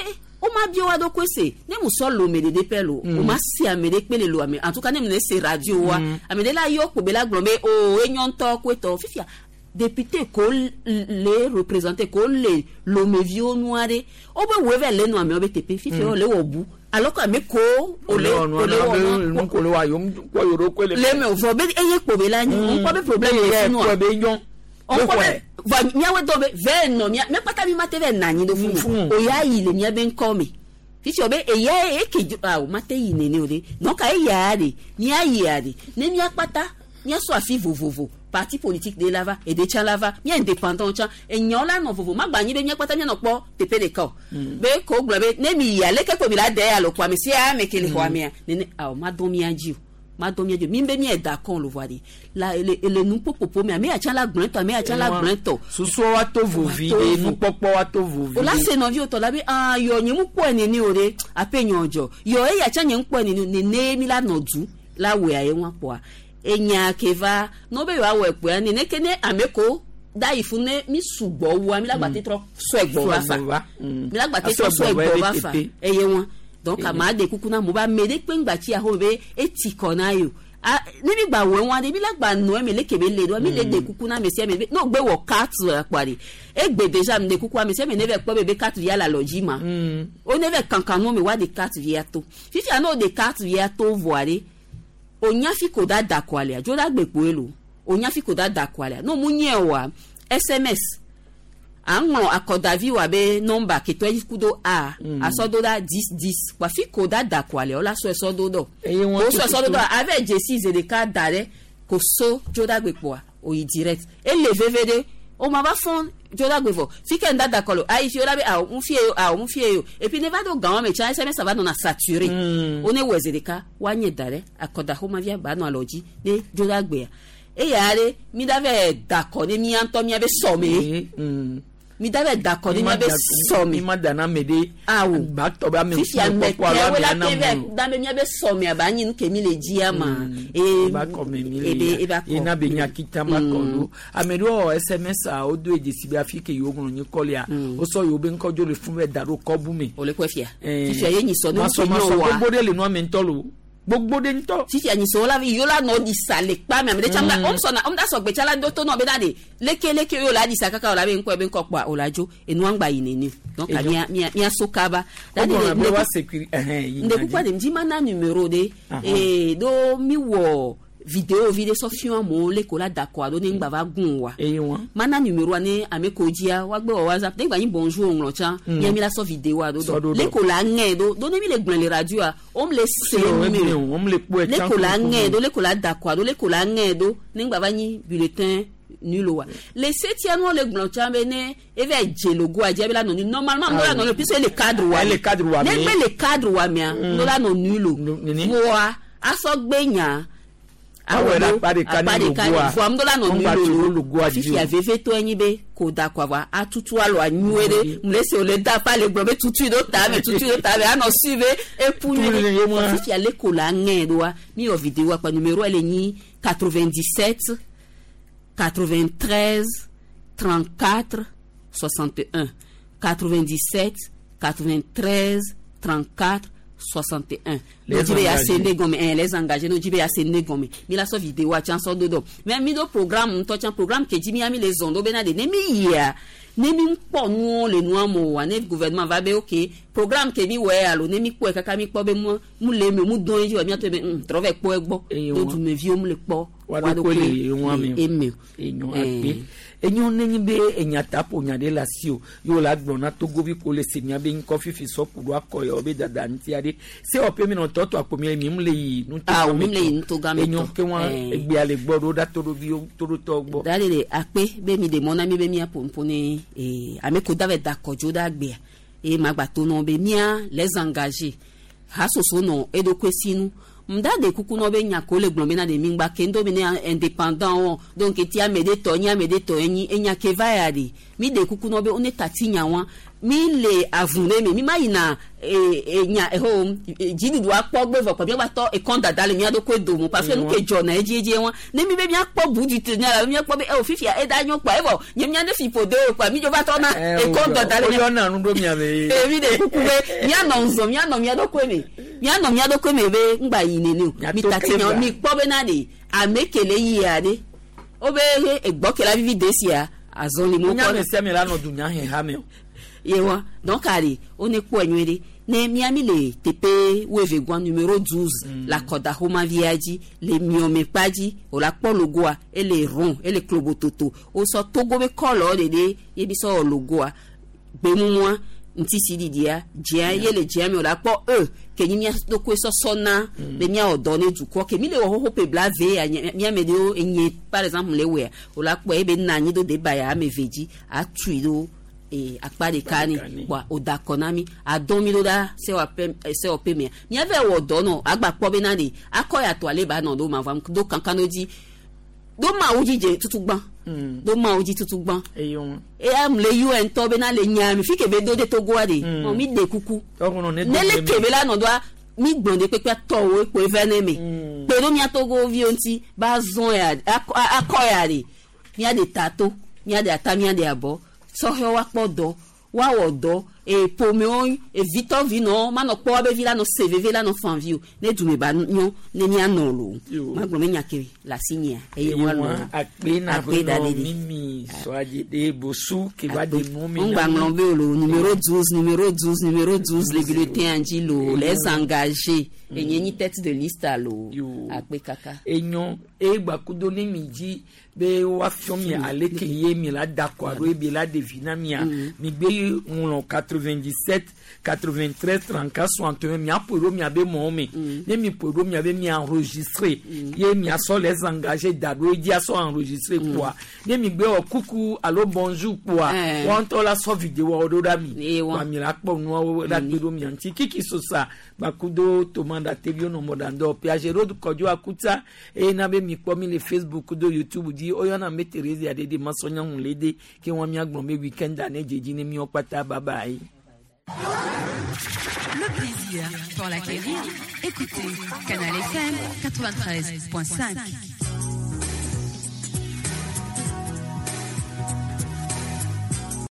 woma bia wa ɖokui se ne mu sɔ lome ɖeɖe pɛ lo Mm. o ma se ame ɖe kpe le lo ame en tout cas ne mu ne se radio wa Mm. ame ɖe la yɔ kpo be la gblɔ be o enyo ŋutɔ koe tɔ fifia député ko le représenté ko le lomeviwo nua ɖe wobe woe vɛ le nu amewo be teƒe fifia Mm. wo le wɔ bu alors que ame ko o le o o le wɔ nua nu ko le wa yom kɔ yoro ko le le me o vɔ be eye kpo be la nyi ŋkɔ be problème le ye funua kɔ be nyɔ ɔnkɔ be vɔ miawo dɔ be vɛ nɔ mia mia kpata mi ma te vɛ na anyi ɖo funu o ya yi le mia be ŋkɔ me fifi o be eya eke dzo awo ma te yi nene o de donc eya de mia yia de ne mia kpata mia sɔ afi vovovo parti politique de la va ede tsã la va mia indépendant tsã enyawo la nɔ vovo ma gba anyi be mia kpata mia nɔ kpɔ teƒe ɖeka o be ko gblɔ be ne mi yia leke ko mi la de ya le xɔa me sia ame ke le xɔa mea nene awo ma dɔn mia dzi o ma dɔn mia dzi o mi be mia da kɔn lo voa de la ele ele nuƒoƒoƒo me ame ya tsã la gblɔe tɔ ame ya tsã la gblɔe tɔ susuɔ wa to vovi Wa to de vo. nukpɔkpɔ wa to vovi o la se nɔviwo tɔ la be ah yɔ nye mu kpɔe nene o de aƒe nyɔ dzɔ yɔ eya tsã nye ŋu kpɔe nene o nene mi la nɔ du la wɔe ye ŋua kpɔa enya ke va n'o be yewoa wɔe kpoa nene ke ne ame ko da yi fún ne mi sugbɔ wua mi la gba te trɔ sɔe gbɔ va fa mi la gba te trɔ sɔe gbɔ va fa eye ŋua donc ame aɖe kuku na mo be ame ɖe kpe ŋgba tsi aho be eti kɔ na ye o Ah, ne mi gba wɔ ŋua ɖe mi la gba nɔ eme leke be le ɖoa mi le de kuku na ame sia ame be n'o gbe wɔ carte akpa ɖe egbe déjà mi de kuku ame sia ame ne vɛ kpɔ be be carte via le alɔ dzi ma wo ne vɛ kankan nu me wa de carte via to fifia n'o de carte via to vɔa ɖe onya fi ko da da kɔ alea dzo da gbe kpoe lo onya fi ko da da kɔ alea n'o mu nye oa sms aŋlɔ akɔdavi wa be nɔmba ketɔ yi ku do a Mm. asɔ do da dix dix wa fi ko da da kɔ alea wola sɔ esɔ do dɔ Eye wọn ko sɔ esɔ do tututu. dɔ avɛ dzesi ze ɖeka da ɖe ko so dzo da gbe kpoa oyi direct ele veve ɖe o ma va fɔn dzo da gbe vɔ fi ke ŋda da kɔ lo ayi fi o la be awɔ ŋu fie o awɔ ŋu fie o et puis ne va do gan me tsa sms va nɔna saturé Mm. wo ne wɔ ze ɖeka woanye da ɖe akɔdaxɔmavia ba nɔ alɔ dzi ne dzo da gbea eya ɖe mi da vɛ da kɔ ne mía ŋutɔ mía be sɔme mi da vɛ da kɔ ne mía be sɔme mi ma da na ame ɖe awo ba tɔ be ame fifia ŋkume kpɔkpɔ alo mɛtɛwo ame la ana te mu vɛ da be mía be sɔme aba anyi nu ke mi le dzia ma ee ba kɔ me mi le ebe ya eba ye na kɔ be nya kita ma kɔ ɖo ame ɖewo wɔ sms a wodo edzesi be afi ke yewo ŋlɔ nyi kɔ lia wosɔ yewo be ŋkɔ dzo le fún bɛ da ɖo kɔbu me. o le kɔe fia fifia ye nyi sɔ ne masɔ ŋutsu masɔ nyɔ wa gbogbo ɖe le nua me ŋutɔ lo. Gbogbo de ŋutɔ. Fifi anyisowo la vi yola nɔ ɖisa le kpa me ame ɖe tsã mm. sɔna ɔmu da sɔgbe tsã la do to nɔ bena de leke leke yo la ɖisa kaka o la be ŋkɔ be ŋkɔ kpɔa o la dzo enua ŋgba yi nene donc Edzo. mia mia mia so kaba. O gblɔna be wa sécurité ɛhɛn yi nde kukua de ŋdzi mana numéro de Ahan. ee do mi wɔ vidéo vi ɖe sɔ fiɔ amewo le ko la da kɔa ɖo ne ŋgba va gun wa eye wa mana numéroa ne ame ko dzia woagbe wɔ whatsapp ne gba nyi bonjour ŋlɔ tsã Mm. mia mi la sɔ vidéoa ɖo Sɔ dɔ ɖo le ɖɔ. ko la ŋɛ ɖo do ne mi le gblɔe le radioa wo le se Se o, nu me eme o, wo le kpɔe le tsã ko la kuku. ŋɛ ɖo le ko la da kɔa ɖo le ko la ŋɛ ɖo ne ŋgba va nyi bulletin nul wa le setia nuwo le gblɔ tsã be ne eva dze logoa dzi ebe la nɔ nu normalement ŋdo la nɔ nu puisque ele cadre wa Ele cadre wa ne me. gbe le cadre wa mea Mm. ŋdo la nɔ nul o nini. voa asɔgbe nya Awɔ ɖe akpa ɖeka ne logoa. voa ŋdo la nɔ Ŋgba nul tso o logoa dzi fifia o. veve to enyi be ko da kɔ voa atutu alɔ anyuie ɖe mle se wòle da fa le gblɔ be tutui ɖo ta me tutui ɖo ta me anɔ sui be epu nyuie Tu le ɖe ye mɔ. fifia le ko la ŋɛ ɖoa mi wɔ vidéo akpa numéro ele nyi quatre-vingt-dix-sept quatre-vingt-treize trente-quatre soixante et un, quatre-vingt-dix-sept quatre-vingt-treize trente-quatre soixante et un. Les No dzi be ya se engagés. ne gɔme ɛn les engagés no dzi be ya se ne gɔme mi la sɔ vidéo tsã sɔ do dɔ mɛ mi do programme ŋutɔ tsã programme ke dzi mi ya mi le zɔn do bena de ne mi yia ne mi kpɔ nuwo le nua me oa ne gouvernement va be ok programme ke mi wɔe alo ne mi kpɔe kaka mi kpɔ be mu mu le eme mu dɔn edzi wa miatɔ be ŋ trɔ vɛ kpɔ egbɔ Eye do wa. dumeviwo mu le kpɔ Wa ɖokui le eŋua me o. eme o. Enyo Eh. akpe enyo nenye be enyata ƒo nya ɖe le asi o ye wòle agblɔ na togovi ko le se mia be ŋkɔ fifi sɔ ku ɖo akɔ yawo be dada ŋuti aɖe se wɔƒe mi nɔ tɔtɔ akpo mi le mi mu le yi nuto Ah, gã me mi le yi tɔ. nuto gã me enyo tɔ. ke wa Eh. egbea le gbɔ ɖo ɖa toɖoviwo toɖotɔwo gbɔ da de akpe be mi de mɔ na mi be mia ƒoƒo ne eh, ame ko da vɛ da kɔdzo da gbea eye magba to nɔ be mia les engagés hasoso nɔ eɖokui sinu mda de kuku nɔ be nya ko le gblɔ bena de mi ŋgba ke ŋdo be ne indépendant wɔ donc eti ame ɖe tɔ nyi ame ɖe tɔ enyi enya ke va ya de mi de kuku nɔ be wo ne tati nya wa mi le avun ɖe me mi ma yina e e nya eho dziɖuɖu akpɔ gbe vɔ kɔ miagba tɔ ekɔn dada le mia ɖokui dome parce que nu ke dzɔna edzi edzi wa ne mi be miakpɔ bu du te nya la miakpɔ be eo fifia eda nyɔ kpa evɔ nye mia ne fi ƒo de o kpa mi dzo va tɔna ekɔn dada le mia woyɔna nu ɖo mia me ee mi de kuku be mianɔ nzɔ mianɔ mia ɖokui me mianɔ mia ɖokui me be ŋgba yi nene o mi Miato tati ke nya va. mi kpɔ bena de ame kele yia de wo be egbɔ ke la vivi de sia azɔli mo nya me sia me la nɔ dunya he ha me o ye wa donc ale wo ne kpɔe nyuie ɖe ne miami le teƒe wuieve gɔa numéro douze mm. le akɔdaxɔmavia dzi le miɔmekpa dzi wòle akpɔ logoa ele rond ele klobototo wosɔ togo be kɔlɔ ɖeɖe ye bi sɔ wɔ logoa gbemumua ŋutisi ɖiɖia dzia ye le dzia me wòle akpɔ e ke nyi mía ɖokui sɔsɔ na be míawɔ dɔ ne dukɔ ke mi le wɔ xoxo ƒe blave ya nye- míame ɖewo enye par exemple le wɔea wòle akpɔ ebe na anyi ɖo deba ya ame eve dzi atui ɖo ee akpa ɖeka ni kpoa wòda akɔ na mi adɔn mi ɖo ɖa sewɔƒe sewɔƒe mea míave wɔ dɔ nɔ agba kpɔ bena de akɔ ya tɔ ale ba nɔ ɖo ma va do kankan ɖo dzi do mawu dzi dze tutu gbã do mawu dzi tutu gbã eye wa eya mu le un tɔ bena le nya mi fi ke be do de togoa de Mm. mɔ mi de kuku tɔkɔnɔ ne ne le ke be la nɔ doa mi gblɔ de kpekpe tɔwo kpoe vɛ ne me kpe ɖo mia togo viwo ŋuti ba zɔn ya akɔ akɔ ya de mia de ta to mia de ata mia de abɔ sɔhɛwo akpɔ dɔ woawɔ dɔ e ƒomewo evitɔ vinɔwo manɔ kpɔ woabe vi la nɔ se veve la nɔ fan vi o ne dume ba nyɔ ne mianɔ lo Yo. magblɔ be nya ke le asi nyea eye eye woalɔ wa akpe na Akpe da ƒe nɔ ɖeɖi. mimi sɔadze de bosu ke va de nu mi ŋgba ŋlɔ be o lo numéro douze, numéro douze, numéro douze le bulletin dzi lo les engagés enye nyi tête de liste alo akpe kaka. enyo egba kudo ne mi dzi be woafiɔ mi aleke ye mi la da kɔ alo ebi la ɖevi na mia mi gbe ŋlɔ quatre-vingt-dix-sept quatre-vingt-treize trente-quatre soixante et un miaƒoe ɖo miabe mɔwo me ne mi ƒoe ɖo miabe mia enregistré ye miasɔ les engagés da ɖo edzi asɔ enregistré kpoa ne mi gbe wɔ kuku alo bonjour kpoa Eh. wɔn ŋutɔ la sɔ vidéo wo ɖo ɖa mi Ye wa. wa mi la kpɔ nuawo la kpe ɖo mia ŋuti kiki sosa gbakudo tomanda teviwo nɔ mɔɖaŋdɔ piagero kɔdzo akuta eye na be mi kpɔ mi le facebook do youtube dzi woyɔna me Therese aɖe de masɔnyaŋu le de ke wɔn miagblɔ be weekend ne dzedzi ne miɔ kpata bye bye. Le plaisir pour l'acquérir. Écoutez Canal F M quatre-vingt-treize point cinq.